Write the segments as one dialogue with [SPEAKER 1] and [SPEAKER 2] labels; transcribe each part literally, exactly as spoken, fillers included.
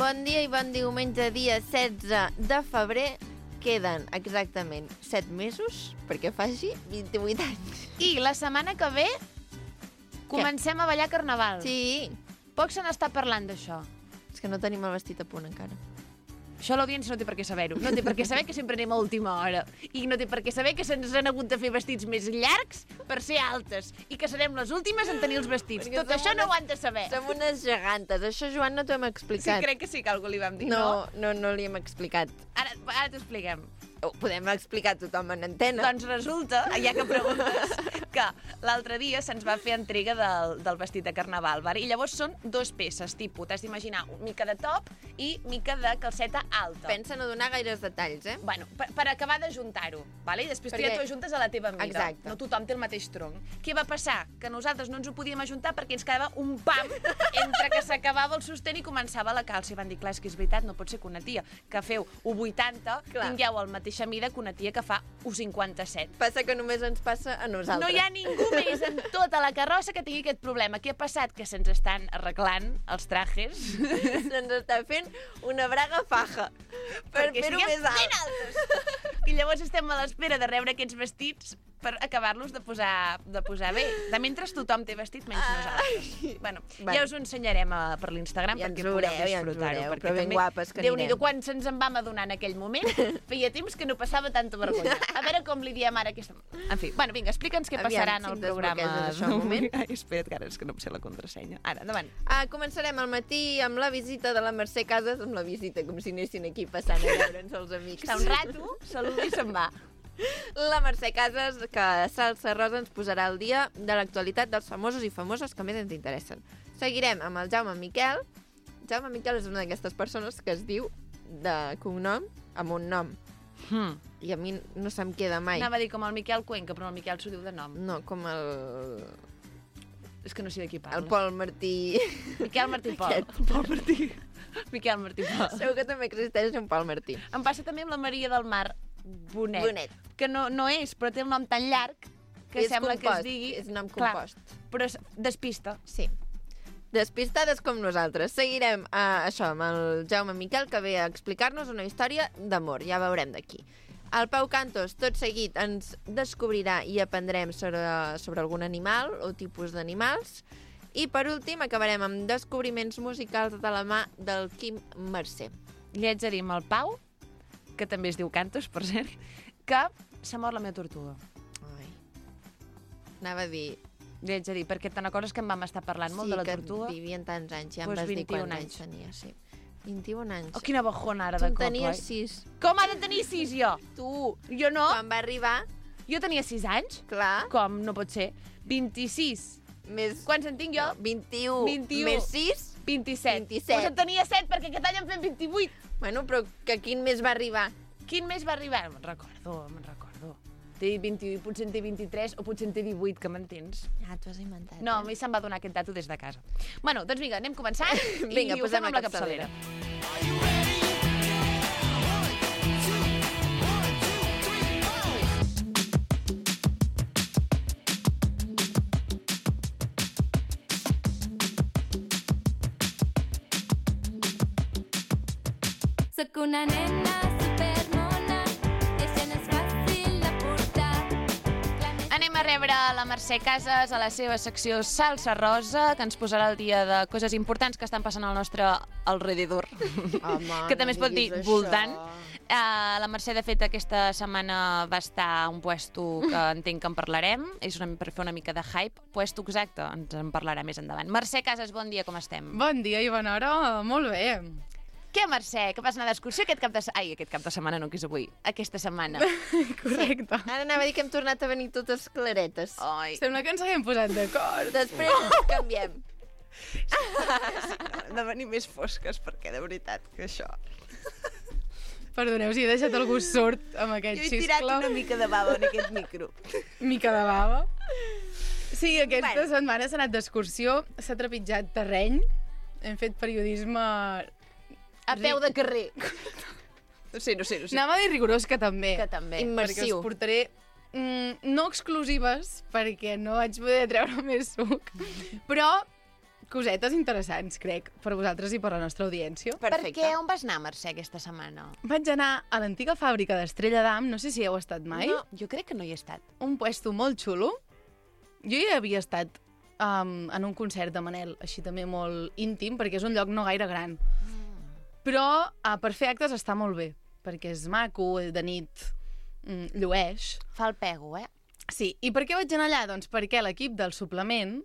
[SPEAKER 1] Bon dia i bon diumenge, dia setze de febrer. Queden exactament set mesos perquè faci vint-i-vuit anys.
[SPEAKER 2] I la setmana que ve comencem a ballar carnaval.
[SPEAKER 1] Sí.
[SPEAKER 2] Poc se n'està parlant d'això.
[SPEAKER 1] És que no tenim el vestit a punt encara.
[SPEAKER 2] Això l'audiència no té per què saber-ho. No té per què saber que sempre anem a última hora. I no té per què saber que se'ns han hagut de fer vestits més llargs per ser altes. I que serem les últimes en tenir els vestits.
[SPEAKER 1] Perquè
[SPEAKER 2] Tot això
[SPEAKER 1] unes,
[SPEAKER 2] no ho han de saber.
[SPEAKER 1] Som unes gegantes. Això, Joan, no t'ho hem explicat.
[SPEAKER 2] Sí, crec que sí que algú li vam dir,
[SPEAKER 1] no?
[SPEAKER 2] No,
[SPEAKER 1] no, no li hem explicat.
[SPEAKER 2] Ara, ara t'ho expliquem.
[SPEAKER 1] Ho podem explicar a tothom en antena.
[SPEAKER 2] Doncs resulta, ja que preguntes, que l'altre dia se'ns va fer entrega del, del vestit de carnaval, val? I llavors són dos peces, tipus, t'has d'imaginar mica de top i mica de calceta alta.
[SPEAKER 1] Pensa no donar gaires detalls, eh?
[SPEAKER 2] Bueno, per, per acabar d'ajuntar-ho, vale? I després
[SPEAKER 1] Perquè...
[SPEAKER 2] tu ja t'ho ajuntes a la teva mida.
[SPEAKER 1] Exacte.
[SPEAKER 2] No tothom té el mateix tronc. Què va passar? Que nosaltres no ens ho podíem ajuntar perquè ens quedava un pam entre que s'acabava el sostén i començava la calça. I van dir, clar, és que és veritat, no pot ser que una tia que feu un vuitanta clar. Tingueu la mateixa mida que una tia que fa un cinquanta-set.
[SPEAKER 1] Passa que només ens passa a nosaltres.
[SPEAKER 2] No hi ha ningú més en tota la carrossa que tingui aquest problema. Què ha passat? Que se'ns estan arreglant els trajes.
[SPEAKER 1] Se'ns està fent una braga faja per fer-ho més alt.
[SPEAKER 2] Altes. I llavors estem a l'espera de rebre aquests vestits per acabar-los de posar, de posar bé. De mentre tothom té vestit, menys Ai. nosaltres. Bueno, bueno, ja us ho ensenyarem a, per l'Instagram
[SPEAKER 1] ja
[SPEAKER 2] perquè
[SPEAKER 1] veureu,
[SPEAKER 2] podeu disfrutar-ho.
[SPEAKER 1] Ja però ben també, guapes que anirem.
[SPEAKER 2] Déu-n'hi-do, quan se'ns en vam adonar en aquell moment, feia temps que no passava tanta vergonya. A veure com li diem ara aquesta... En fi, bueno, vinga, explica'ns què passarà en el programa.
[SPEAKER 1] Això, un moment.
[SPEAKER 2] Ai, espera't, que ara és que no em sé la contrasenya. Ara, endavant.
[SPEAKER 1] Ah, començarem al matí amb la visita de la Mercè Casas, amb la visita, com si anessin aquí passant a veure'ns els amics.
[SPEAKER 2] Està un rato, saluda i se'n va.
[SPEAKER 1] La Mercè Casas, que a Salsa Rosa ens posarà al dia de l'actualitat dels famosos i famoses que més ens interessen. Seguirem amb el Jaume Miquel. Jaume Miquel és una d'aquestes persones que es diu de cognom amb un nom.
[SPEAKER 2] Hmm.
[SPEAKER 1] I a mi no se'm queda mai.
[SPEAKER 2] Anava a dir com el Miquel Cuenca, però el Miquel s'ho diu de nom.
[SPEAKER 1] No, com el...
[SPEAKER 2] És que no sé de qui parles.
[SPEAKER 1] El Pol Martí...
[SPEAKER 2] Miquel Martí Pol.
[SPEAKER 1] Aquest.
[SPEAKER 2] Pol Martí. Miquel Martí Pol.
[SPEAKER 1] Segur que també existeix un Pol Martí.
[SPEAKER 2] Em passa també amb la Maria del Mar Bonet.
[SPEAKER 1] Bonet.
[SPEAKER 2] Que no, no és, però té el nom tan llarg que
[SPEAKER 1] és
[SPEAKER 2] sembla
[SPEAKER 1] compost,
[SPEAKER 2] que es digui...
[SPEAKER 1] És nom
[SPEAKER 2] Clar,
[SPEAKER 1] compost.
[SPEAKER 2] però es despista.
[SPEAKER 1] Sí. Despistades com nosaltres. Seguirem uh, això amb el Jaume Miquel, que ve a explicar-nos una història d'amor. Ja veurem d'aquí. El Pau Cantos, tot seguit, ens descobrirà i aprendrem sobre, sobre algun animal o tipus d'animals. I, per últim, acabarem amb descobriments musicals de la mà del Quim Mercè.
[SPEAKER 2] Li haig de dir amb el Pau, que també es diu Cantos, per cert, que s'ha mort la meva tortuga.
[SPEAKER 1] Ai. Anava a dir...
[SPEAKER 2] Li haig de dir, perquè te'n recordes que en vam estar parlant molt
[SPEAKER 1] sí,
[SPEAKER 2] de la tortuga?
[SPEAKER 1] Sí, que vivien tants anys, ja em
[SPEAKER 2] pues
[SPEAKER 1] vas dir quants
[SPEAKER 2] anys.
[SPEAKER 1] anys tenia, sí. vint-i-un anys.
[SPEAKER 2] Oh, quina bajona ara
[SPEAKER 1] tu
[SPEAKER 2] de cop,
[SPEAKER 1] tenies
[SPEAKER 2] oi?
[SPEAKER 1] sis.
[SPEAKER 2] Com ha de tenir sis, jo?
[SPEAKER 1] Tu.
[SPEAKER 2] Jo no.
[SPEAKER 1] Quan va arribar...
[SPEAKER 2] Jo tenia sis anys?
[SPEAKER 1] Clar.
[SPEAKER 2] Com? No pot ser. vint-i-sis.
[SPEAKER 1] Més...
[SPEAKER 2] Quants en tinc jo?
[SPEAKER 1] No, vint-i-u.
[SPEAKER 2] vint-i-u.
[SPEAKER 1] Més sis?
[SPEAKER 2] vint-i-set.
[SPEAKER 1] vint-i-set.
[SPEAKER 2] Pues en tenia set, perquè aquest any en fem vint-i-vuit.
[SPEAKER 1] Bueno, però que quin mes va arribar?
[SPEAKER 2] Quin mes va arribar? Me'n recordo, me'n recordo. Té vint, potser en té vint-i-tres o potser en té divuit, que m'entens?
[SPEAKER 1] Ah, t'ho has inventat.
[SPEAKER 2] No, a
[SPEAKER 1] eh?
[SPEAKER 2] mi se'm va donar aquest dato des de casa. Bueno, doncs vinga, anem començant
[SPEAKER 1] vinga,
[SPEAKER 2] i ho fem amb la
[SPEAKER 1] capçalera.
[SPEAKER 2] capçalera.
[SPEAKER 3] Soc una nena supermona i això no és fàcil de portar.
[SPEAKER 2] Anem a rebre la Mercè Casas a la seva secció Salsa Rosa, que ens posarà al dia de coses importants que estan passant al nostre alrededor.
[SPEAKER 1] Home,
[SPEAKER 2] que també
[SPEAKER 1] no
[SPEAKER 2] es pot dir
[SPEAKER 1] diguis
[SPEAKER 2] voltant.
[SPEAKER 1] això.
[SPEAKER 2] Uh, la Mercè, de fet, aquesta setmana va estar a un puesto que entenc que en parlarem. És una, per fer una mica de hype. Puesto exacte, ens en parlarà més endavant. Mercè Casas, bon dia, com estem?
[SPEAKER 4] Bon dia i bona hora, molt bé.
[SPEAKER 2] Què, Mercè, que vas anar d'excursió aquest cap de setmana? Ai, aquest cap de setmana no, que és avui. Aquesta setmana.
[SPEAKER 4] Correcte.
[SPEAKER 1] Sí. Ara anava a dir que hem tornat a venir totes claretes.
[SPEAKER 2] Ai.
[SPEAKER 4] Sembla que ens haguem posat d'acord.
[SPEAKER 1] Després ens canviem.
[SPEAKER 2] Sí, de venir més fosques, perquè de veritat que això...
[SPEAKER 4] Perdoneu si he deixat algú sord amb aquest
[SPEAKER 2] Jo he tirat
[SPEAKER 4] xiscle.
[SPEAKER 2] una mica de bava en aquest micro.
[SPEAKER 4] Mica de bava. Sí, aquesta
[SPEAKER 2] Bueno.
[SPEAKER 4] setmana s'ha anat d'excursió, s'ha trepitjat terreny, hem fet periodisme...
[SPEAKER 2] A peu de carrer. No sé, no sé, no sé.
[SPEAKER 4] Anava a dir rigorós, que també.
[SPEAKER 2] Que també.
[SPEAKER 4] Perquè us portaré mm, no exclusives, perquè no vaig poder treure més suc, però cosetes interessants, crec, per vosaltres i per la nostra audiència.
[SPEAKER 1] Perfecte.
[SPEAKER 2] Per què? On vas anar, Mercè, aquesta setmana?
[SPEAKER 4] Vaig anar a l'antiga fàbrica d'Estrella d'Am, no sé si hi heu estat mai.
[SPEAKER 1] No.
[SPEAKER 2] Jo crec que no hi he estat.
[SPEAKER 4] Un puesto molt xulo. Jo hi havia estat um, en un concert de Manel, així també molt íntim, perquè és un lloc no gaire gran. Mm. Però uh, per fer actes està molt bé, perquè és maco, de nit mm, llueix.
[SPEAKER 2] Fa el pego, eh?
[SPEAKER 4] Sí, i per què vaig anar allà? Doncs perquè l'equip del suplement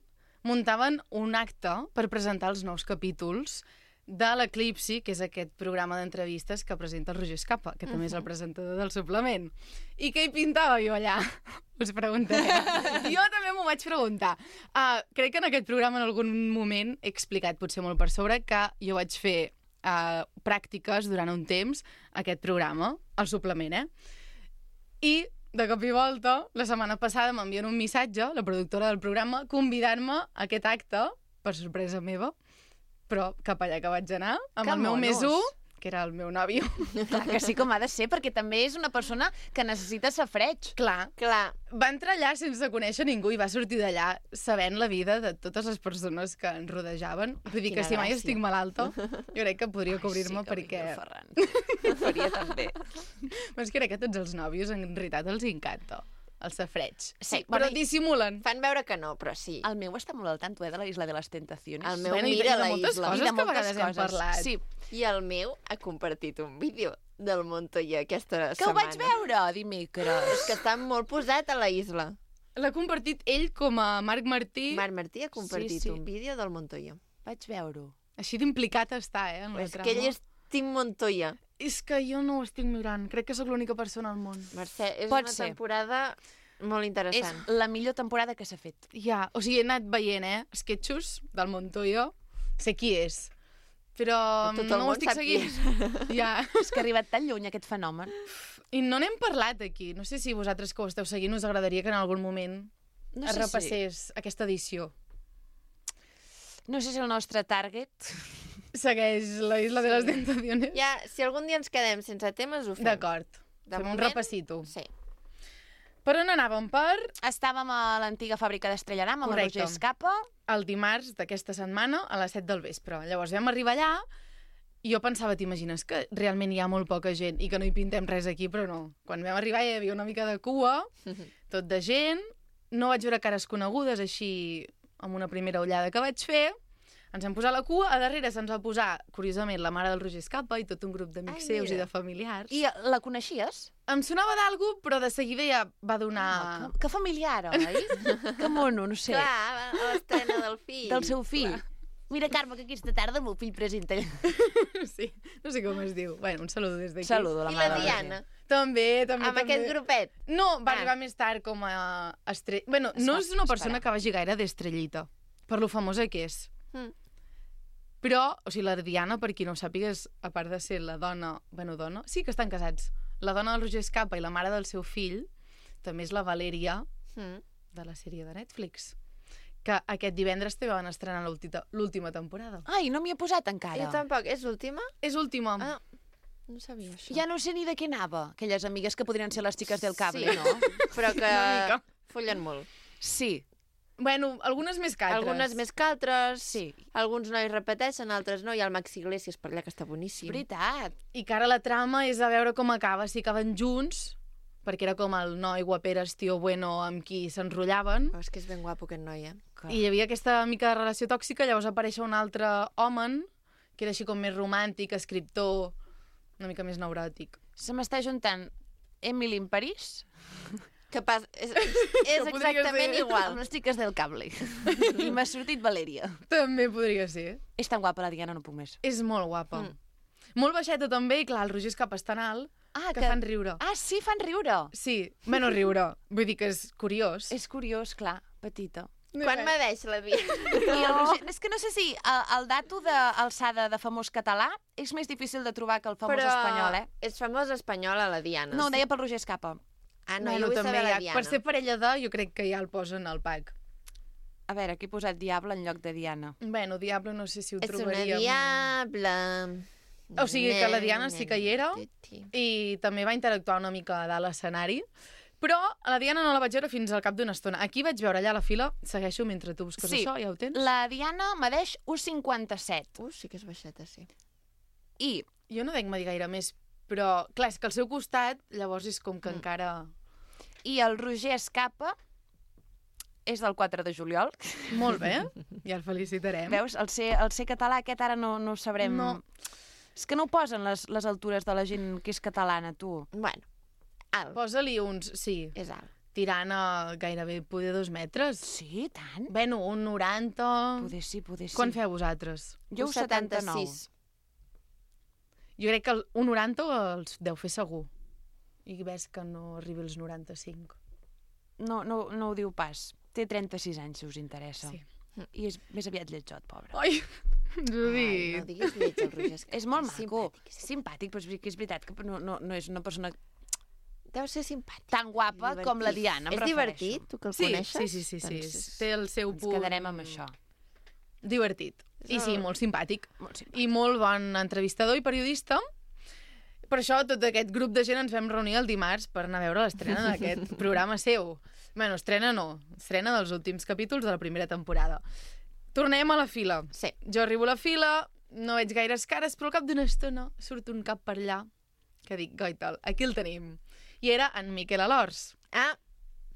[SPEAKER 4] muntaven un acte per presentar els nous capítols de l'Eclipsi, que és aquest programa d'entrevistes que presenta el Roger Escapa, que també és el presentador del suplement. I què hi pintava jo allà? Us preguntaré. Jo també m'ho vaig preguntar. Uh, crec que en aquest programa en algun moment he explicat, potser molt per sobre, que jo vaig fer uh, pràctiques durant un temps a aquest programa, al suplement, eh? I de cop i volta, la setmana passada m'envien un missatge, la productora del programa, convidant-me a aquest acte, per sorpresa meva, però cap allà que vaig anar, amb
[SPEAKER 2] Que
[SPEAKER 4] el meu
[SPEAKER 2] monos.
[SPEAKER 4] més u, que era el meu nòvio.
[SPEAKER 2] Clar que sí, com ha de ser, perquè també és una persona que necessita safreig.
[SPEAKER 4] Clar,
[SPEAKER 1] Clar,
[SPEAKER 4] va entrar allà sense conèixer ningú i va sortir d'allà sabent la vida de totes les persones que ens rodejaven. Vull dir que
[SPEAKER 2] Quina
[SPEAKER 4] si mai
[SPEAKER 2] gràcia.
[SPEAKER 4] estic malalta, jo crec que podria cobrir-me
[SPEAKER 2] sí, que
[SPEAKER 4] perquè...
[SPEAKER 2] vinga el Ferran. Ho faria també.
[SPEAKER 4] Però és que crec que a tots els nòvios en realitat els encanta el safreig.
[SPEAKER 2] Sí,
[SPEAKER 4] però
[SPEAKER 2] bueno, i-
[SPEAKER 4] dissimulen.
[SPEAKER 1] fan veure que no, però sí.
[SPEAKER 2] El meu està molt al tanto, eh, de la Isla de les Tentaciones.
[SPEAKER 1] El meu
[SPEAKER 4] Bueno, i de-
[SPEAKER 1] mira
[SPEAKER 4] i de
[SPEAKER 1] la
[SPEAKER 4] moltes
[SPEAKER 1] isla.
[SPEAKER 4] coses
[SPEAKER 2] I de
[SPEAKER 4] que a
[SPEAKER 2] moltes
[SPEAKER 4] vegades hem
[SPEAKER 2] coses.
[SPEAKER 4] parlat.
[SPEAKER 2] Sí.
[SPEAKER 1] I el meu ha compartit un vídeo del Montoya aquesta
[SPEAKER 2] Que ho
[SPEAKER 1] setmana.
[SPEAKER 2] vaig veure dimecres.
[SPEAKER 1] És que està molt posat a la isla.
[SPEAKER 4] L'ha compartit ell com a Marc Martí.
[SPEAKER 1] Marc Martí ha compartit
[SPEAKER 2] Sí, sí.
[SPEAKER 1] un vídeo del Montoya.
[SPEAKER 2] Vaig veure-ho.
[SPEAKER 4] Així d'implicat està, eh, en la
[SPEAKER 1] És
[SPEAKER 4] trama.
[SPEAKER 1] que ell és Team Montoya.
[SPEAKER 4] És que jo no ho estic mirant. Crec que sóc l'única persona al món.
[SPEAKER 1] Mercè, és
[SPEAKER 2] Pot
[SPEAKER 1] una
[SPEAKER 2] ser.
[SPEAKER 1] temporada molt
[SPEAKER 2] És
[SPEAKER 1] interessant.
[SPEAKER 2] la millor temporada que s'ha fet.
[SPEAKER 4] Ja, o sigui, he anat veient, eh, sketchos del Montoya. Sé qui és. Però
[SPEAKER 1] Tot el
[SPEAKER 4] no ho
[SPEAKER 1] món
[SPEAKER 4] estic
[SPEAKER 1] sap qui
[SPEAKER 4] seguint. Ja.
[SPEAKER 2] És que ha arribat tan lluny aquest fenomen.
[SPEAKER 4] I no n'hem parlat aquí. No sé si vosaltres que ho esteu seguint us agradaria que en algun moment
[SPEAKER 2] No
[SPEAKER 4] es
[SPEAKER 2] sé, si,
[SPEAKER 4] repassés aquesta edició.
[SPEAKER 2] no sé si el nostre target...
[SPEAKER 4] Segueix la Isla de les Tentaciones.
[SPEAKER 1] Ja, si algun dia ens quedem sense temes, ho fem.
[SPEAKER 4] D'acord.
[SPEAKER 1] De
[SPEAKER 4] Fem un
[SPEAKER 1] moment,
[SPEAKER 4] repassito.
[SPEAKER 1] Sí.
[SPEAKER 4] Per on anàvem? Per
[SPEAKER 2] Estàvem a l'antiga fàbrica d'Estrella d'Am amb el
[SPEAKER 4] Correcte.
[SPEAKER 2] Roger Escapa.
[SPEAKER 4] el dimarts d'aquesta setmana a les set del vespre. Llavors vam arribar allà i jo pensava, t'imagines que realment hi ha molt poca gent i que no hi pintem res aquí, però no. Quan vam arribar hi havia una mica de cua, tot de gent, no vaig veure cares conegudes així amb una primera ullada que vaig fer, ens vam posar a la cua, a darrere se'ns va posar, curiosament, la mare del Roger Escapa i tot un grup d'amics
[SPEAKER 1] Ai,
[SPEAKER 4] seus i
[SPEAKER 1] mira.
[SPEAKER 4] de familiars.
[SPEAKER 2] I la coneixies?
[SPEAKER 4] Em sonava d'algú, però de seguida ja va donar...
[SPEAKER 2] Ah, que, que familiar, oi? que mono, no sé.
[SPEAKER 1] Clar, a l'estrena del fill.
[SPEAKER 2] Del seu fill. Mira, Carme, que aquesta tarda el meu fill presenta...
[SPEAKER 4] Sí, no sé com es diu. Bueno, un saludo des d'aquí.
[SPEAKER 2] Saludo a la
[SPEAKER 1] I
[SPEAKER 2] mare
[SPEAKER 1] la
[SPEAKER 2] del
[SPEAKER 1] Diana,
[SPEAKER 4] També, també,
[SPEAKER 1] amb
[SPEAKER 4] també.
[SPEAKER 1] aquest grupet.
[SPEAKER 4] No, va
[SPEAKER 1] Ah.
[SPEAKER 4] arribar més tard com a estrella... Bueno,
[SPEAKER 2] Es
[SPEAKER 4] no
[SPEAKER 2] va
[SPEAKER 4] és una persona
[SPEAKER 2] esperar.
[SPEAKER 4] que vagi gaire d'estrellita, per lo famosa que és.
[SPEAKER 1] Mm.
[SPEAKER 4] Però, o sigui, la Diana, per qui no ho sàpiga, és, a part de ser la dona... Bueno, dona... Sí que estan casats. La dona del Roger Escapa i la mare del seu fill també és la Valèria
[SPEAKER 1] Mm.
[SPEAKER 4] de la sèrie de Netflix, que aquest divendres també van estrenar l'última l'última temporada.
[SPEAKER 2] Ai, no m'hi he posat encara.
[SPEAKER 1] Jo tampoc. És l'última?
[SPEAKER 4] És última.
[SPEAKER 1] Ah, no sabia això.
[SPEAKER 2] Ja no sé ni de què anava. Aquelles amigues que podrien ser les xiques del cable,
[SPEAKER 1] Sí.
[SPEAKER 2] no?
[SPEAKER 1] Però que
[SPEAKER 4] Una mica.
[SPEAKER 1] follen molt.
[SPEAKER 2] Sí,
[SPEAKER 4] Bueno, algunes més que altres.
[SPEAKER 1] Algunes més que altres.
[SPEAKER 2] sí.
[SPEAKER 1] Alguns nois repeteixen, altres no. Hi ha el Maxi Iglesias per allà, que està boníssim.
[SPEAKER 2] Veritat.
[SPEAKER 4] I que ara la trama és a veure com acaba, si acaben junts, perquè era com el noi guaperes tio bueno amb qui s'enrotllaven,
[SPEAKER 1] Oh, és que és ben guapo aquest noi, eh?
[SPEAKER 4] i hi havia aquesta mica de relació tòxica, llavors apareix un altre home, que era així com més romàntic, escriptor, una mica més neuròtic.
[SPEAKER 2] Se m'està juntant Emily in París
[SPEAKER 1] Que pas... és, és
[SPEAKER 4] Que podria
[SPEAKER 1] exactament
[SPEAKER 4] ser.
[SPEAKER 1] igual.
[SPEAKER 2] amb les xiques del cable. I m'ha sortit Valèria.
[SPEAKER 4] També podria ser.
[SPEAKER 2] És tan guapa la Diana, no puc més.
[SPEAKER 4] És molt guapa.
[SPEAKER 1] Mm.
[SPEAKER 4] Molt baixeta també, i clar, el Roger Escapa és tan alt
[SPEAKER 2] Ah,
[SPEAKER 4] que, fan riure.
[SPEAKER 2] Ah, sí, fan riure.
[SPEAKER 4] Sí, menys riure. Vull dir que és curiós.
[SPEAKER 2] És curiós, clar, petita.
[SPEAKER 1] Quan medeix la vida?
[SPEAKER 2] I el Roger, és que no sé si el, el dato d'alçada de famós català és més difícil de trobar que el famós
[SPEAKER 1] Però
[SPEAKER 2] espanyol, eh?
[SPEAKER 1] és famós espanyola, la Diana.
[SPEAKER 2] No, ho deia pel Roger Escapa.
[SPEAKER 1] Ah, no,
[SPEAKER 4] bueno,
[SPEAKER 1] jo vull
[SPEAKER 4] també
[SPEAKER 1] saber
[SPEAKER 4] hi
[SPEAKER 1] la
[SPEAKER 4] ha,
[SPEAKER 1] Diana.
[SPEAKER 4] per ser parella de, jo crec que ja el posen al pack.
[SPEAKER 2] A veure, aquí he posat Diable en lloc de Diana.
[SPEAKER 4] Bueno, Diable no sé si ho
[SPEAKER 1] És una
[SPEAKER 4] trobaríem.
[SPEAKER 1] diable...
[SPEAKER 4] O sigui que la Diana sí que hi era.
[SPEAKER 1] Sí.
[SPEAKER 4] I també va interactuar una mica a dalt l'escenari, Però a la Diana no la vaig veure fins al cap d'una estona. Aquí vaig veure allà a la fila, segueixo mentre tu busques
[SPEAKER 2] Sí.
[SPEAKER 4] això, ja ho tens?
[SPEAKER 2] La Diana medeix u cinquanta-set.
[SPEAKER 1] Uh, sí que és baixeta, sí.
[SPEAKER 2] I
[SPEAKER 4] Jo no dec medir gaire més, però clar, és que al seu costat llavors és com que
[SPEAKER 2] Mm.
[SPEAKER 4] encara...
[SPEAKER 2] I el Roger Escapa és del quatre de juliol.
[SPEAKER 4] Molt bé, ja el felicitarem.
[SPEAKER 2] Veus? El ser, el ser català aquest ara no, no ho sabrem.
[SPEAKER 4] No.
[SPEAKER 2] És que no ho posen les, les altures de la gent que és catalana, tu.
[SPEAKER 1] Bueno, alt.
[SPEAKER 4] Posa-li uns, sí,
[SPEAKER 1] És alt.
[SPEAKER 4] tirant a gairebé poder dos metres.
[SPEAKER 2] Sí, tant.
[SPEAKER 4] Bueno, un noranta...
[SPEAKER 2] Poder sí, poder sí.
[SPEAKER 4] Quan feu vosaltres?
[SPEAKER 2] Jo un setanta-nou.
[SPEAKER 4] Jo crec que el, un noranta els deu fer segur. I ves que no arribi als noranta-cinc.
[SPEAKER 2] No, no, no ho diu pas. Té trenta-sis anys, si us interessa.
[SPEAKER 4] Sí.
[SPEAKER 2] I és més aviat lletjot, pobre.
[SPEAKER 4] Ai, ens ho
[SPEAKER 1] Ai,
[SPEAKER 4] dit.
[SPEAKER 1] no diguis lleig, el Roger. És,
[SPEAKER 2] És molt
[SPEAKER 1] és
[SPEAKER 2] maco.
[SPEAKER 1] simpàtic,
[SPEAKER 2] És simpàtic, però és que és veritat que no, no, no és una persona
[SPEAKER 1] Deu ser simpàtic.
[SPEAKER 2] tan guapa
[SPEAKER 1] Divertit.
[SPEAKER 2] com la Diana, em
[SPEAKER 1] És
[SPEAKER 2] refereixo.
[SPEAKER 1] divertit, tu que el
[SPEAKER 4] Sí,
[SPEAKER 1] coneixes?
[SPEAKER 4] sí, sí, sí, sí.
[SPEAKER 1] Doncs
[SPEAKER 4] Té el seu
[SPEAKER 2] Ens
[SPEAKER 4] punt...
[SPEAKER 2] quedarem amb això.
[SPEAKER 4] Divertit. I sí,
[SPEAKER 1] el-
[SPEAKER 4] molt simpàtic.
[SPEAKER 2] Molt simpàtic.
[SPEAKER 4] I molt bon entrevistador i periodista. Per això tot aquest grup de gent ens vam reunir el dimarts per anar a veure l'estrena d'aquest programa seu. Bueno, estrena no. Estrena dels últims capítols de la primera temporada. Tornem a la fila.
[SPEAKER 1] Sí.
[SPEAKER 4] Jo arribo a la fila, no veig gaires cares, però al cap d'una estona surt un cap per allà que dic, goital, aquí el tenim. I era en Miquel Alors.
[SPEAKER 1] Ah,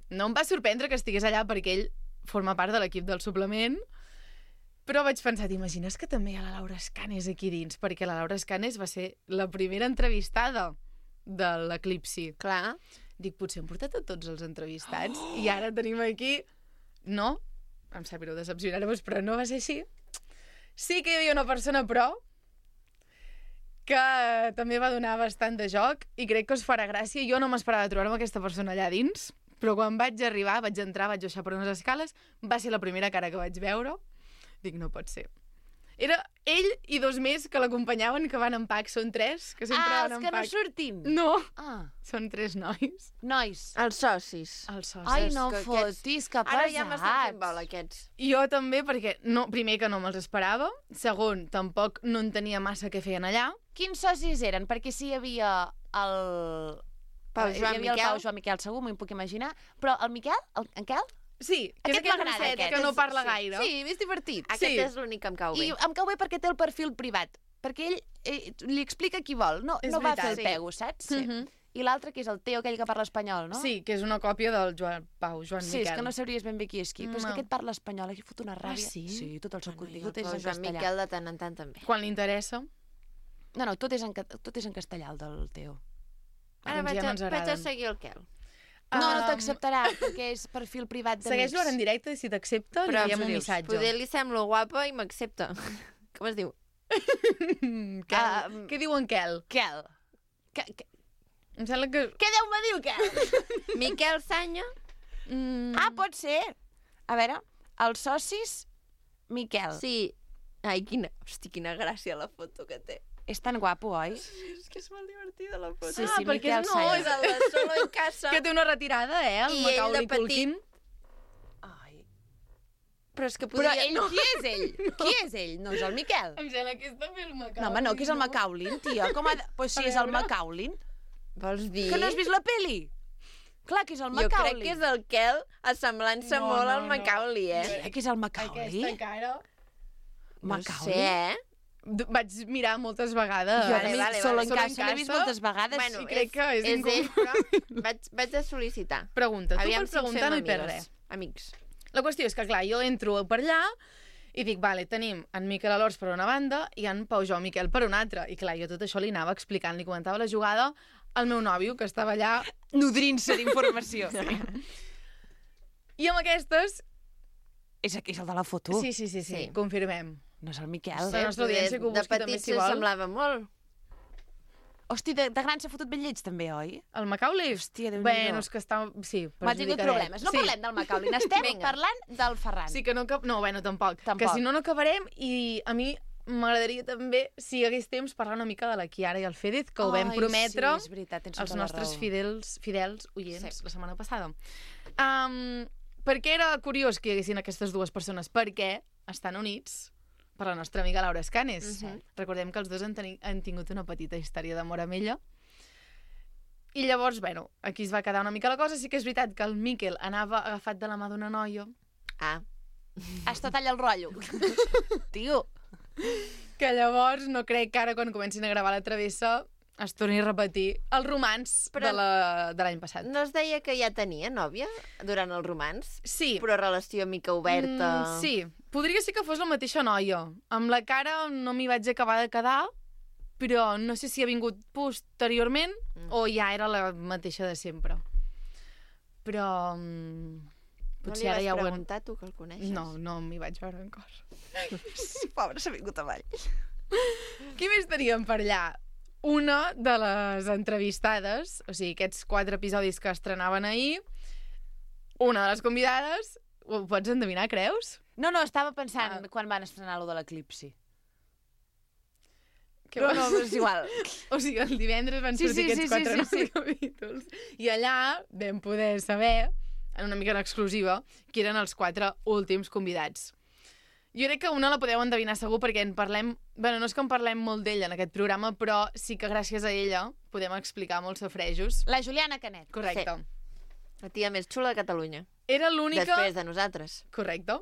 [SPEAKER 4] No em va sorprendre que estigués allà perquè ell forma part de l'equip del suplement, però vaig pensar, t'imagines que també hi ha la Laura Escanes aquí dins? Perquè la Laura Escanes va ser la primera entrevistada de l'Eclipsi.
[SPEAKER 1] clar.
[SPEAKER 4] Dic, potser hem portat a tots els entrevistats oh! i ara tenim aquí... No, em sap greu decepcionar-vos, però no va ser així. Sí que hi havia una persona, però, que també va donar bastant de joc i crec que us farà gràcia. Jo no m'esperava trobar-me aquesta persona allà dins, però quan vaig arribar, vaig entrar, vaig baixar per unes escales, va ser la primera cara que vaig veure. Dic, no pot ser. Era ell i dos més que l'acompanyaven, que van en pack. Són tres, que sempre
[SPEAKER 2] Ah,
[SPEAKER 4] van
[SPEAKER 2] els
[SPEAKER 4] en
[SPEAKER 2] que no
[SPEAKER 4] pack.
[SPEAKER 2] surtin.
[SPEAKER 4] No,
[SPEAKER 2] Ah,
[SPEAKER 4] són tres nois.
[SPEAKER 2] nois.
[SPEAKER 1] Els socis.
[SPEAKER 4] Els socis.
[SPEAKER 2] Ai, no
[SPEAKER 1] que
[SPEAKER 2] fotis, que pesats.
[SPEAKER 1] Ara ja m'estan fent bola, aquests.
[SPEAKER 4] Jo també, perquè no, primer que no me'ls esperava, segon, tampoc no en tenia massa què feien allà.
[SPEAKER 2] Quins socis eren? Perquè sí hi havia el...
[SPEAKER 1] Pau
[SPEAKER 2] hi
[SPEAKER 1] Joan
[SPEAKER 2] havia el
[SPEAKER 1] Miquel.
[SPEAKER 2] Pau Joan Miquel, segur, m'ho puc imaginar. Però el Miquel, el, en Quel?
[SPEAKER 4] Sí, que
[SPEAKER 2] Aquest
[SPEAKER 4] és aquell
[SPEAKER 2] m'agrada,
[SPEAKER 4] gosset
[SPEAKER 2] aquest.
[SPEAKER 4] que no parla
[SPEAKER 1] Sí.
[SPEAKER 4] gaire.
[SPEAKER 2] Sí, és divertit.
[SPEAKER 1] Aquest
[SPEAKER 4] Sí.
[SPEAKER 1] és l'únic que em cau bé.
[SPEAKER 2] I em cau bé perquè té el perfil privat. Perquè ell eh, li explica qui vol. No,
[SPEAKER 4] És
[SPEAKER 2] no va
[SPEAKER 4] veritat,
[SPEAKER 2] fer el
[SPEAKER 1] sí.
[SPEAKER 2] pego, saps?
[SPEAKER 4] Sí. Mhm.
[SPEAKER 2] I l'altre, que és el Teo, aquell que parla espanyol, no?
[SPEAKER 4] Sí, que és una còpia del Joan Pau, Joan
[SPEAKER 2] Sí,
[SPEAKER 4] Miquel.
[SPEAKER 2] és que no sabries ben bé qui és qui. Però és
[SPEAKER 4] No.
[SPEAKER 2] que aquest parla espanyol, aquí fot una ràbia.
[SPEAKER 4] sí?
[SPEAKER 2] Sí, tot el seu
[SPEAKER 1] Bueno, i el
[SPEAKER 2] contingut és
[SPEAKER 1] Pau
[SPEAKER 2] en
[SPEAKER 1] Joan
[SPEAKER 2] castellà.
[SPEAKER 1] Miquel de tant en tant també.
[SPEAKER 4] Quan li interessa.
[SPEAKER 2] No, no, tot és en, ca- tot és en castellà, el del Teo.
[SPEAKER 1] Ara
[SPEAKER 4] Doncs
[SPEAKER 1] vaig,
[SPEAKER 4] ja no
[SPEAKER 1] a,
[SPEAKER 4] ens
[SPEAKER 1] vaig a
[SPEAKER 4] agraden.
[SPEAKER 1] seguir el Quel.
[SPEAKER 2] No, no
[SPEAKER 4] Um,
[SPEAKER 2] t'acceptarà, perquè és perfil privat d'amics.
[SPEAKER 4] Segueix-lo ara en directe i si t'accepta li
[SPEAKER 1] Però
[SPEAKER 4] enviem
[SPEAKER 2] ens ho
[SPEAKER 4] un
[SPEAKER 2] dius.
[SPEAKER 4] missatge.
[SPEAKER 1] Poder li semblo guapa i m'accepta. Com es diu?
[SPEAKER 4] Mm, Quel.
[SPEAKER 2] Ah,
[SPEAKER 4] Què diu en Quel?
[SPEAKER 2] Quel. Que, que,
[SPEAKER 4] Em sembla que...
[SPEAKER 2] què deu-me dir, el Quel?
[SPEAKER 1] Miquel Sanya.
[SPEAKER 4] Mm,
[SPEAKER 2] Ah, pot ser. A veure, els socis, Miquel.
[SPEAKER 1] Sí. Ai, quina... Hosti, quina gràcia la foto que té.
[SPEAKER 2] És tan guapo, oi?
[SPEAKER 1] És que és molt divertida la foto.
[SPEAKER 2] Sí,
[SPEAKER 4] ah,
[SPEAKER 2] sí,
[SPEAKER 4] perquè
[SPEAKER 2] Miquel
[SPEAKER 4] és
[SPEAKER 2] Sanya.
[SPEAKER 4] no,
[SPEAKER 1] És el de Solo en Casa.
[SPEAKER 4] que té una retirada, eh, el
[SPEAKER 1] I ell de
[SPEAKER 4] Macaulay
[SPEAKER 1] petit.
[SPEAKER 4] Culkin.
[SPEAKER 2] Ai.
[SPEAKER 1] Però és que
[SPEAKER 2] Però
[SPEAKER 1] podria...
[SPEAKER 2] ell, qui és ell? Qui és ell? No és el Miquel.
[SPEAKER 4] Em sembla que és també el Macaulay.
[SPEAKER 2] No, home, no, que és el Macaulin, tia. Com ha de... Pues sí,
[SPEAKER 4] A
[SPEAKER 2] és el
[SPEAKER 4] veure.
[SPEAKER 2] Macaulin.
[SPEAKER 1] Vols dir?
[SPEAKER 2] Que no has vist la peli? Clar que és el
[SPEAKER 1] Jo
[SPEAKER 2] Macaulin.
[SPEAKER 1] crec que és el Quel assemblant-se
[SPEAKER 4] No,
[SPEAKER 1] molt
[SPEAKER 4] no,
[SPEAKER 1] al
[SPEAKER 4] no.
[SPEAKER 1] Macaulay, eh?
[SPEAKER 2] Tia, que és el Macaulin?
[SPEAKER 4] Aquesta cara...
[SPEAKER 1] No
[SPEAKER 2] Macaulay?
[SPEAKER 1] sé, eh?
[SPEAKER 4] D- Vaig mirar moltes vegades.
[SPEAKER 2] Jo
[SPEAKER 1] Vale,
[SPEAKER 2] també
[SPEAKER 1] vale,
[SPEAKER 2] solo
[SPEAKER 1] vale.
[SPEAKER 2] en
[SPEAKER 4] Solo en
[SPEAKER 2] casa l'he vist
[SPEAKER 4] casa.
[SPEAKER 2] moltes vegades.
[SPEAKER 1] Bueno,
[SPEAKER 4] i crec que és
[SPEAKER 1] és ell,
[SPEAKER 4] incompre-
[SPEAKER 1] però vaig, vaig a sol·licitar.
[SPEAKER 4] Pregunta, tu
[SPEAKER 1] Aviam
[SPEAKER 4] per
[SPEAKER 1] si ens
[SPEAKER 4] preguntar no
[SPEAKER 1] fem
[SPEAKER 4] hi perds
[SPEAKER 1] amigues.
[SPEAKER 4] res.
[SPEAKER 1] Amics.
[SPEAKER 4] La qüestió és que, clar, jo entro per allà i dic, vale, tenim en Miquel Alors per una banda i en Pau Joan Miquel per una altra. I clar, jo tot això li anava explicant, li comentava la jugada al meu nòvio, que estava allà.
[SPEAKER 2] Nodrint-se d'informació.
[SPEAKER 4] I amb aquestes...
[SPEAKER 2] És aquí, és el de la foto?
[SPEAKER 4] Sí, sí, sí, sí,
[SPEAKER 1] Sí.
[SPEAKER 4] confirmem.
[SPEAKER 2] No és el Miquel?
[SPEAKER 4] La nostra audiència que ho
[SPEAKER 1] de
[SPEAKER 4] busqui també,
[SPEAKER 1] petit
[SPEAKER 4] si vol.
[SPEAKER 1] semblava molt.
[SPEAKER 2] Hosti, de, de gran s'ha fotut ben lleig, també, oi?
[SPEAKER 4] El Macaulay?
[SPEAKER 2] Hòstia, Déu-n'hi-do.
[SPEAKER 4] Bueno, és que està... Sí,
[SPEAKER 2] M'ha tingut
[SPEAKER 4] perjudicadet.
[SPEAKER 2] problemes. No
[SPEAKER 4] sí.
[SPEAKER 2] parlem del Macaulin, estem
[SPEAKER 1] Vinga.
[SPEAKER 2] parlant del Ferran.
[SPEAKER 4] Sí que no... Cap... No, bueno, tampoc.
[SPEAKER 2] Tampoc.
[SPEAKER 4] Que si no, no acabarem i a mi m'agradaria també, si hi hagués temps, parlar una mica de la Chiara i el Fèdez, que ho vam
[SPEAKER 2] Ai,
[SPEAKER 4] prometre
[SPEAKER 2] sí, és veritat, tens
[SPEAKER 4] als
[SPEAKER 2] tota la
[SPEAKER 4] nostres
[SPEAKER 2] raó.
[SPEAKER 4] fidels, fidels oients
[SPEAKER 1] Sí.
[SPEAKER 4] la setmana passada. Um, per què era curiós que hi haguessin aquestes dues persones? Perquè estan units per la nostra amiga Laura Escanes.
[SPEAKER 1] Mhm.
[SPEAKER 4] Recordem que els dos han, teni han tingut una petita història d'amor amb ella. I llavors, bueno, aquí es va quedar una mica la cosa. Sí que és veritat que el Miquel anava agafat de la mà d'una noia.
[SPEAKER 1] Ah.
[SPEAKER 2] Has tot allà el rotllo. Tio.
[SPEAKER 4] Que llavors no crec que ara, quan comencin a gravar la travessa, es torni a repetir el romans
[SPEAKER 1] Però
[SPEAKER 4] de la- de l'any passat.
[SPEAKER 1] No es deia que ja tenia nòvia durant el romans?
[SPEAKER 4] Sí.
[SPEAKER 1] Però relació mica oberta...
[SPEAKER 4] Mm, sí. Podria ser que fos la mateixa noia. Amb la cara no m'hi vaig acabar de quedar, però no sé si ha vingut posteriorment
[SPEAKER 1] Mm.
[SPEAKER 4] o ja era la mateixa de sempre. Però... mm,
[SPEAKER 1] No li
[SPEAKER 4] potser
[SPEAKER 1] vas
[SPEAKER 4] ara ja ho...
[SPEAKER 1] preguntar, tu, que el coneixes?
[SPEAKER 4] No, no m'hi vaig veure encara.
[SPEAKER 2] Pobre, s'ha vingut avall.
[SPEAKER 4] Qui més teníem per allà? Una de les entrevistades, o sigui, aquests quatre episodis que estrenaven ahir, una de les convidades, ho pots endevinar, creus?
[SPEAKER 2] No, no, estava pensant
[SPEAKER 4] Ah.
[SPEAKER 2] quan van estrenar lo de l'eclipsi.
[SPEAKER 4] Que
[SPEAKER 2] No,
[SPEAKER 4] va-
[SPEAKER 2] no, és igual.
[SPEAKER 4] O sigui, el divendres van
[SPEAKER 2] Sí,
[SPEAKER 4] sortir
[SPEAKER 2] sí,
[SPEAKER 4] aquests
[SPEAKER 2] sí,
[SPEAKER 4] quatre
[SPEAKER 2] sí, sí,
[SPEAKER 4] nous capítols. I allà vam poder saber, en una mica en exclusiva, qui eren els quatre últims convidats. Jo crec que una la podeu endevinar segur perquè en parlem... Bueno, no és que en parlem molt d'ella en aquest programa, però sí que gràcies a ella podem explicar molts safrejos.
[SPEAKER 2] La Juliana Canet.
[SPEAKER 4] Correcte.
[SPEAKER 1] La tia més xula de Catalunya.
[SPEAKER 4] Era l'única...
[SPEAKER 1] Després de nosaltres.
[SPEAKER 4] Correcte.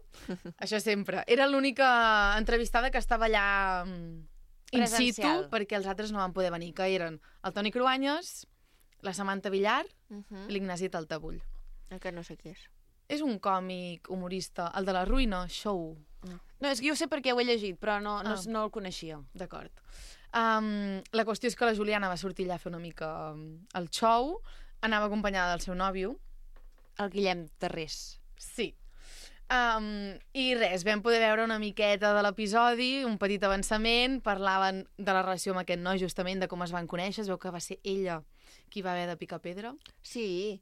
[SPEAKER 4] Això sempre. Era l'única entrevistada que estava allà mm, in situ,
[SPEAKER 2] Presencial.
[SPEAKER 4] perquè els altres no van poder venir, que eren el Toni Cruanyes, la Samantha Villar
[SPEAKER 1] Uh -huh.
[SPEAKER 4] i l'Ignasi Taltabull.
[SPEAKER 1] Que no sé qui és.
[SPEAKER 4] És un còmic humorista, el de la Ruïna Show.
[SPEAKER 2] No, és que jo ho sé perquè ho he llegit, però no, no,
[SPEAKER 4] Ah.
[SPEAKER 2] no el coneixia.
[SPEAKER 4] D'acord. Um, la qüestió és que la Juliana va sortir allà a fer una mica um, el show, anava acompanyada del seu nòvio.
[SPEAKER 2] El Guillem Tarrés.
[SPEAKER 4] Sí. Um, I res, vam poder veure una miqueta de l'episodi, un petit avançament, parlaven de la relació amb aquest noi, justament, de com es van conèixer, es veu que va ser ella qui va haver de picar pedra.
[SPEAKER 1] Sí,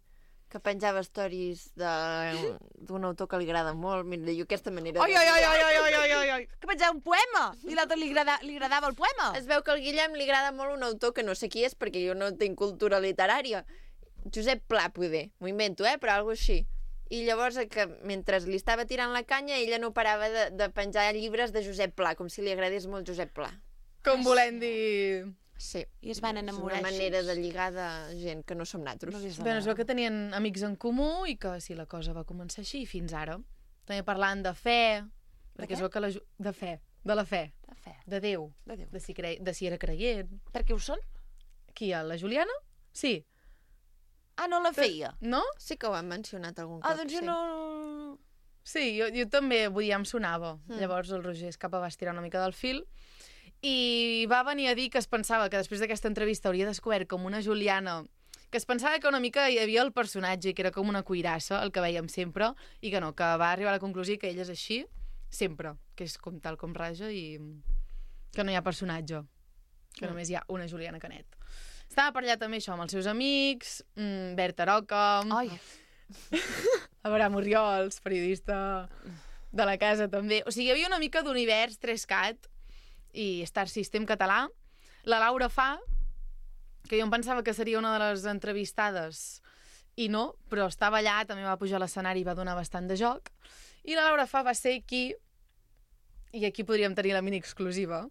[SPEAKER 1] que penjava stories de- d'un autor que li agrada molt. Mira, jo aquesta manera...
[SPEAKER 2] Ai,
[SPEAKER 1] de-
[SPEAKER 2] ai, ai, ai, ai, ai, ai, ai, ai. Que pensava un poema! I l'altre li, agrada, li agradava el poema.
[SPEAKER 1] Es veu que al Guillem li agrada molt un autor que no sé qui és perquè jo no tinc cultura literària. Josep Pla, poder. M'ho invento, eh? Però alguna així. I llavors, que mentre li estava tirant la canya, ella no parava de, de penjar llibres de Josep Pla, com si li agradés molt Josep Pla.
[SPEAKER 4] Com volem dir...
[SPEAKER 1] Sí.
[SPEAKER 2] I es van enamorar
[SPEAKER 1] És una
[SPEAKER 2] així.
[SPEAKER 1] manera de lligar de gent que no som nosaltres.
[SPEAKER 2] No des de
[SPEAKER 4] Bueno, es
[SPEAKER 2] la-
[SPEAKER 4] veu que tenien amics en comú i que sí, la cosa va començar així i fins ara. També parlant de fe, perquè
[SPEAKER 2] què?
[SPEAKER 4] es veu que la... Ju- de fe, de la fe,
[SPEAKER 2] De fe.
[SPEAKER 4] de Déu,
[SPEAKER 2] De Déu.
[SPEAKER 4] de si, cre... de si era creient.
[SPEAKER 2] Per què ho són?
[SPEAKER 4] Qui, a la Juliana? Sí.
[SPEAKER 2] Ah, no la feia.
[SPEAKER 4] No?
[SPEAKER 1] Sí que ho han mencionat algun cop,
[SPEAKER 2] Ah, doncs jo
[SPEAKER 1] sí.
[SPEAKER 2] no...
[SPEAKER 4] Sí, jo, jo també, vull dir, ja em sonava.
[SPEAKER 1] Mm.
[SPEAKER 4] Mm. Llavors el Roger Escapa va estirar una mica del fil i va venir a dir que es pensava que després d'aquesta entrevista hauria descobert com una Juliana, que es pensava que una mica hi havia el personatge i que era com una cuirassa, el que veiem sempre, i que no, que va arribar a la conclusió que ella és així sempre, que és com tal com raja i que no hi ha personatge, que
[SPEAKER 1] Mm.
[SPEAKER 4] només hi ha una Juliana Canet. Estava per allà també això amb els seus amics, mmm, Berta Roca,
[SPEAKER 2] Ai,
[SPEAKER 4] Abraham Oriols, periodista de la casa també. O sigui, hi havia una mica d'univers tres cat i Star System català. La Laura Fa, que jo em pensava que seria una de les entrevistades i no, però estava allà, també va pujar a l'escenari i va donar bastant de joc. I la Laura Fa va ser qui, i aquí podríem tenir la mini exclusiva,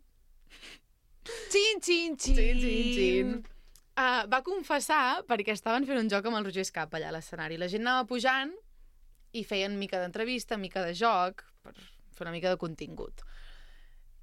[SPEAKER 2] xin, xin, xin.
[SPEAKER 4] Xin, xin, xin. Uh, va confessar perquè estaven fent un joc amb el Roger Escapa allà a l'escenari. La gent anava pujant i feien mica d'entrevista, mica de joc, per fer una mica de contingut.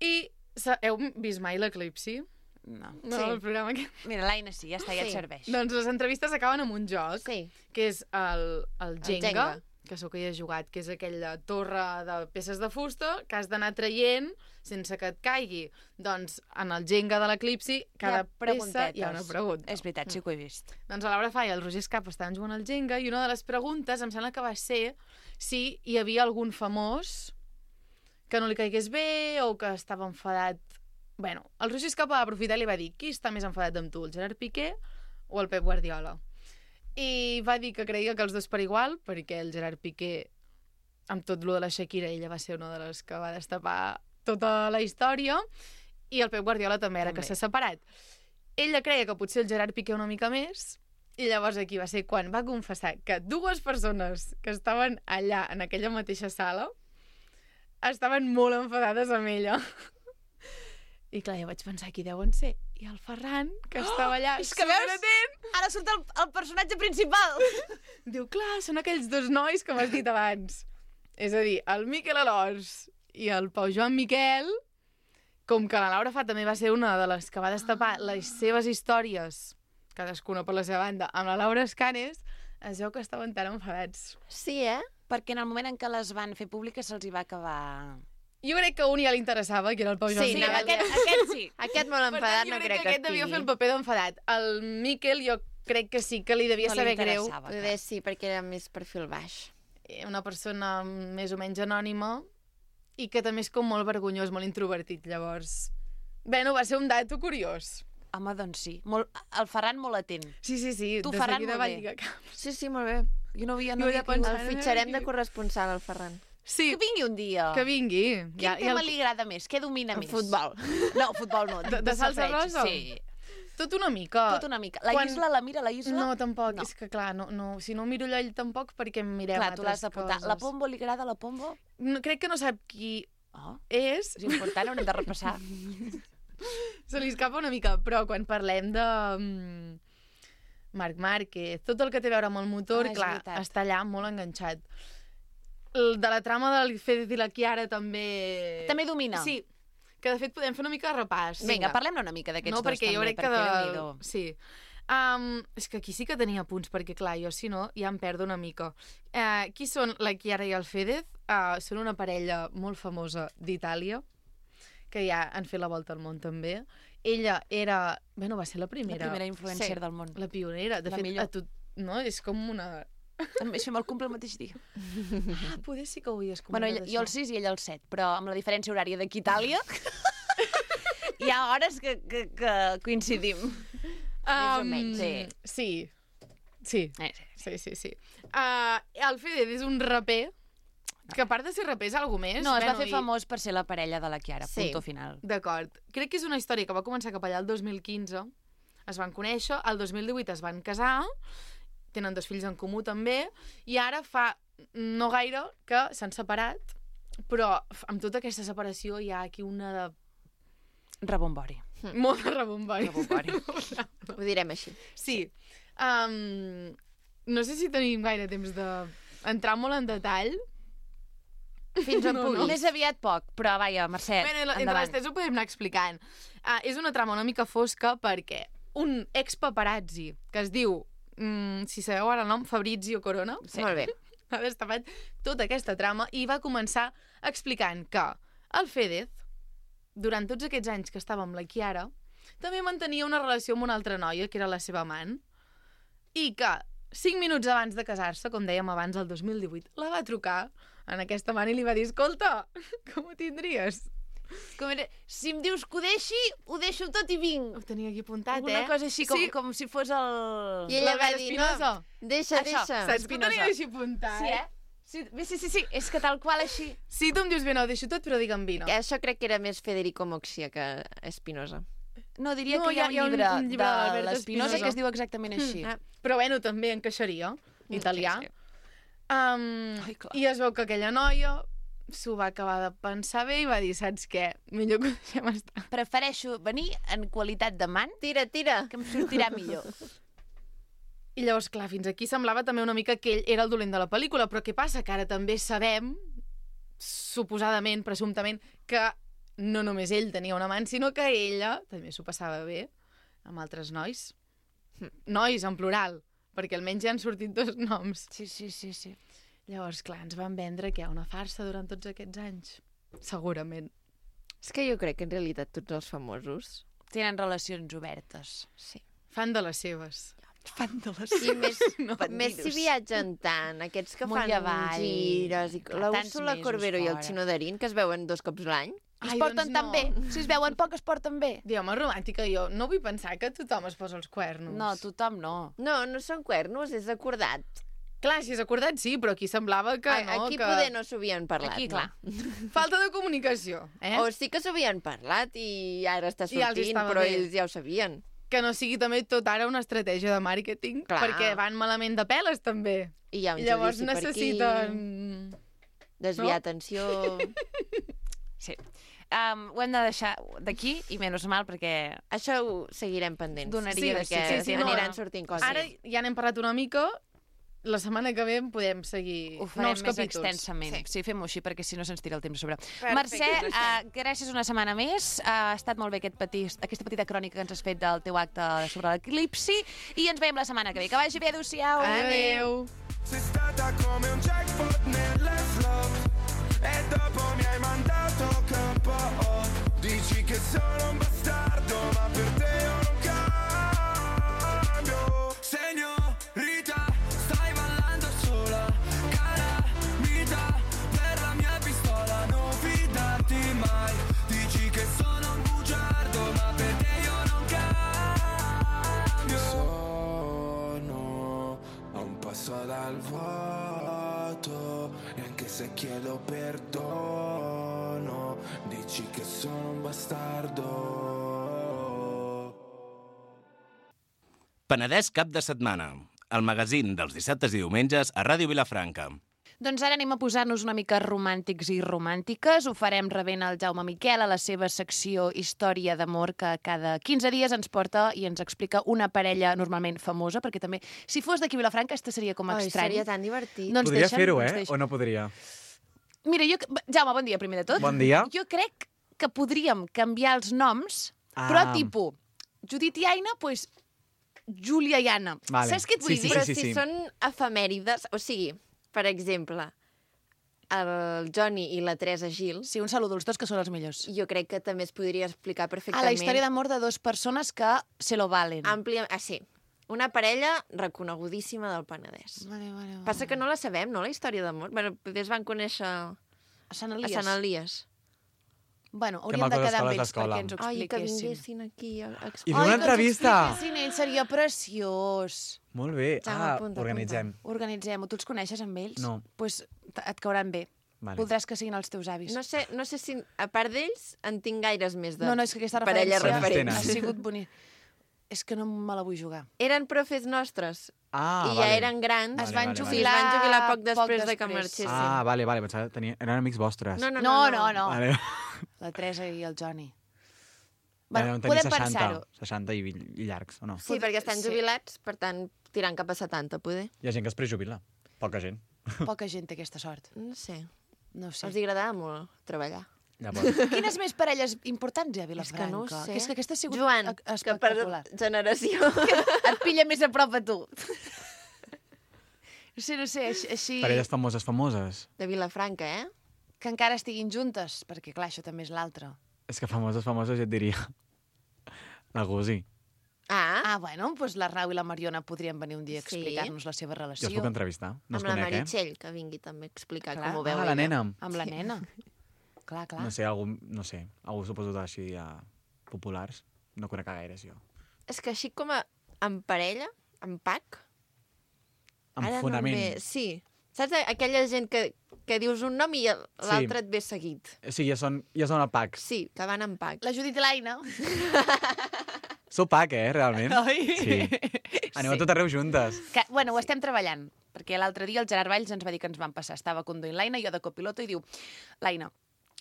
[SPEAKER 4] I sa- heu vist mai l'Eclipsi?
[SPEAKER 2] No.
[SPEAKER 4] No,
[SPEAKER 1] Sí.
[SPEAKER 4] el programa que...
[SPEAKER 2] Mira, l'Aina sí, ja està, ja et
[SPEAKER 1] Sí.
[SPEAKER 2] serveix.
[SPEAKER 4] Doncs les entrevistes acaben amb un joc,
[SPEAKER 1] Sí.
[SPEAKER 4] que és el, el Jenga,
[SPEAKER 1] Jenga.
[SPEAKER 4] que segur que hi has jugat, que és aquella torre de peces de fusta que has d'anar traient sense que et caigui. Doncs en el Jenga de l'Eclipsi, cada peça hi ha una pregunta.
[SPEAKER 2] És veritat, sí que ho he vist.
[SPEAKER 4] Doncs a Laura Fa i el Roger Escapa estaven jugant al Jenga i una de les preguntes em sembla que va ser si hi havia algun famós que no li caigués bé o que estava enfadat. Bueno, el Roger Escapa va aprofitar i li va dir qui està més enfadat amb tu, el Gerard Piqué o el Pep Guardiola? I va dir que creia que els dos per igual, perquè el Gerard Piqué, amb tot lo de la Shakira, ella va ser una de les que va destapar tota la història, i el Pep Guardiola també era
[SPEAKER 2] També.
[SPEAKER 4] que s'ha separat. Ella creia que potser el Gerard Piqué una mica més, i llavors aquí va ser quan va confessar que dues persones que estaven allà, en aquella mateixa sala, estaven molt enfadades amb ella. I clar, jo vaig pensar, qui deuen ser? I el Ferran, que estava allà
[SPEAKER 2] És que veus?
[SPEAKER 4] superatent,
[SPEAKER 2] Ara surt el, el personatge principal.
[SPEAKER 4] diu, clar, són aquells dos nois que m'has dit abans. És a dir, el Miquel Alòs i el Pau Joan Miquel, com que la Laura Fa també va ser una de les que va destapar les seves històries, cadascuna per la seva banda, amb la Laura Escanes, es veu que estaven tan enfadats.
[SPEAKER 1] Sí, eh?
[SPEAKER 2] Perquè en el moment en què les van fer públiques se'ls hi va acabar...
[SPEAKER 4] Jo crec que a un ja li interessava, que era el Pau Joan
[SPEAKER 1] Sí,
[SPEAKER 2] Sí,
[SPEAKER 1] no,
[SPEAKER 4] Miquel.
[SPEAKER 2] aquest, aquest sí.
[SPEAKER 1] Aquest molt
[SPEAKER 4] Per tant,
[SPEAKER 1] enfadat
[SPEAKER 4] jo
[SPEAKER 1] no
[SPEAKER 4] crec
[SPEAKER 1] crec
[SPEAKER 4] que
[SPEAKER 1] que
[SPEAKER 4] aquest devia fer el
[SPEAKER 1] estigui.
[SPEAKER 4] paper d'enfadat. El Miquel jo crec que sí que li devia
[SPEAKER 2] No li
[SPEAKER 4] saber greu.
[SPEAKER 2] interessava,
[SPEAKER 1] Poder sí, perquè era més perfil baix.
[SPEAKER 4] Una persona més o menys anònima i que també és com molt vergonyós, molt introvertit, llavors. Bé, no, va ser un dato curiós.
[SPEAKER 2] Home, doncs sí. Molt, el Ferran molt atent.
[SPEAKER 4] Sí, sí, sí.
[SPEAKER 2] Tu,
[SPEAKER 4] de
[SPEAKER 2] Ferran,
[SPEAKER 4] seguida
[SPEAKER 2] molt
[SPEAKER 4] va
[SPEAKER 2] bé.
[SPEAKER 4] lligar caps.
[SPEAKER 1] Sí, sí, molt bé.
[SPEAKER 2] Jo no havia,
[SPEAKER 4] Jo
[SPEAKER 2] no
[SPEAKER 4] ja
[SPEAKER 2] havia tingut...
[SPEAKER 4] pensava-
[SPEAKER 1] El fitxarem de corresponsal, el Ferran.
[SPEAKER 4] Sí,
[SPEAKER 2] Que vingui un dia.
[SPEAKER 4] que vingui.
[SPEAKER 2] Quin ja, tema el... li agrada més? Què domina
[SPEAKER 1] El
[SPEAKER 2] més?
[SPEAKER 1] futbol.
[SPEAKER 2] No, futbol no.
[SPEAKER 4] De- de salsa
[SPEAKER 2] safareig,
[SPEAKER 4] rosa?
[SPEAKER 2] Sí.
[SPEAKER 4] Tot una mica.
[SPEAKER 2] Tot una mica. La
[SPEAKER 4] Quan-
[SPEAKER 2] Isla, la mira la Isla?
[SPEAKER 4] No, tampoc.
[SPEAKER 2] No.
[SPEAKER 4] És que, clar, no, no, si no miro allò ell tampoc, perquè em mirem
[SPEAKER 2] Clar, tu l'has
[SPEAKER 4] altres
[SPEAKER 2] de portar.
[SPEAKER 4] coses.
[SPEAKER 2] La Pombo li agrada la Pombo?
[SPEAKER 4] No, crec que no sap qui
[SPEAKER 2] Oh,
[SPEAKER 4] és.
[SPEAKER 2] és important, haurem de repassar.
[SPEAKER 4] Se li escapa una mica, però quan parlem de mm, Marc Márquez, tot el que té a veure amb el motor,
[SPEAKER 2] Ah, és
[SPEAKER 4] clar,
[SPEAKER 2] veritat.
[SPEAKER 4] està allà molt enganxat. El de la trama del Fede i la Chiara també...
[SPEAKER 2] També domina.
[SPEAKER 4] Sí, que de fet podem fer una mica de repàs.
[SPEAKER 2] Vinga, parlem-ne una mica d'aquests
[SPEAKER 4] No,
[SPEAKER 2] dos
[SPEAKER 4] perquè jo
[SPEAKER 2] també,
[SPEAKER 4] crec que
[SPEAKER 2] perquè
[SPEAKER 4] de...
[SPEAKER 2] Déu-n'hi-do.
[SPEAKER 4] Sí. Um, és que aquí sí que tenia punts, perquè clar, jo si no ja em perdo una mica. Uh, qui són la Chiara i el Fedez? Uh, són una parella molt famosa d'Itàlia, que ja han fet la volta al món també. Ella era... Bueno, va ser la
[SPEAKER 2] La
[SPEAKER 4] primera.
[SPEAKER 2] primera influencer
[SPEAKER 1] Sí.
[SPEAKER 2] del món.
[SPEAKER 4] La pionera. De
[SPEAKER 2] La
[SPEAKER 4] fet,
[SPEAKER 2] millor.
[SPEAKER 4] a tot... No? És com una...
[SPEAKER 2] També fem el cumple el mateix dia.
[SPEAKER 4] Ah, poder sí que ho havies
[SPEAKER 2] Bueno,
[SPEAKER 4] comentat,
[SPEAKER 2] ella, jo el
[SPEAKER 4] això.
[SPEAKER 2] sis i ella el set, però amb la diferència horària d'aquí a Itàlia hi ha hores que, que, que coincidim. Més o menys, sí.
[SPEAKER 4] Sí. Sí.
[SPEAKER 2] Eh, sí.
[SPEAKER 4] Sí, sí, sí. Uh, el Fedez és un raper, que a part de ser raper és algú més.
[SPEAKER 2] No, es va
[SPEAKER 4] Bueno,
[SPEAKER 2] fer
[SPEAKER 4] i-
[SPEAKER 2] famós per ser la parella de la Chiara,
[SPEAKER 1] Sí.
[SPEAKER 2] punto final.
[SPEAKER 4] D'acord. Crec que és una història que va començar cap allà el dos mil quinze. Es van conèixer, el dos mil divuit es van casar, tenen dos fills en comú també, i ara fa no gaire que s'han separat, però amb tota aquesta separació hi ha aquí una de...
[SPEAKER 2] Rebombori.
[SPEAKER 4] molt de rebombori.
[SPEAKER 2] Rebombori.
[SPEAKER 1] Ho direm així.
[SPEAKER 4] Sí. Um, no sé si tenim gaire temps d'entrar molt en detall.
[SPEAKER 1] Fins on
[SPEAKER 4] No,
[SPEAKER 1] puguis.
[SPEAKER 4] no.
[SPEAKER 2] Més aviat poc, però vaja, Mercè,
[SPEAKER 4] Bé, entre
[SPEAKER 2] endavant.
[SPEAKER 4] les tres ho podem anar explicant. Uh, és una trama una mica fosca perquè un ex-paparazzi que es diu, mm, si sabeu ara el nom, Fabrizio Corona,
[SPEAKER 1] Sí. Molt bé.
[SPEAKER 4] ha destapat tota aquesta trama i va començar explicant que el Fedez, durant tots aquests anys que estava amb la Chiara, també mantenia una relació amb una altra noia, que era la seva amant, i que cinc minuts abans de casar-se, com dèiem abans, el dos mil divuit, la va trucar en aquesta amant i li va dir, escolta, com ho tindries?
[SPEAKER 2] Com era... Si em dius que ho deixi, ho deixo tot i vinc.
[SPEAKER 4] Ho tenia aquí apuntat,
[SPEAKER 2] Una
[SPEAKER 4] eh?
[SPEAKER 2] cosa així, com,
[SPEAKER 4] Sí.
[SPEAKER 2] com si fos el...
[SPEAKER 1] I ella va
[SPEAKER 4] L'Albert
[SPEAKER 1] dir, no,
[SPEAKER 4] Espinosa.
[SPEAKER 1] deixa,
[SPEAKER 2] Això,
[SPEAKER 1] deixa.
[SPEAKER 4] Saps que ho
[SPEAKER 2] Espinosa.
[SPEAKER 4] tenia així apuntat?
[SPEAKER 2] Sí, eh? Sí, bé, sí, sí, sí, és que tal qual així.
[SPEAKER 4] Si tu em dius bé, no, ho deixo tot, però digue'm vino.
[SPEAKER 1] Que això crec que era més Federico Moxia que Espinosa.
[SPEAKER 2] No, diria
[SPEAKER 4] No,
[SPEAKER 2] que hi ha,
[SPEAKER 4] hi ha-
[SPEAKER 2] un
[SPEAKER 4] hi ha un-
[SPEAKER 2] llibre,
[SPEAKER 4] un llibre
[SPEAKER 2] de
[SPEAKER 4] d'Albert
[SPEAKER 2] l'Espinosa
[SPEAKER 4] Espinosa.
[SPEAKER 2] que es diu exactament així.
[SPEAKER 1] Ah,
[SPEAKER 4] Però bueno, també encaixaria, italià.
[SPEAKER 2] Sí, sí.
[SPEAKER 4] Um,
[SPEAKER 2] Ai, clar.
[SPEAKER 4] I es veu que aquella noia s'ho va acabar de pensar bé i va dir, saps què? Millor que ho deixem estar.
[SPEAKER 2] Prefereixo venir en qualitat d'amant,
[SPEAKER 1] Tira, tira.
[SPEAKER 2] que em sortirà millor.
[SPEAKER 4] I llavors, clar, fins aquí semblava també una mica que ell era el dolent de la pel·lícula, però què passa? Que ara també sabem, suposadament, presumptament, que no només ell tenia un amant, sinó que ella també s'ho passava bé amb altres nois. Nois, en plural, perquè almenys ja han sortit dos noms.
[SPEAKER 2] Sí, sí, sí, sí.
[SPEAKER 4] Llavors, clar, ens van vendre que hi ha una farsa durant tots aquests anys. Segurament.
[SPEAKER 1] És que jo crec que en realitat tots els famosos...
[SPEAKER 2] Tenen relacions obertes.
[SPEAKER 1] Sí.
[SPEAKER 4] Fan de les seves.
[SPEAKER 2] Fan de les...
[SPEAKER 1] I més,
[SPEAKER 2] No,
[SPEAKER 1] més si viatgen tant, aquests que
[SPEAKER 2] Amunt
[SPEAKER 1] fan
[SPEAKER 2] i avall.
[SPEAKER 1] gires... I...
[SPEAKER 2] Clar,
[SPEAKER 1] La
[SPEAKER 2] tants
[SPEAKER 1] Úrsula
[SPEAKER 2] mesos
[SPEAKER 1] Corbero i el
[SPEAKER 2] fora.
[SPEAKER 1] Xino Darín, que es veuen dos cops l'any.
[SPEAKER 2] Es
[SPEAKER 4] Ai,
[SPEAKER 2] porten
[SPEAKER 4] doncs
[SPEAKER 2] tan
[SPEAKER 4] no.
[SPEAKER 2] bé. Si es veuen poc, es porten bé.
[SPEAKER 4] Diu, home, romàntica, jo no vull pensar que tothom es posa els cuernos.
[SPEAKER 2] No, tothom no.
[SPEAKER 1] No, no són cuernos, és acordat.
[SPEAKER 4] Clar, si és acordat, sí, però aquí semblava que
[SPEAKER 1] A-
[SPEAKER 4] no,
[SPEAKER 1] Aquí
[SPEAKER 4] que...
[SPEAKER 1] poder no s'ho havien parlat.
[SPEAKER 2] Aquí, clar.
[SPEAKER 1] No?
[SPEAKER 4] Falta de comunicació, eh?
[SPEAKER 1] O sí que s'ho havien parlat i ara està
[SPEAKER 4] I els
[SPEAKER 1] sortint,
[SPEAKER 4] estava
[SPEAKER 1] però
[SPEAKER 4] bé.
[SPEAKER 1] ells ja ho sabien.
[SPEAKER 4] Que no sigui també tot ara una estratègia de màrqueting,
[SPEAKER 1] Clar.
[SPEAKER 4] perquè van malament de peles, també.
[SPEAKER 1] I hi ha un
[SPEAKER 4] I llavors
[SPEAKER 1] judici
[SPEAKER 4] necessiten...
[SPEAKER 1] per aquí, desviar
[SPEAKER 4] no?
[SPEAKER 1] atenció...
[SPEAKER 2] Sí. um, ho hem de deixar d'aquí, i menys mal, perquè...
[SPEAKER 1] Això ho seguirem pendents.
[SPEAKER 2] Donaria de
[SPEAKER 1] perquè
[SPEAKER 2] sí,
[SPEAKER 1] sí,
[SPEAKER 2] sí,
[SPEAKER 1] sí,
[SPEAKER 2] no,
[SPEAKER 1] aniran
[SPEAKER 2] no.
[SPEAKER 1] sortint coses.
[SPEAKER 4] Ara ja n'hem parlat una mica, la setmana que ve podem seguir
[SPEAKER 2] Ho farem
[SPEAKER 4] nous
[SPEAKER 2] més
[SPEAKER 4] capítols.
[SPEAKER 2] extensament. Sí, sí fem-ho així, perquè si no se'ns tira el temps a sobre.
[SPEAKER 1] Perfecte,
[SPEAKER 2] Mercè,
[SPEAKER 1] Mercè.
[SPEAKER 2] uh, gràcies una setmana més. Uh, ha estat molt bé aquest petit, aquesta petita crònica que ens has fet del teu acte sobre l'eclipsi, i ens veiem la setmana que ve. Que vagi bé, adéu-siau.
[SPEAKER 4] Adéu.
[SPEAKER 5] Sei stata come un jackpot nelle slot e dopo mi hai mandato K O. Dici che sono un bastardo, ma per te io non cambio. Signorita, stai ballando sola, calamita per la mia pistola, non fidarti mai. Dici che sono un bugiardo, ma per te io non cambio. Sono a un passo dal vuoto, e anche se chiedo perdono, dici che sono un bastardo.
[SPEAKER 6] Penedès cap de setmana, el magazín dels dissabtes i diumenges a Ràdio Vilafranca.
[SPEAKER 2] Doncs ara anem a posar-nos una mica romàntics i romàntiques. Ho farem rebent el Jaume Miquel a la seva secció Història d'amor, que cada quinze dies ens porta i ens explica una parella normalment famosa, perquè també, si fos d'aquí a Vilafranca, este seria com
[SPEAKER 1] Ai,
[SPEAKER 2] estrany.
[SPEAKER 1] seria tan divertit.
[SPEAKER 2] Doncs
[SPEAKER 7] Podria
[SPEAKER 2] deixa'm,
[SPEAKER 7] fer-ho,
[SPEAKER 2] doncs
[SPEAKER 7] eh?
[SPEAKER 2] deixa'm.
[SPEAKER 7] O no podria?
[SPEAKER 2] Mira, jo... Jaume, bon dia, primer de tot.
[SPEAKER 7] Bon dia.
[SPEAKER 2] Jo crec que podríem canviar els noms,
[SPEAKER 7] Ah.
[SPEAKER 2] però tipus, Judit i Aina, doncs, Júlia i Anna.
[SPEAKER 7] Vale.
[SPEAKER 2] Saps què et vull
[SPEAKER 7] Sí, sí,
[SPEAKER 2] dir?
[SPEAKER 1] Però
[SPEAKER 7] sí,
[SPEAKER 1] si
[SPEAKER 7] sí.
[SPEAKER 1] són efemèrides, o sigui, per exemple, el Johnny i la Teresa Gil,
[SPEAKER 2] Sí, un saludo als dos, que són els millors.
[SPEAKER 1] jo crec que també es podria explicar
[SPEAKER 2] A
[SPEAKER 1] perfectament.
[SPEAKER 2] la història d'amor de dues persones que se lo valen.
[SPEAKER 1] Àmplia... Ah, sí. Una parella reconegudíssima del Penedès.
[SPEAKER 2] Vale, vale, vale.
[SPEAKER 1] Passa que no la sabem, no, la història d'amor? Bueno, potser es van conèixer a
[SPEAKER 2] A Sant Elies.
[SPEAKER 1] Sant Elies.
[SPEAKER 2] Bueno,
[SPEAKER 7] Que
[SPEAKER 2] hauríem de
[SPEAKER 7] maco
[SPEAKER 2] quedar amb
[SPEAKER 7] escoles
[SPEAKER 2] ells
[SPEAKER 7] d'escola.
[SPEAKER 2] perquè ens ho
[SPEAKER 1] Ai, que
[SPEAKER 2] expliquessin.
[SPEAKER 1] vinguessin aquí a a
[SPEAKER 7] I
[SPEAKER 1] explicar.
[SPEAKER 7] fer una entrevista.
[SPEAKER 2] Ai, que ens ho expliquessin ells, seria preciós.
[SPEAKER 7] Molt bé.
[SPEAKER 1] Jaume,
[SPEAKER 7] Ah,
[SPEAKER 1] apunta,
[SPEAKER 7] organitzem.
[SPEAKER 2] Organitzem-ho. Tu els coneixes amb ells?
[SPEAKER 7] No.
[SPEAKER 2] Doncs pues, t- et cauran bé.
[SPEAKER 7] Vale.
[SPEAKER 2] Voldràs que siguin els teus avis.
[SPEAKER 1] No sé, no sé si, a part d'ells, en tinc gaires més de
[SPEAKER 2] no, no, és que aquesta
[SPEAKER 1] parella
[SPEAKER 2] referència
[SPEAKER 1] referents.
[SPEAKER 2] ha sigut bonic. És que no me la vull jugar.
[SPEAKER 1] Eren profes nostres
[SPEAKER 7] Ah,
[SPEAKER 1] i ja
[SPEAKER 7] vale.
[SPEAKER 1] eren grans.
[SPEAKER 2] Es
[SPEAKER 7] Vale,
[SPEAKER 2] van
[SPEAKER 7] vale,
[SPEAKER 1] Sí, es
[SPEAKER 2] jubilar,
[SPEAKER 1] van jubilar poc
[SPEAKER 2] poc
[SPEAKER 1] després, de que
[SPEAKER 2] després.
[SPEAKER 1] marxessin.
[SPEAKER 7] Ah, vale, vale. Pensava que tenia... eren amics vostres.
[SPEAKER 1] No, no,
[SPEAKER 2] No,
[SPEAKER 1] no.
[SPEAKER 2] no, no.
[SPEAKER 7] Vale.
[SPEAKER 2] La Teresa i el Johnny.
[SPEAKER 7] Bueno,
[SPEAKER 2] Bueno,
[SPEAKER 7] tenir
[SPEAKER 2] podem
[SPEAKER 7] seixanta,
[SPEAKER 2] pensar-ho.
[SPEAKER 7] seixanta i, i llargs, o no?
[SPEAKER 1] Sí, perquè estan
[SPEAKER 2] Sí.
[SPEAKER 1] jubilats, per tant, tirant cap a setanta, poder.
[SPEAKER 7] Hi ha gent que es prejubila. Poca gent.
[SPEAKER 2] Poca gent té aquesta sort.
[SPEAKER 1] No sé.
[SPEAKER 2] No ho sé.
[SPEAKER 1] Els agradava molt treballar.
[SPEAKER 7] Llavors,
[SPEAKER 2] Quines més parelles importants hi ha a
[SPEAKER 1] És
[SPEAKER 2] Vilafranca?
[SPEAKER 1] que no ho sé.
[SPEAKER 2] Que és que aquesta ha sigut
[SPEAKER 1] Joan,
[SPEAKER 2] e-
[SPEAKER 1] que per
[SPEAKER 2] espectacular.
[SPEAKER 1] generació.
[SPEAKER 2] Et pilla més a prop a tu. No sé, no sé, així, així
[SPEAKER 7] parelles famoses, famoses.
[SPEAKER 1] De Vilafranca, eh?
[SPEAKER 2] que encara estiguin juntes, perquè clar, això també és l'altre.
[SPEAKER 7] És que famoses, famoses, ja et diria. La Gusi.
[SPEAKER 1] Ah,
[SPEAKER 2] Ah, bueno, doncs la Rau i la Mariona podrien venir un dia a
[SPEAKER 1] Sí.
[SPEAKER 2] explicar-nos la seva
[SPEAKER 7] Jo
[SPEAKER 2] relació.
[SPEAKER 7] els puc entrevistar. No els
[SPEAKER 1] amb la
[SPEAKER 7] conec, eh?
[SPEAKER 1] Meritxell, que vingui també a explicar
[SPEAKER 2] Clar.
[SPEAKER 1] com ho veu
[SPEAKER 7] Ah,
[SPEAKER 1] ella.
[SPEAKER 7] la nena.
[SPEAKER 2] Amb la nena. Clar, clar.
[SPEAKER 7] No sé, algú, no sé, algú suposo d'així uh, populars. No conec a gaires, jo.
[SPEAKER 1] És que així com a, en parella, en pack...
[SPEAKER 7] Amb
[SPEAKER 1] ara
[SPEAKER 7] fonament.
[SPEAKER 1] No em ve... Sí. Saps aquella gent que, que dius un nom i el- l'altre et ve seguit?
[SPEAKER 7] O sigui, ja són, ja són el pack.
[SPEAKER 1] Sí, que van en pack.
[SPEAKER 2] La Judit i l'Aina.
[SPEAKER 7] Sou pack, eh, realment?
[SPEAKER 2] Oi?
[SPEAKER 7] Sí. Aneu a tot arreu juntes.
[SPEAKER 2] Que, bueno, ho estem treballant, perquè l'altre dia el Gerard Valls ens va dir que ens van passar. Estava conduint l'Aina, jo de copiloto, i diu, l'Aina,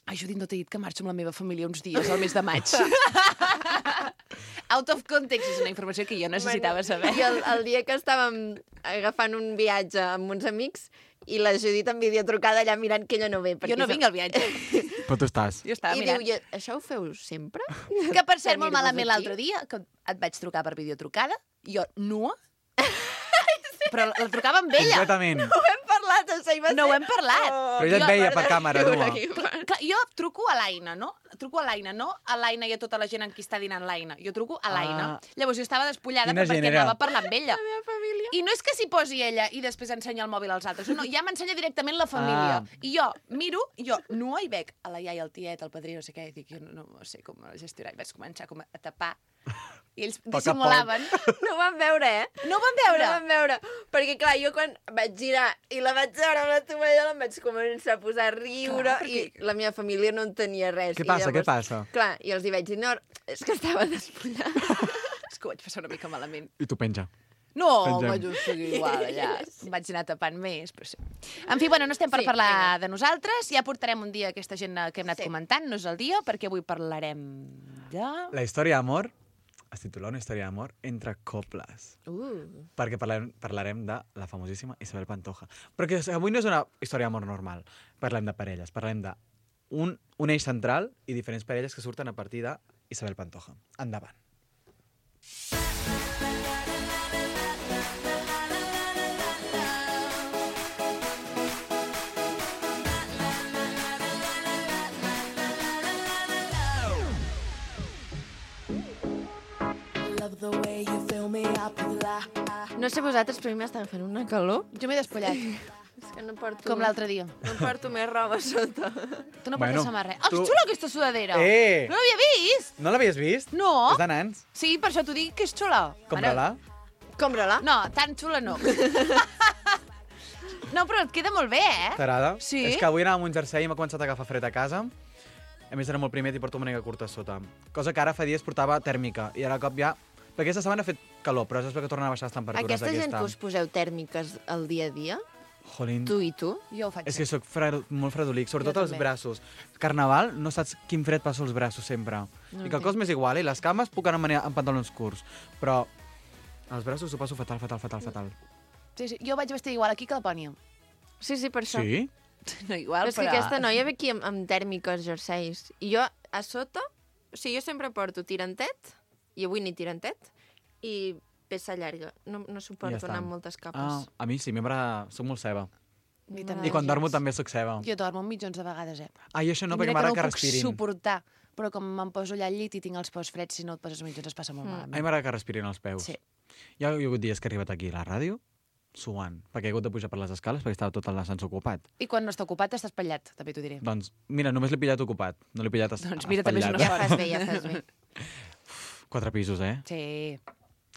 [SPEAKER 2] ai, Judit, no t'he dit que marxo amb la meva família uns dies, al mes de maig. Out of context, és una informació que jo necessitava saber.
[SPEAKER 1] I el, el dia que estàvem agafant un viatge amb uns amics i la Judit em havia trucada allà mirant que ella no ve.
[SPEAKER 2] Jo no vinc al viatge.
[SPEAKER 7] Però tu estàs.
[SPEAKER 2] Jo estava
[SPEAKER 1] I
[SPEAKER 2] mirant.
[SPEAKER 1] diu, "I això ho feu sempre?
[SPEAKER 2] Que, per cert, molt
[SPEAKER 1] Tenir-vos
[SPEAKER 2] malament
[SPEAKER 1] aquí?"
[SPEAKER 2] l'altre dia, que et vaig trucar per videotrucada, jo nua, però la trucava amb ella.
[SPEAKER 7] Completament.
[SPEAKER 1] Ho hem parlat, això hi va
[SPEAKER 2] No ho
[SPEAKER 1] ser...
[SPEAKER 2] hem parlat.
[SPEAKER 7] Però ella et
[SPEAKER 1] Jo,
[SPEAKER 7] veia per
[SPEAKER 1] per
[SPEAKER 7] càmera,
[SPEAKER 1] riure
[SPEAKER 7] nua.
[SPEAKER 1] aquí.
[SPEAKER 2] Clar, jo truco a l'Aina, no? Truco a l'Aina, no a l'Aina i a tota la gent amb qui està dinant l'Aina. Jo truco a l'Aina.
[SPEAKER 7] Ah.
[SPEAKER 2] Llavors jo estava despullada
[SPEAKER 7] Quina
[SPEAKER 2] però perquè
[SPEAKER 7] gent era?
[SPEAKER 2] anava a parlar amb ella.
[SPEAKER 1] La meva família.
[SPEAKER 2] I no és que s'hi posi ella i després ensenya el mòbil als altres. No, ja m'ensenya directament la família.
[SPEAKER 7] Ah.
[SPEAKER 2] I jo miro, jo nua i veig a la iaia, el tiet, el padrí, no sé què, i dic, jo no, no sé com gestionar. I vaig començar com a tapar. I ells
[SPEAKER 7] poc a
[SPEAKER 2] dissimulaven.
[SPEAKER 1] No ho van veure, eh?
[SPEAKER 2] No ho van veure.
[SPEAKER 1] No ho van veure. Perquè, clar, jo quan vaig girar i la vaig veure amb la tovallola em vaig començar a posar a riure
[SPEAKER 2] Clar, perquè-
[SPEAKER 1] i la meva família no entenia res.
[SPEAKER 7] Què
[SPEAKER 1] I
[SPEAKER 7] passa, què passa?
[SPEAKER 1] Clar, i els hi vaig dir, no, és que estava despullada.
[SPEAKER 2] És que ho vaig passar una mica malament.
[SPEAKER 7] I tu penja.
[SPEAKER 2] No,
[SPEAKER 7] Pengem.
[SPEAKER 2] vaig seguir igual allà. Em vaig anar tapant més, però sí. En fi, bueno, no estem per
[SPEAKER 1] Sí,
[SPEAKER 2] parlar
[SPEAKER 1] vinga.
[SPEAKER 2] de nosaltres. Ja portarem un dia aquesta gent que hem anat
[SPEAKER 1] Sí.
[SPEAKER 2] comentant. No és el dia, perquè avui parlarem de...
[SPEAKER 7] La història d'amor es titula Una història d'amor entre cobles.
[SPEAKER 1] Uh.
[SPEAKER 7] Perquè parlarem, parlarem de la famosíssima Isabel Pantoja. Però que avui no és una història d'amor normal. Parlem de parelles. Parlem de un, un eix central i diferents parelles que surten a partir de Isabel Pantoja. Endavant.
[SPEAKER 1] No sé vosaltres, però a mi m'estan fent una calor.
[SPEAKER 2] Jo m'he despullat,
[SPEAKER 1] És que no porto...
[SPEAKER 2] com l'altre dia.
[SPEAKER 1] No porto més roba a sota.
[SPEAKER 2] Tu no portes
[SPEAKER 7] Bueno,
[SPEAKER 2] samarreta. Oh,
[SPEAKER 7] tu-
[SPEAKER 2] és xula aquesta sudadera!
[SPEAKER 7] Eh!
[SPEAKER 2] No l'havia vist!
[SPEAKER 7] No l'havies vist?
[SPEAKER 2] No.
[SPEAKER 7] És de nans.
[SPEAKER 2] Sí, per això t'ho dic que és xula.
[SPEAKER 7] Compra-la.
[SPEAKER 1] Compra-la.
[SPEAKER 2] No, tan xula no. No, però et queda molt bé, eh?
[SPEAKER 7] T'agrada?
[SPEAKER 2] Sí.
[SPEAKER 7] És que avui anava amb un jersei i m'ha començat a agafar fred a casa. A més, era molt primet i porto una màniga curta a sota. Cosa que ara fa dies portava tèrmica. I ara a cop ja... Perquè aquesta setmana ha fet calor, però és perquè tornen a baixar les temperatures
[SPEAKER 1] Aquesta gent
[SPEAKER 7] d'aquesta.
[SPEAKER 1] que us poseu tèrmiques al dia a dia,
[SPEAKER 7] Jolín.
[SPEAKER 1] tu i tu,
[SPEAKER 2] Jo ho faig.
[SPEAKER 7] És que sóc fred, molt fredolic, sobretot
[SPEAKER 2] Jo
[SPEAKER 7] als
[SPEAKER 2] també.
[SPEAKER 7] braços. Carnaval, no saps quin fred passa als braços sempre.
[SPEAKER 1] No
[SPEAKER 7] I que el cos m'és igual, i les cames puc anar amb, amb pantalons curts. Però als braços ho passo fatal, fatal, fatal, fatal.
[SPEAKER 2] Sí, sí. Jo vaig vestir igual aquí que la Pònia.
[SPEAKER 1] Sí, sí, per això.
[SPEAKER 7] Sí?
[SPEAKER 2] No igual,
[SPEAKER 1] Però és que aquesta noia ve aquí amb, amb tèrmiques, jerseis. I jo, a sota, o sigui, jo sempre porto tirantet, i avui ni tirantet, i peça llarga. No, no
[SPEAKER 7] I
[SPEAKER 1] suporto
[SPEAKER 7] ja està.
[SPEAKER 1] anar amb moltes
[SPEAKER 7] Ah,
[SPEAKER 1] capes.
[SPEAKER 7] a mi sí, a mi m'agrada... Soc molt ceba.
[SPEAKER 2] Mi
[SPEAKER 1] M'agrada
[SPEAKER 2] també.
[SPEAKER 7] I quan
[SPEAKER 1] gens.
[SPEAKER 7] dormo també soc ceba.
[SPEAKER 2] Jo dormo milions de vegades, eh?
[SPEAKER 7] Ah, i això no,
[SPEAKER 2] I
[SPEAKER 7] perquè
[SPEAKER 2] mira
[SPEAKER 7] m'agrada
[SPEAKER 2] que
[SPEAKER 7] que
[SPEAKER 2] no ho puc
[SPEAKER 7] respirin.
[SPEAKER 2] suportar, però com me'n poso allà al llit i tinc els peus freds, si no et poses mitjons es passa molt
[SPEAKER 1] Mm.
[SPEAKER 7] A mi
[SPEAKER 2] malament.
[SPEAKER 7] m'agrada que respirin els peus.
[SPEAKER 2] Sí.
[SPEAKER 7] Hi ha, hi ha hagut dies que he arribat aquí a la ràdio suant, perquè he hagut de pujar per les escales perquè estava tot l'ascensor ocupat.
[SPEAKER 2] I quan no està ocupat estàs espatllat, també t'ho diré.
[SPEAKER 7] Doncs, mira, només l'he pillat ocupat, no l'he pillat es
[SPEAKER 2] Doncs mira, també és una
[SPEAKER 7] espatllat.
[SPEAKER 1] Ja fas bé, ja fas bé.
[SPEAKER 7] Quatre pisos, eh?
[SPEAKER 2] Sí,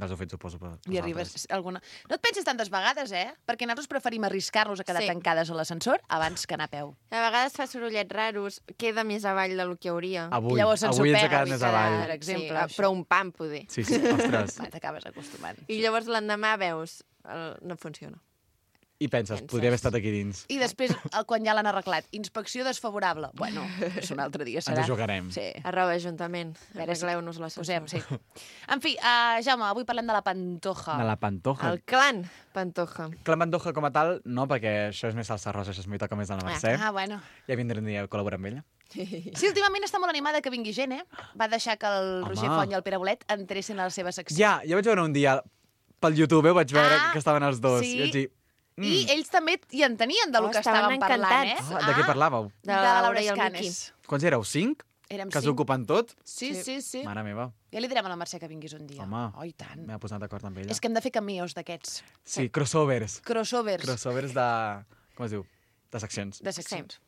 [SPEAKER 7] Els heu fet, suposo, per
[SPEAKER 2] i arribes
[SPEAKER 7] vosaltres.
[SPEAKER 2] alguna... No et pensis tantes vegades, eh? Perquè nosaltres preferim arriscar-nos a quedar
[SPEAKER 1] Sí.
[SPEAKER 2] tancades a l'ascensor abans que anar a peu.
[SPEAKER 1] A vegades fa sorollets raros, queda més avall del que hauria.
[SPEAKER 7] Avui,
[SPEAKER 2] Llavors se'ns
[SPEAKER 7] avui ens
[SPEAKER 2] ho
[SPEAKER 7] ha quedat
[SPEAKER 2] perd,
[SPEAKER 7] més
[SPEAKER 2] avui
[SPEAKER 7] avall.
[SPEAKER 2] per exemple,
[SPEAKER 1] sí,
[SPEAKER 2] això.
[SPEAKER 1] però un pam, poder.
[SPEAKER 7] Sí, sí, ostres.
[SPEAKER 2] Va, t'acabes acostumant.
[SPEAKER 1] I llavors l'endemà veus, el, no funciona.
[SPEAKER 7] I penses,
[SPEAKER 1] Penses.
[SPEAKER 7] podria haver estat aquí dins.
[SPEAKER 2] I després, el- quan ja l'han arreglat, inspecció desfavorable. Bueno, és un altre dia, serà.
[SPEAKER 7] Ens ho jugarem.
[SPEAKER 2] Sí.
[SPEAKER 1] Arroba Ajuntament,
[SPEAKER 2] A veure si-
[SPEAKER 1] arregleu-nos la
[SPEAKER 2] Posem, sí. En fi, uh, Jaume, avui parlem de la Pantoja.
[SPEAKER 7] De la Pantoja.
[SPEAKER 1] El clan Pantoja.
[SPEAKER 7] La Pantoja com a tal, no, perquè això és més salsa rosa, això és m'hi toca més de la Mercè.
[SPEAKER 2] Ah, bueno.
[SPEAKER 7] Ja vindré un dia a col·laborar amb ella.
[SPEAKER 2] Sí, últimament està molt animada que vingui gent, eh? Va deixar que el
[SPEAKER 7] Home.
[SPEAKER 2] Roger Font i el Pere Bolet entressin a la seva secció.
[SPEAKER 7] Ja, ja vaig veure un dia pel YouTube, eh, vaig veure
[SPEAKER 2] Ah,
[SPEAKER 7] que estaven els dos.
[SPEAKER 2] sí.
[SPEAKER 7] I vaig dir,
[SPEAKER 2] I ells també hi entenien de lo
[SPEAKER 1] Oh,
[SPEAKER 2] que
[SPEAKER 1] estaven
[SPEAKER 2] estaven parlant, eh?
[SPEAKER 1] encantats.
[SPEAKER 7] ah, de què parlàveu?
[SPEAKER 1] De la Laura i el Miqui.
[SPEAKER 2] Escanes.
[SPEAKER 7] Quants éreu? Cinc?
[SPEAKER 2] Érem
[SPEAKER 7] Que
[SPEAKER 2] cinc.
[SPEAKER 7] s'ocupen tot?
[SPEAKER 2] Sí, sí, sí.
[SPEAKER 7] Mare meva,
[SPEAKER 2] Ja li direm a la Mercè que vinguis un dia.
[SPEAKER 7] Home.
[SPEAKER 2] Oh, i tant.
[SPEAKER 7] m'he posat d'acord amb ella.
[SPEAKER 2] És que hem de fer cameos d'aquests.
[SPEAKER 7] Sí, crossovers.
[SPEAKER 2] Crossovers
[SPEAKER 7] Crossovers de... Com es diu? De seccions.
[SPEAKER 2] de seccions.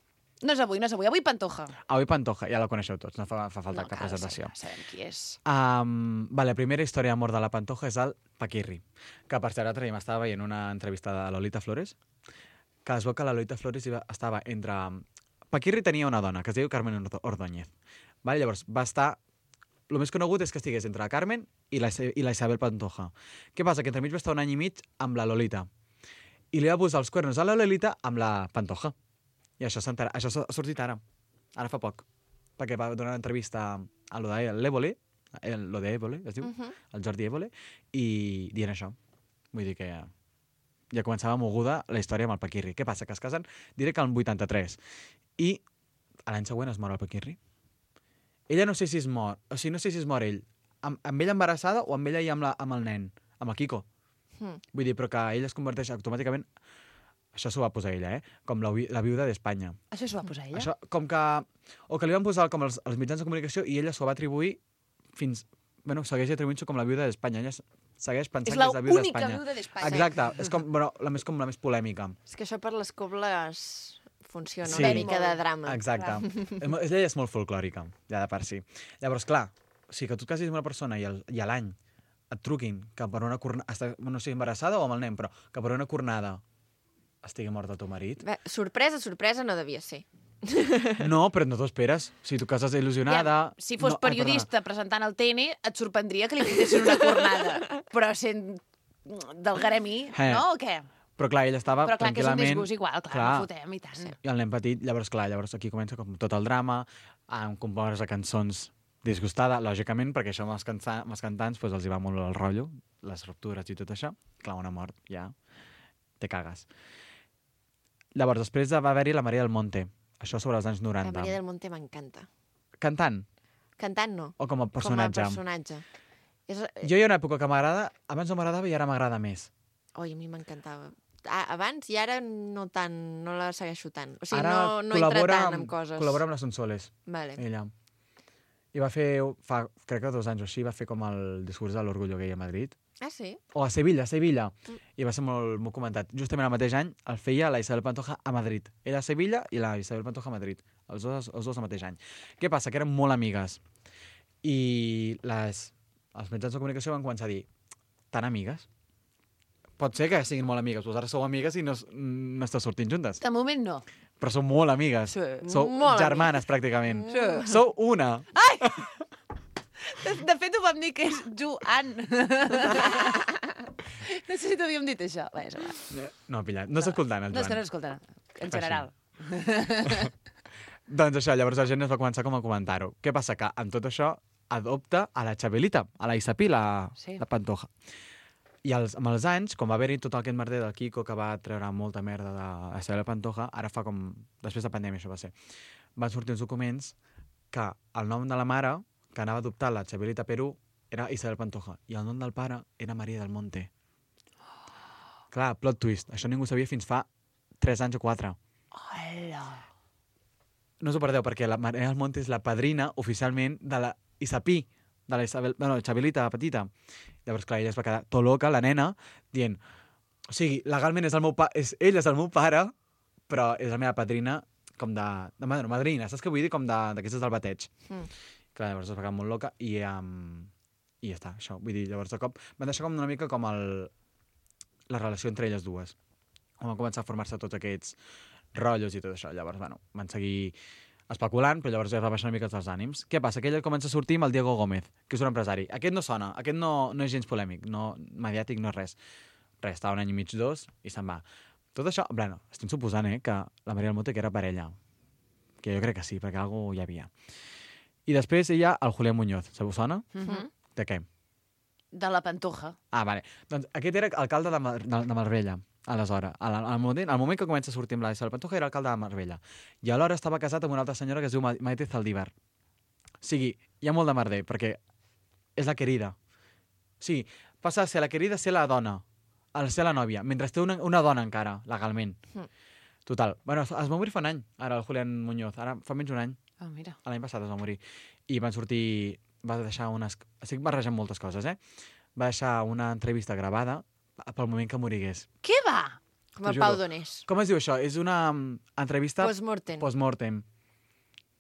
[SPEAKER 2] No és avui, no és avui. Avui Pantoja.
[SPEAKER 7] Avui Pantoja, ja la coneixeu tots, no fa, fa falta
[SPEAKER 2] no
[SPEAKER 7] cap
[SPEAKER 2] cal,
[SPEAKER 7] presentació.
[SPEAKER 2] Sabem, sabem qui és.
[SPEAKER 7] Um, vale, la primera història d'amor de la Pantoja és el Paquirri, que per cert l'altre dia m'estava veient una entrevista de Lolita Flores, que es veu que la Lolita Flores iba- estava entre... Paquirri tenia una dona, que es diu Carmen Ordo- Ordóñez. Vale, llavors, va estar... El més conegut és que estigués entre la Carmen i la, Isa- i la Isabel Pantoja. Què passa? Que entremig va estar un any i mig amb la Lolita. I li va posar els cuernos a la Lolita amb la Pantoja. I això, s'ha enter- això s'ha sortit ara. Ara fa poc. Perquè va donar una entrevista a lo de l'Évole, el, lo de Évole, es diu,
[SPEAKER 1] Uh -huh.
[SPEAKER 7] el Jordi Évole, i dient això. Vull dir que ja, ja començava moguda la història amb el Paquirri. Què passa? Que es casen, diré que el vuitanta-tres. I a l'any següent es mor el Paquirri. Ella no sé si es mor, o sigui, no sé si es mor ell, amb, amb ella embarassada o amb ella i amb, la, amb el nen, amb el Kiko.
[SPEAKER 1] Mm.
[SPEAKER 7] Vull dir, però que ella es converteix automàticament... Això s'ho va posar ella, eh? Com la, vi- la viuda d'Espanya.
[SPEAKER 2] Això s'ho va posar ella?
[SPEAKER 7] Això, com que... O que li van posar com els, els mitjans de comunicació i ella s'ho va atribuir fins... Bueno, segueix atribuint-s'ho com la viuda d'Espanya. Ella s- segueix pensant
[SPEAKER 2] És
[SPEAKER 7] que és la viuda
[SPEAKER 2] l'única
[SPEAKER 7] d'Espanya.
[SPEAKER 2] viuda d'Espanya.
[SPEAKER 7] Exacte. És com, bueno, la més, com la més polèmica.
[SPEAKER 1] És que això per les cobles funciona
[SPEAKER 7] Sí.
[SPEAKER 1] una mica de drama.
[SPEAKER 7] Exacte. És mo- ella és molt folclòrica, ja de per si. Llavors, clar, o sigui, que tu et casis amb una persona i, el, i a l'any et truquin que per una cornada... Està, no sé, embarassada o amb el nen, però que per una cornada estigui mort el teu marit.
[SPEAKER 1] Bé, sorpresa, sorpresa no devia ser.
[SPEAKER 7] No, però no t'ho esperes. Si tu cases il·lusionada...
[SPEAKER 2] Ja, si fos
[SPEAKER 7] no, ai,
[SPEAKER 2] periodista presentant el T N, et sorprendria que li fotessin una cornada. Però sent del garemi,
[SPEAKER 7] Eh.
[SPEAKER 2] no, o què?
[SPEAKER 7] Però clar, ell estava
[SPEAKER 2] Però clar, que és un
[SPEAKER 7] tranquil·lament...
[SPEAKER 2] disgust igual, clar,
[SPEAKER 7] clar.
[SPEAKER 2] no fotem i tant.
[SPEAKER 1] Sí.
[SPEAKER 7] I el nen petit, llavors, clar, llavors aquí comença com tot el drama, amb compondre cançons disgustada, lògicament, perquè això amb els, cansa, amb els cantants pues, els hi va molt el rotllo, les ruptures i tot això. Clar, una mort, ja te cagues. Llavors, després va haver-hi la Maria del Monte, això sobre els anys
[SPEAKER 1] La
[SPEAKER 7] noranta.
[SPEAKER 1] Maria del Monte m'encanta.
[SPEAKER 7] Cantant
[SPEAKER 1] Cantant no,
[SPEAKER 7] o com a personatge?
[SPEAKER 1] com a personatge. És...
[SPEAKER 7] Jo hi ha una època que m'agrada, abans no m'agradava i ara m'agrada més.
[SPEAKER 1] Oi, a mi m'encantava. Ah, abans i ara no tant, no la segueixo tant. O sigui,
[SPEAKER 7] Ara
[SPEAKER 1] no, no entra
[SPEAKER 7] col·labora
[SPEAKER 1] tant en
[SPEAKER 7] amb-
[SPEAKER 1] coses.
[SPEAKER 7] Col·labora amb les Sonsoles,
[SPEAKER 1] Vale.
[SPEAKER 7] ella. I va fer, fa, crec que dos anys o així, va fer com el discurs de l'orgullo gay a Madrid.
[SPEAKER 1] Ah, sí?
[SPEAKER 7] O a Sevilla, a Sevilla.
[SPEAKER 1] Mm.
[SPEAKER 7] I va ser molt, molt comentat. Justament el mateix any el feia la Isabel Pantoja a Madrid. Ella a Sevilla i la Isabel Pantoja a Madrid. Els dos, els dos al mateix any. Què passa? Que eren molt amigues. I les, els mitjans de comunicació van començar a dir tan amigues? Pot ser que siguin molt amigues. Doncs ara sou amigues i no, no esteu sortint juntes.
[SPEAKER 2] De moment no.
[SPEAKER 7] Però sou molt amigues.
[SPEAKER 2] Sí.
[SPEAKER 7] Sou
[SPEAKER 1] Molt
[SPEAKER 7] germanes, pràcticament.
[SPEAKER 2] Sí.
[SPEAKER 7] Sou una.
[SPEAKER 2] De, de fet, ho vam dir que és Joan. No sé si t'havíem dit això. Bé, és igual.
[SPEAKER 7] No, pillat. No està escoltant, el
[SPEAKER 2] No, és que
[SPEAKER 7] Joan.
[SPEAKER 2] no escolta, en general.
[SPEAKER 7] Doncs això, llavors la gent es va començar com a comentar-ho. Què passa? Que amb tot això adopta a la Xabelita, a la Isapi, la,
[SPEAKER 2] Sí.
[SPEAKER 7] la Pantoja. I els, amb els anys, com va haver-hi tot aquest merder del Kiko, que va treure molta merda de la Isabel Pantoja, ara fa com... Després de pandèmia, això va ser. Van sortir uns documents que el nom de la mare, que anava a adoptar la Xabelita Perú, era Isabel Pantoja. I el nom del pare era Maria del Monte. Clar, plot twist. Això ningú sabia fins fa tres anys o quatre.
[SPEAKER 2] Hola.
[SPEAKER 7] No us ho perdeu, perquè la Maria del Monte és la padrina, oficialment, de la Isapí, de la Isabel, bueno, Xabelita petita. Llavors, clar, ella es va quedar tot loca, la nena, dient, o sigui, legalment és el meu pa és, ell és el meu pare, però és la meva padrina com de... de bueno, madrina, saps què vull dir? Com d'aquestes del bateig.
[SPEAKER 1] Mm.
[SPEAKER 7] Clar, llavors es va quedar molt loca i, um, i ja està, això. Vull dir, llavors de cop van deixar com una mica com el, la relació entre elles dues. On van començar a formar-se tots aquests rotllos i tot això. Llavors, bueno, van seguir especulant, però llavors ja va baixar una mica els ànims. Què passa? Que ella comença a sortir amb el Diego Gómez, que és un empresari. Aquest no sona, aquest no, no és gens polèmic, no mediàtic, no és res. Res, està un any i mig, dos, i se'n va. Tot això, bueno, estic suposant, eh, que la Maria del Monte que era parella. Que jo crec que sí, perquè alguna cosa hi havia. I després ella, el Julián Muñoz. Se us sona?
[SPEAKER 2] Mm -hmm.
[SPEAKER 7] De què?
[SPEAKER 2] De la Pantoja.
[SPEAKER 7] Ah, vale. Doncs aquest era alcalde de, Mar de, de Marbella, aleshores. Al, al, moment, al moment que comença a sortir amb la Isabel Pantoja era alcalde de Marbella. I alhora estava casat amb una altra senyora que es diu Ma Maite Zaldívar. O sigui, hi ha molt de merder, perquè és la querida. O sigui, passa a ser la querida a ser la dona, a ser la nòvia, mentre té una, una dona encara, legalment.
[SPEAKER 1] Mm.
[SPEAKER 7] Total. Bueno, es, es va morir fa un any, ara el Julián Muñoz. Ara fa menys un any.
[SPEAKER 2] Ah, oh, mira.
[SPEAKER 7] L'any passat es va morir. I van sortir... Va deixar unes... Estic barrejant moltes coses, eh? Va deixar una entrevista gravada pel moment que morigués.
[SPEAKER 2] Què va?
[SPEAKER 1] Com el
[SPEAKER 7] T'ho
[SPEAKER 1] Pau
[SPEAKER 7] juro.
[SPEAKER 1] Donés.
[SPEAKER 7] Com es diu això? És una um, entrevista...
[SPEAKER 1] Postmortem.
[SPEAKER 7] Postmortem.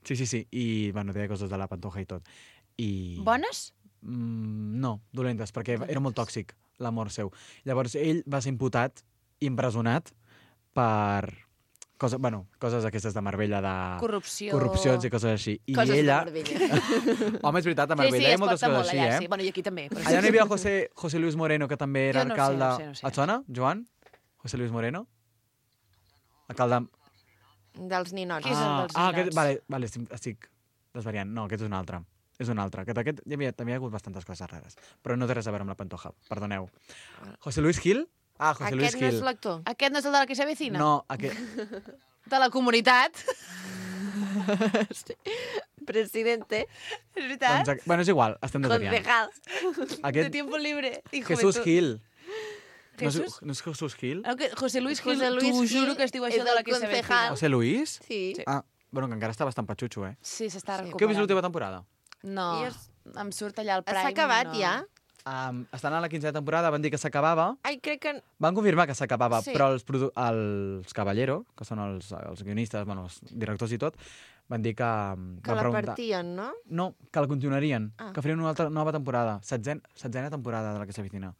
[SPEAKER 7] Sí, sí, sí. I, bueno, deia coses de la Pantoja i tot. I...
[SPEAKER 2] Bones?
[SPEAKER 7] Mm, no, dolentes, perquè
[SPEAKER 1] Dolentes.
[SPEAKER 7] era molt tòxic l'amor seu. Llavors, ell va ser imputat, impresonat, per coses, bueno, coses aquestes de Marbella, de
[SPEAKER 2] Corrupció.
[SPEAKER 7] corrupcions i coses així. I
[SPEAKER 1] Coses
[SPEAKER 7] ella...
[SPEAKER 1] de Marbella.
[SPEAKER 7] Home, és veritat, a
[SPEAKER 2] Sí,
[SPEAKER 7] Marbella
[SPEAKER 2] sí,
[SPEAKER 7] hi ha
[SPEAKER 2] es
[SPEAKER 7] moltes
[SPEAKER 2] pot
[SPEAKER 7] coses
[SPEAKER 2] molt
[SPEAKER 7] així,
[SPEAKER 2] allà,
[SPEAKER 7] eh?
[SPEAKER 2] sí. Bueno, i aquí també. Però
[SPEAKER 7] Allà no hi havia José, José Luis Moreno, que també era
[SPEAKER 2] Jo no ho sé,
[SPEAKER 7] alcalde...
[SPEAKER 2] no ho sé, no ho sé.
[SPEAKER 7] Et sona, Joan? José Luis Moreno? Alcalde...
[SPEAKER 1] Dels ninots.
[SPEAKER 2] Qui és el
[SPEAKER 7] ah,
[SPEAKER 2] dels
[SPEAKER 7] ah,
[SPEAKER 2] ninots?
[SPEAKER 7] aquest, vale, vale, estic, estic desvariant. No, aquest és un altre. És un altre. Aquest, aquest hi havia, també hi ha hagut bastantes coses rares. Però no té res a veure amb la Pantoja, perdoneu. José Luis Gil? Ah, José Luis
[SPEAKER 1] Aquest no
[SPEAKER 7] Gil.
[SPEAKER 1] és l'actor.
[SPEAKER 2] Aquest no és el de la que se vecina?
[SPEAKER 7] No, aquest...
[SPEAKER 2] De la comunitat.
[SPEAKER 1] Sí. Presidente.
[SPEAKER 2] És veritat?
[SPEAKER 7] doncs, aqu- bueno, és igual, estem desvariant.
[SPEAKER 1] Concejal.
[SPEAKER 2] De
[SPEAKER 7] Aquest...
[SPEAKER 2] tiempo libre. I
[SPEAKER 7] Jesús
[SPEAKER 2] juventud.
[SPEAKER 7] Gil. No és,
[SPEAKER 2] Jesús?
[SPEAKER 7] no és Jesús Gil?
[SPEAKER 2] No, que José Luis Gil,
[SPEAKER 1] José Luis
[SPEAKER 2] t'ho
[SPEAKER 1] Gil
[SPEAKER 2] juro que es diu
[SPEAKER 1] és
[SPEAKER 2] això de
[SPEAKER 1] el
[SPEAKER 2] la que se
[SPEAKER 1] concejal.
[SPEAKER 2] vecina.
[SPEAKER 7] José Luis?
[SPEAKER 1] Sí.
[SPEAKER 2] Sí.
[SPEAKER 7] Ah, bueno, que encara està bastant patxutxo, eh?
[SPEAKER 2] Sí, s'està
[SPEAKER 1] Sí.
[SPEAKER 2] recuperant.
[SPEAKER 7] Què heu vist l'última temporada?
[SPEAKER 2] No,
[SPEAKER 1] I és-
[SPEAKER 2] em surt allà al Prime.
[SPEAKER 1] S'ha acabat
[SPEAKER 2] no.
[SPEAKER 1] ja?
[SPEAKER 7] Um, estan a la quinzena temporada, van dir que s'acabava.
[SPEAKER 1] Ai, crec que...
[SPEAKER 7] Van confirmar que s'acabava,
[SPEAKER 1] Sí.
[SPEAKER 7] però els, produ els Caballero, que són els, els guionistes, bueno, els directors i tot, van dir que...
[SPEAKER 1] Que
[SPEAKER 7] van
[SPEAKER 1] la
[SPEAKER 7] preguntar-
[SPEAKER 1] partien, no?
[SPEAKER 7] No, que la continuarien,
[SPEAKER 1] Ah.
[SPEAKER 7] que farien una altra nova temporada, setzena, setzena temporada de la que s'avicina.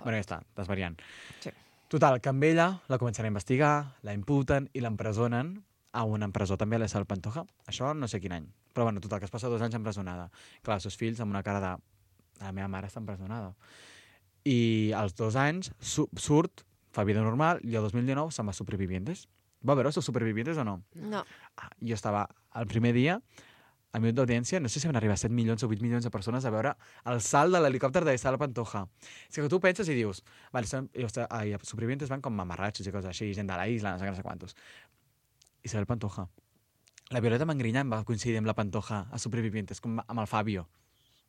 [SPEAKER 7] Bueno, ja està, desvariant.
[SPEAKER 1] Sí.
[SPEAKER 7] Total, que amb ella la començaran a investigar, la imputen i l'empresonen a una empresó també a la Isabel Pantoja. Això no sé quin any. Però bueno, total, que es passa dos anys empresonada. Clar, els seus fills amb una cara de... La meva mare està empresonada. I als dos anys su surt fa vida normal, i el dos mil dinou se'n va a Supervivientes. Va veure els Supervivientes o no?
[SPEAKER 1] No.
[SPEAKER 7] Ah, jo estava el primer dia, al minut d'audiència, no sé si van arribar set milions o vuit milions de persones a veure el salt de l'helicòpter de Isabel Pantoja. És que tu penses i dius, vale, són, i, ah, i els Supervivientes van com mamarratxos i coses així, gent de la isla, no sé què, no sé quantos. Isabel Pantoja. La Violeta Mangrinyán va coincidir amb la Pantoja a Supervivientes, com amb el Fabio.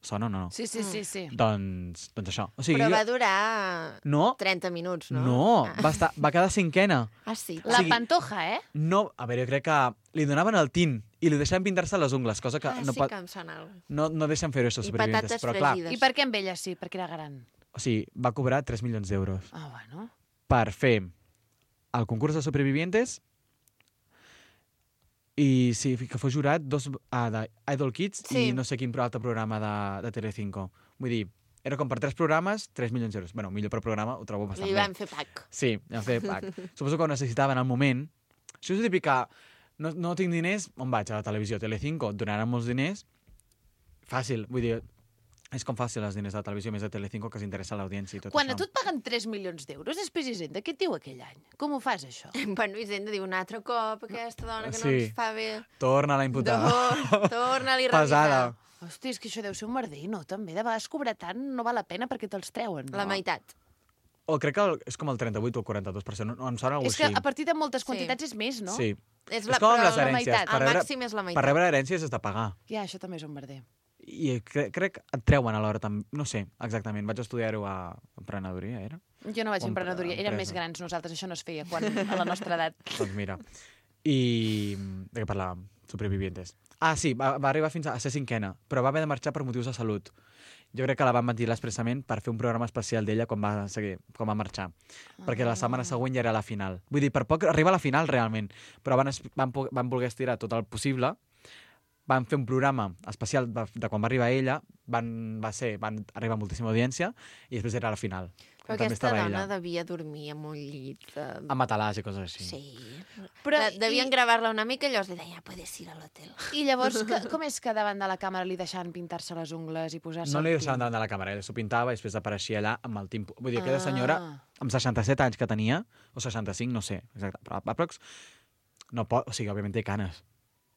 [SPEAKER 7] Sona o no?
[SPEAKER 2] Sí, sí, sí, sí.
[SPEAKER 7] Doncs, doncs això. O sigui,
[SPEAKER 1] Però
[SPEAKER 7] jo-
[SPEAKER 1] va durar
[SPEAKER 7] No,
[SPEAKER 1] trenta minuts, no?
[SPEAKER 7] no,
[SPEAKER 1] Ah,
[SPEAKER 7] va, estar, va quedar cinquena.
[SPEAKER 1] ah sí.
[SPEAKER 2] La
[SPEAKER 7] sigui-
[SPEAKER 2] Pantoja, eh?
[SPEAKER 7] No, a veure, jo crec que li donaven el tint i li deixaven pintar-se les ungles, cosa que
[SPEAKER 1] Ah,
[SPEAKER 7] no,
[SPEAKER 1] sí
[SPEAKER 7] pot,
[SPEAKER 1] que em sona alguna cosa.
[SPEAKER 7] no, no deixen fer-ho, això,
[SPEAKER 1] I
[SPEAKER 7] Supervivientes.
[SPEAKER 1] patates
[SPEAKER 7] Però clar,
[SPEAKER 1] fregides.
[SPEAKER 2] I per què amb ella sí? Perquè era gran.
[SPEAKER 7] o sigui, va cobrar tres milions d'euros
[SPEAKER 2] Ah, bueno.
[SPEAKER 7] per fer el concurs de Supervivientes i sí, que fos jurat dos, ah, d'Idol Kids
[SPEAKER 1] Sí.
[SPEAKER 7] i no sé quin altre programa de, de Telecinco. Vull dir, era com per tres programes, tres milions d'euros. Bueno, millor per programa, ho trobo bastant
[SPEAKER 1] Li
[SPEAKER 7] bé.
[SPEAKER 1] van fer pack.
[SPEAKER 7] Sí, vam fer pack. Suposo que ho necessitaven al moment. Això és el típic que no, no tinc diners, on vaig? A la televisió. Telecinco, donaran molts diners. Fàcil, vull dir, és com fàcil els diners de la televisió, més de Telecinco, que s'interessa l'audiència i tot
[SPEAKER 2] Quan
[SPEAKER 7] això.
[SPEAKER 2] a tu et paguen tres milions d'euros, després Hisenda, què et diu aquell any? Com ho fas, això?
[SPEAKER 1] Bueno, Hisenda diu un altre cop, aquesta dona que no
[SPEAKER 7] Sí.
[SPEAKER 1] ens fa bé.
[SPEAKER 7] Torna-la a imputar.
[SPEAKER 1] Tor- Torna-li a
[SPEAKER 7] Pesada.
[SPEAKER 1] revisar.
[SPEAKER 2] Hosti, és que això deu ser un merder, no? També de vegades cobrar tant no val la pena perquè te'ls treuen, no?
[SPEAKER 1] La meitat.
[SPEAKER 7] O crec que el, és com el trenta-vuit o el quaranta-dos per cent. No, no, em sona alguna
[SPEAKER 2] És que
[SPEAKER 7] així.
[SPEAKER 2] a partir de moltes
[SPEAKER 1] Sí.
[SPEAKER 2] quantitats és més, no?
[SPEAKER 7] Sí.
[SPEAKER 1] És,
[SPEAKER 7] És com amb
[SPEAKER 1] però
[SPEAKER 7] les
[SPEAKER 1] la
[SPEAKER 7] herències.
[SPEAKER 1] meitat.
[SPEAKER 7] Per
[SPEAKER 1] El
[SPEAKER 7] rebre-
[SPEAKER 1] màxim és la meitat.
[SPEAKER 7] Per rebre herències has de pagar.
[SPEAKER 2] Ja, això també és un merder.
[SPEAKER 7] I crec, crec que et treuen alhora també. No sé, exactament. Vaig estudiar-ho a emprenedoria, era?
[SPEAKER 2] Jo no vaig
[SPEAKER 7] O
[SPEAKER 2] a emprenedoria, érem
[SPEAKER 7] empresa.
[SPEAKER 2] més grans nosaltres, això no es feia quan, a la nostra edat.
[SPEAKER 7] Doncs mira. I de què parlàvem? Supervivientes. Ah, sí, va, va arribar fins a ser cinquena, però va haver de marxar per motius de salut. Jo crec que la van ventilar expressament per fer un programa especial d'ella quan va, seguir, quan va marxar. Ah. Perquè la setmana següent ja era la final. Vull dir, per poc arriba a la final, realment. Però van, es- van, po- van voler estirar tot el possible. Van fer un programa especial de, de quan va arribar ella. Van, va ser, van arribar moltíssima audiència i després era la final.
[SPEAKER 1] Però
[SPEAKER 7] on també
[SPEAKER 1] aquesta
[SPEAKER 7] estava
[SPEAKER 1] dona
[SPEAKER 7] ella.
[SPEAKER 1] devia dormir amb un llit. De...
[SPEAKER 7] Amb matalàs i coses així.
[SPEAKER 1] Sí.
[SPEAKER 2] Però,
[SPEAKER 1] De, devien
[SPEAKER 2] i,
[SPEAKER 1] gravar-la una mica i llavors li deien, ja puedes ir a l'hotel.
[SPEAKER 2] I llavors, que, com és que davant de la càmera li deixaven pintar-se les ungles i posar-se...
[SPEAKER 7] No
[SPEAKER 2] el
[SPEAKER 7] li
[SPEAKER 2] tint?
[SPEAKER 7] deixaven davant de la càmera, ella s'ho pintava i després apareixia allà amb el timpo. Vull dir, aquella
[SPEAKER 2] Ah.
[SPEAKER 7] senyora, amb seixanta-set anys que tenia, o seixanta-cinc, no sé, exacte, però aprox, no pot, o sigui, òbviament té canes,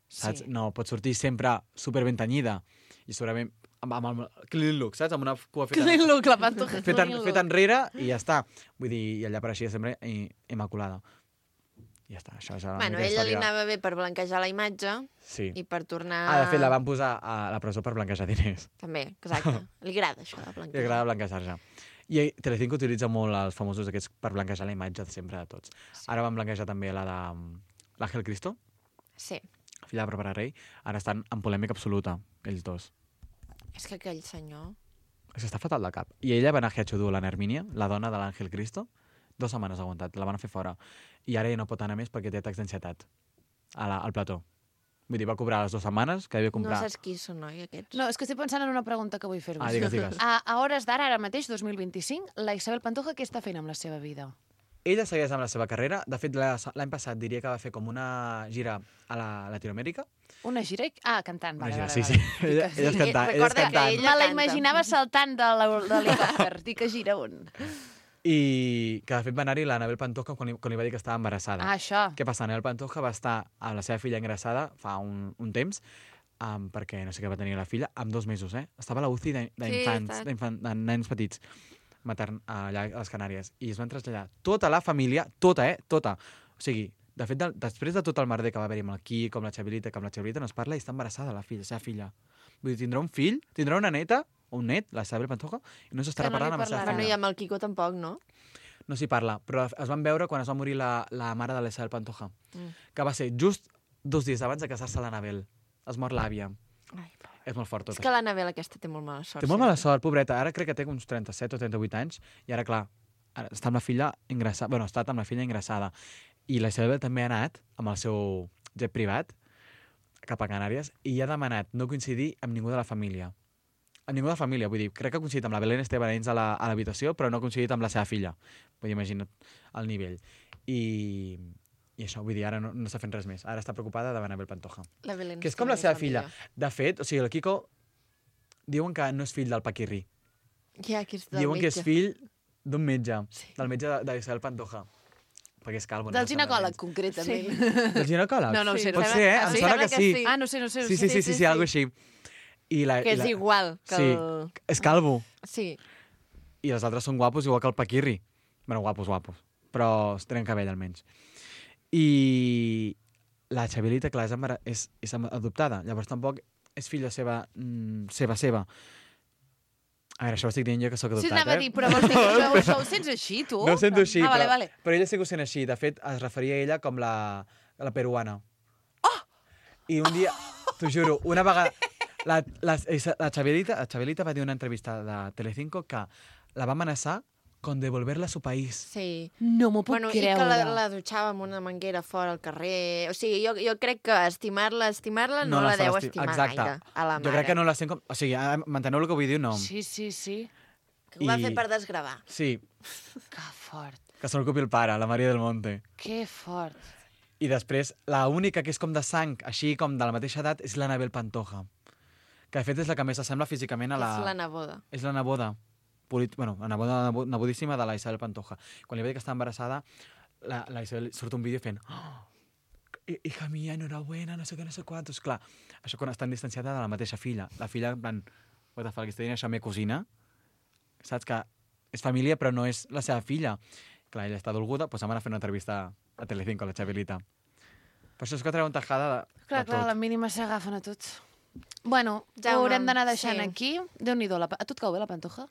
[SPEAKER 7] saps?
[SPEAKER 2] Sí.
[SPEAKER 7] No pot sortir sempre superben tenyida i segurament amb, amb el clean look, saps? Amb una cua feta,
[SPEAKER 2] Clean look, la Pantoja.
[SPEAKER 7] feta,
[SPEAKER 2] clean look.
[SPEAKER 7] feta enrere i ja està. Vull dir, i allà apareixia sempre i, immaculada. I ja està, això és la
[SPEAKER 1] Bueno,
[SPEAKER 7] meva
[SPEAKER 1] ella li
[SPEAKER 7] història.
[SPEAKER 1] anava bé per blanquejar la imatge
[SPEAKER 7] Sí.
[SPEAKER 1] i per tornar...
[SPEAKER 7] Ah, de fet, la van posar a la presó per blanquejar diners.
[SPEAKER 1] També, exacte. Li agrada això de
[SPEAKER 7] Li
[SPEAKER 1] blanquejar.
[SPEAKER 7] agrada blanquejar-se. I Telecinco utilitza molt els famosos aquests per blanquejar la imatge de sempre de tots. Sí. Ara van blanquejar també la de um, l'Àngel Cristo,
[SPEAKER 1] Sí.
[SPEAKER 7] filla de Bàrbara Rey. Ara estan en polèmica absoluta, ells dos.
[SPEAKER 1] És que aquell senyor...
[SPEAKER 7] És que està fatal de cap. I ella va anar a Giachudú, la Nermínia, la dona de l'Àngel Cristo, dues setmanes ha aguantat, la van fer fora. I ara ja no pot anar més perquè té atacs d'ansietat a la, al plató. Vull dir, va cobrar les dues setmanes que havia
[SPEAKER 1] No
[SPEAKER 7] comprar...
[SPEAKER 1] saps qui són, oi, aquests?
[SPEAKER 2] No, és que estic pensant en una pregunta que vull fer-vos.
[SPEAKER 7] Ah, digues, digues.
[SPEAKER 2] A, a hores d'ara, ara mateix, dos mil vint-i-cinc, la Isabel Pantoja què està fent amb la seva vida?
[SPEAKER 7] Ella segueix amb la seva carrera. De fet, la- l'any passat diria que va fer com una gira a la Latinoamèrica.
[SPEAKER 2] Una gira? i- Ah, cantant.
[SPEAKER 7] Una
[SPEAKER 2] Vale,
[SPEAKER 7] gira,
[SPEAKER 2] vale,
[SPEAKER 7] sí,
[SPEAKER 2] vale.
[SPEAKER 7] sí. Ella, ella és
[SPEAKER 1] sí.
[SPEAKER 7] cantant. Ella és
[SPEAKER 1] Recorda que
[SPEAKER 7] cantant.
[SPEAKER 1] ella-
[SPEAKER 2] Me la
[SPEAKER 1] canta.
[SPEAKER 2] imaginava saltant de l'hel- de l'helicòpter. Dic que gira on?
[SPEAKER 7] I que de fet va anar-hi l'Anabel Pantoja quan li, quan li va dir que estava embarassada.
[SPEAKER 2] Ah, això.
[SPEAKER 7] Què passa? Anabel Pantoja va estar amb la seva filla ingressada fa un, un temps, um, perquè no sé què va tenir la filla, amb dos mesos, eh? Estava a la U C I d'in- d'infants,
[SPEAKER 1] Sí,
[SPEAKER 7] d'infant, de nens petits, matern, allà a les Canàries. I es van traslladar tota la família, tota, eh? Tota. O sigui, de fet, de, després de tot el merder que va haver-hi amb el Quico, amb la Xavilita, que amb la Xavilita no es parla i està embarassada la filla, la seva filla. Vull dir, tindrà un fill, tindrà una neta, o un net, la Isabel Pantoja, i no s'estarà
[SPEAKER 2] Que no li
[SPEAKER 7] parlant amb la seva
[SPEAKER 2] parlarà.
[SPEAKER 1] Bueno, i
[SPEAKER 7] filla.
[SPEAKER 1] amb el Quico tampoc, no?
[SPEAKER 7] No s'hi parla, però es van veure quan es va morir la, la mare de l'Isabel Pantoja,
[SPEAKER 1] Mm.
[SPEAKER 7] que va ser just dos dies abans de casar-se l'Anabel. Es mor l'àvia.
[SPEAKER 1] Ai,
[SPEAKER 7] És molt fort tot
[SPEAKER 1] és que l'Anabel aquesta té molt mala sort.
[SPEAKER 7] Té molt mala
[SPEAKER 1] sempre.
[SPEAKER 7] sort, pobreta. Ara crec que té uns trenta-set o trenta-vuit anys i ara, clar, ara està amb la filla ingressada. Bueno, ha estat amb la filla ingressada. I la Isabel també ha anat amb el seu jet privat cap a Canàries i ha demanat no coincidir amb ningú de la família. Amb ningú de la família, vull dir, crec que ha coincidit amb la Belén Esteban dins a la- a l'habitació, però no ha coincidit amb la seva filla. Vull dir, imagina't el nivell. I, i això, vull dir, ara no, no està fent res més. Ara està preocupada davant Anabel Pantoja.
[SPEAKER 1] La Belén
[SPEAKER 7] Que és com la seva
[SPEAKER 1] Esteban
[SPEAKER 7] filla.
[SPEAKER 1] millor.
[SPEAKER 7] De fet, o sigui, el Quico diuen que no és fill del Paquirri.
[SPEAKER 1] Ja, que és del
[SPEAKER 7] Diuen que és
[SPEAKER 1] metge.
[SPEAKER 7] fill d'un metge, del metge de- d'Isabel Pantoja. Perquè és calvo. no
[SPEAKER 2] Del
[SPEAKER 7] em sembla
[SPEAKER 2] ginecòleg,
[SPEAKER 7] gens.
[SPEAKER 2] concretament.
[SPEAKER 7] Del ginecòleg?
[SPEAKER 2] No, no ho sé.
[SPEAKER 7] Pot
[SPEAKER 2] em
[SPEAKER 7] ser, eh?
[SPEAKER 2] sembla-
[SPEAKER 7] Em
[SPEAKER 2] sí,
[SPEAKER 7] sembla
[SPEAKER 2] sembla
[SPEAKER 7] que sí.
[SPEAKER 2] Ah, no sé, no sé. no
[SPEAKER 7] Sí,
[SPEAKER 2] sé.
[SPEAKER 7] sí, sí, sí, sí, algo així. I la,
[SPEAKER 1] Que
[SPEAKER 7] i
[SPEAKER 1] és
[SPEAKER 7] la...
[SPEAKER 1] igual que
[SPEAKER 7] Sí,
[SPEAKER 1] el...
[SPEAKER 7] és calvo.
[SPEAKER 1] Sí.
[SPEAKER 7] I els altres són guapos, igual que el Paquirri. Bueno, guapos, guapos. Però tenen cabell, almenys. I la Xavielita, clar, és, embara... és, és adoptada. Llavors tampoc és filla seva, mm, seva, seva. A veure, això ho estic dient jo que sóc
[SPEAKER 2] Sí,
[SPEAKER 7] adoptat,
[SPEAKER 2] anava a
[SPEAKER 7] eh?
[SPEAKER 2] dir, però vols dir que això, això ho sents així, tu?
[SPEAKER 7] No ho sento així,
[SPEAKER 2] ah, vale,
[SPEAKER 7] però,
[SPEAKER 2] vale.
[SPEAKER 7] però ella sí que ho sent així. De fet, es referia a ella com la, la peruana. Oh! I un dia, t'ho juro, una vegada... La, la, la, Xavielita, la Xavielita va dir en una entrevista de Telecinco que la va amenaçar con devolverla a su país.
[SPEAKER 1] Sí.
[SPEAKER 2] No m'ho puc
[SPEAKER 1] Bueno, i
[SPEAKER 2] creure.
[SPEAKER 1] que la, la dutxava amb una manguera fora al carrer. O sigui, jo, jo crec que estimar-la, estimar-la no, no la
[SPEAKER 7] està
[SPEAKER 1] deu
[SPEAKER 7] esti-
[SPEAKER 1] estimar
[SPEAKER 7] Exacte.
[SPEAKER 1] gaire, a la mare.
[SPEAKER 7] Jo crec que no la sent com... O sigui, ah, m'enteneu el que vull dir? No.
[SPEAKER 2] Sí, sí, sí.
[SPEAKER 1] Que ho va
[SPEAKER 7] I-
[SPEAKER 1] fer per desgravar.
[SPEAKER 7] Sí,
[SPEAKER 2] Que fort.
[SPEAKER 7] que se l'ocupi el pare, la Maria del Monte.
[SPEAKER 2] Que fort.
[SPEAKER 7] I després, la única que és com de sang, així com de la mateixa edat, és l'Anabel Pantoja. Que de fet és la que més s'assembla físicament a la...
[SPEAKER 1] És la neboda.
[SPEAKER 7] És la neboda. Polit... Bueno, la neboda nebo- nebodíssima de la Isabel Pantoja. Quan li va dir que està embarassada, la, la Isabel surt un vídeo fent... Oh, hija mía, enhorabuena, no sé què, no sé quantos. Clar, això quan estan distanciada de la mateixa filla. La filla, en plan, what the fuck, està dient això a la meva cosina? Saps que és família però no és la seva filla. Clar, ella està dolguda, doncs vam anar a fer una entrevista a Telecinco, a la Xavielita. Per això és que treu un tajada de,
[SPEAKER 2] Clar,
[SPEAKER 7] de
[SPEAKER 2] clar, a
[SPEAKER 7] tot.
[SPEAKER 2] la mínima s'agafen a tots. Bueno,
[SPEAKER 1] Jaume,
[SPEAKER 2] ho haurem d'anar deixant
[SPEAKER 1] sí.
[SPEAKER 2] aquí. Déu-n'hi-do, la... pa- a tu et cau bé la pantoja?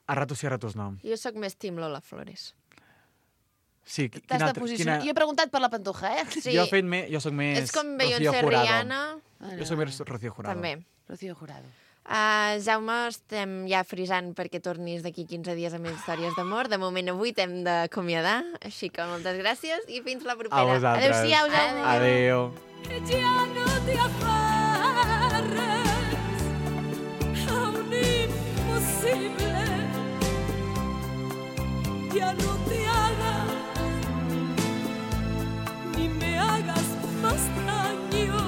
[SPEAKER 7] A ratos sí, a ratos no.
[SPEAKER 1] Jo sóc més Tim Lola Flores.
[SPEAKER 7] Sí, qui-
[SPEAKER 2] T'has
[SPEAKER 7] quina
[SPEAKER 2] de
[SPEAKER 7] altra-
[SPEAKER 2] posicionar.
[SPEAKER 7] quina-
[SPEAKER 2] Jo he preguntat per la pantoja, eh?
[SPEAKER 1] Sí.
[SPEAKER 7] Jo, he fet me... jo sóc més
[SPEAKER 1] És com
[SPEAKER 7] Rocío
[SPEAKER 1] Beyoncé
[SPEAKER 7] Jurado.
[SPEAKER 1] Rihanna.
[SPEAKER 7] Jo soc més Rocío Jurado.
[SPEAKER 1] També.
[SPEAKER 2] Rocío Jurado.
[SPEAKER 1] Uh, Jaume, estem ja frisant perquè tornis d'aquí quinze dies amb històries d'amor. De moment avui t'hem d'acomiadar, així que moltes gràcies i fins la
[SPEAKER 7] A
[SPEAKER 1] propera.
[SPEAKER 7] vosaltres.
[SPEAKER 2] Adéu-siau, Jaume.
[SPEAKER 7] Adéu.
[SPEAKER 3] Ya no te aferres a un imposible. Ya no te hagas ni me hagas más daño.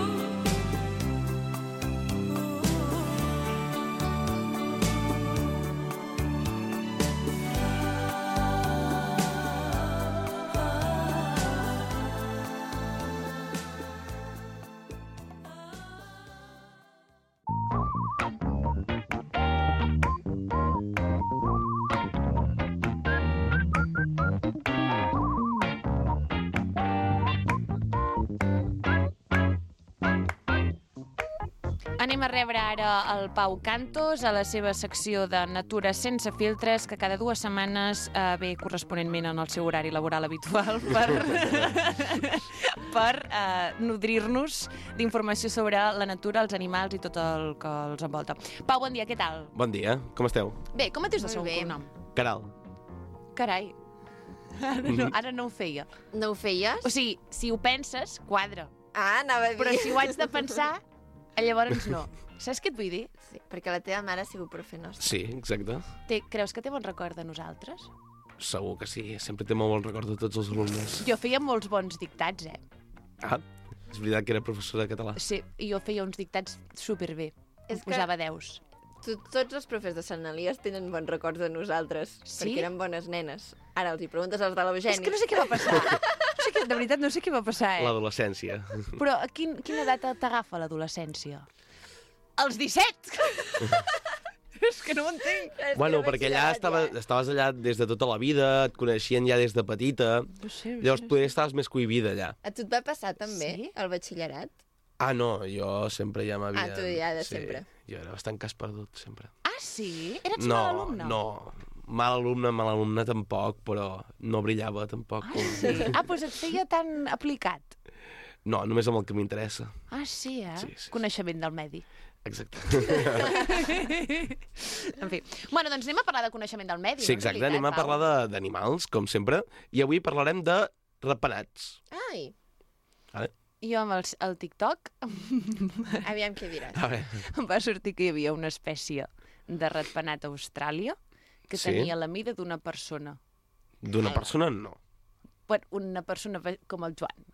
[SPEAKER 2] Anem a rebre ara el Pau Cantos a la seva secció de Natura sense filtres, que cada dues setmanes eh, ve corresponentment en el seu horari laboral habitual per, per eh, nodrir-nos d'informació sobre la natura, els animals i tot el que els envolta. Pau, bon dia, què tal?
[SPEAKER 8] Bon dia, com esteu?
[SPEAKER 2] Bé, com et dius de
[SPEAKER 1] Molt
[SPEAKER 2] segon
[SPEAKER 1] bé.
[SPEAKER 2] cognom?
[SPEAKER 8] Caral.
[SPEAKER 2] Carai, ara no, ara no ho feia.
[SPEAKER 1] No ho feies?
[SPEAKER 2] O sigui, si ho penses, quadra.
[SPEAKER 1] Ah, anava a dir.
[SPEAKER 2] Però si ho haig de pensar, llavors no. Saps què et vull dir?
[SPEAKER 1] Sí, perquè la teva mare ha sigut profe nostra.
[SPEAKER 8] Sí, exacte.
[SPEAKER 2] Té, creus que té bon record de nosaltres?
[SPEAKER 8] Segur que sí, sempre té molt bon record de tots els alumnes.
[SPEAKER 2] Jo feia molts bons dictats, eh?
[SPEAKER 8] Ah, és veritat que era professora de català.
[SPEAKER 2] Sí, i jo feia uns dictats superbé.
[SPEAKER 1] És
[SPEAKER 2] Em
[SPEAKER 1] que-
[SPEAKER 2] posava deus.
[SPEAKER 1] Tu, tots els profes de Sant Elies tenen bons records de nosaltres,
[SPEAKER 2] Sí?
[SPEAKER 1] perquè eren bones nenes. Ara els hi preguntes als de l'Eugeni.
[SPEAKER 2] És que no sé què va passar. No sé què, de veritat, no sé què va passar, eh?
[SPEAKER 8] L'adolescència.
[SPEAKER 2] Però a quin, quina edat t'agafa l'adolescència? Els disset! És que no ho entenc.
[SPEAKER 8] Bueno, perquè allà estava, estaves allà des de tota la vida, et coneixien ja des de petita,
[SPEAKER 2] No sé,
[SPEAKER 8] llavors tu estaves més cohibida allà.
[SPEAKER 1] A tu et va passar també,
[SPEAKER 2] Sí?
[SPEAKER 1] el batxillerat?
[SPEAKER 8] Ah, no, jo sempre ja m'havia...
[SPEAKER 1] Ah, tu ja de sempre.
[SPEAKER 8] Jo era bastant cas perdut, sempre.
[SPEAKER 2] Ah, sí? Eres
[SPEAKER 8] no,
[SPEAKER 2] mal alumne?
[SPEAKER 8] no, mal alumne, mal alumne tampoc, però no brillava tampoc.
[SPEAKER 2] Ah,
[SPEAKER 8] com...
[SPEAKER 2] sí? Ah, doncs et feia tan aplicat.
[SPEAKER 8] No, només amb el que m'interessa.
[SPEAKER 2] Ah, sí, eh?
[SPEAKER 8] Sí, sí, sí.
[SPEAKER 2] Coneixement del medi.
[SPEAKER 8] Exacte.
[SPEAKER 2] En fi. Bueno, doncs anem a parlar de coneixement del medi,
[SPEAKER 8] Sí,
[SPEAKER 2] no? En
[SPEAKER 8] exacte,
[SPEAKER 2] realitat,
[SPEAKER 8] anem a
[SPEAKER 2] Pau.
[SPEAKER 8] parlar de- d'animals, com sempre, i avui parlarem de ratpenats.
[SPEAKER 1] Ai,
[SPEAKER 8] Vale?
[SPEAKER 2] Jo amb el, el TikTok
[SPEAKER 1] aviam què diràs.
[SPEAKER 8] A veure,
[SPEAKER 2] em va sortir que hi havia una espècie de ratpenat a Austràlia que
[SPEAKER 8] Sí?
[SPEAKER 2] tenia la mida d'una persona.
[SPEAKER 8] d'una persona no.
[SPEAKER 2] Bueno, una persona ve- com el Joan.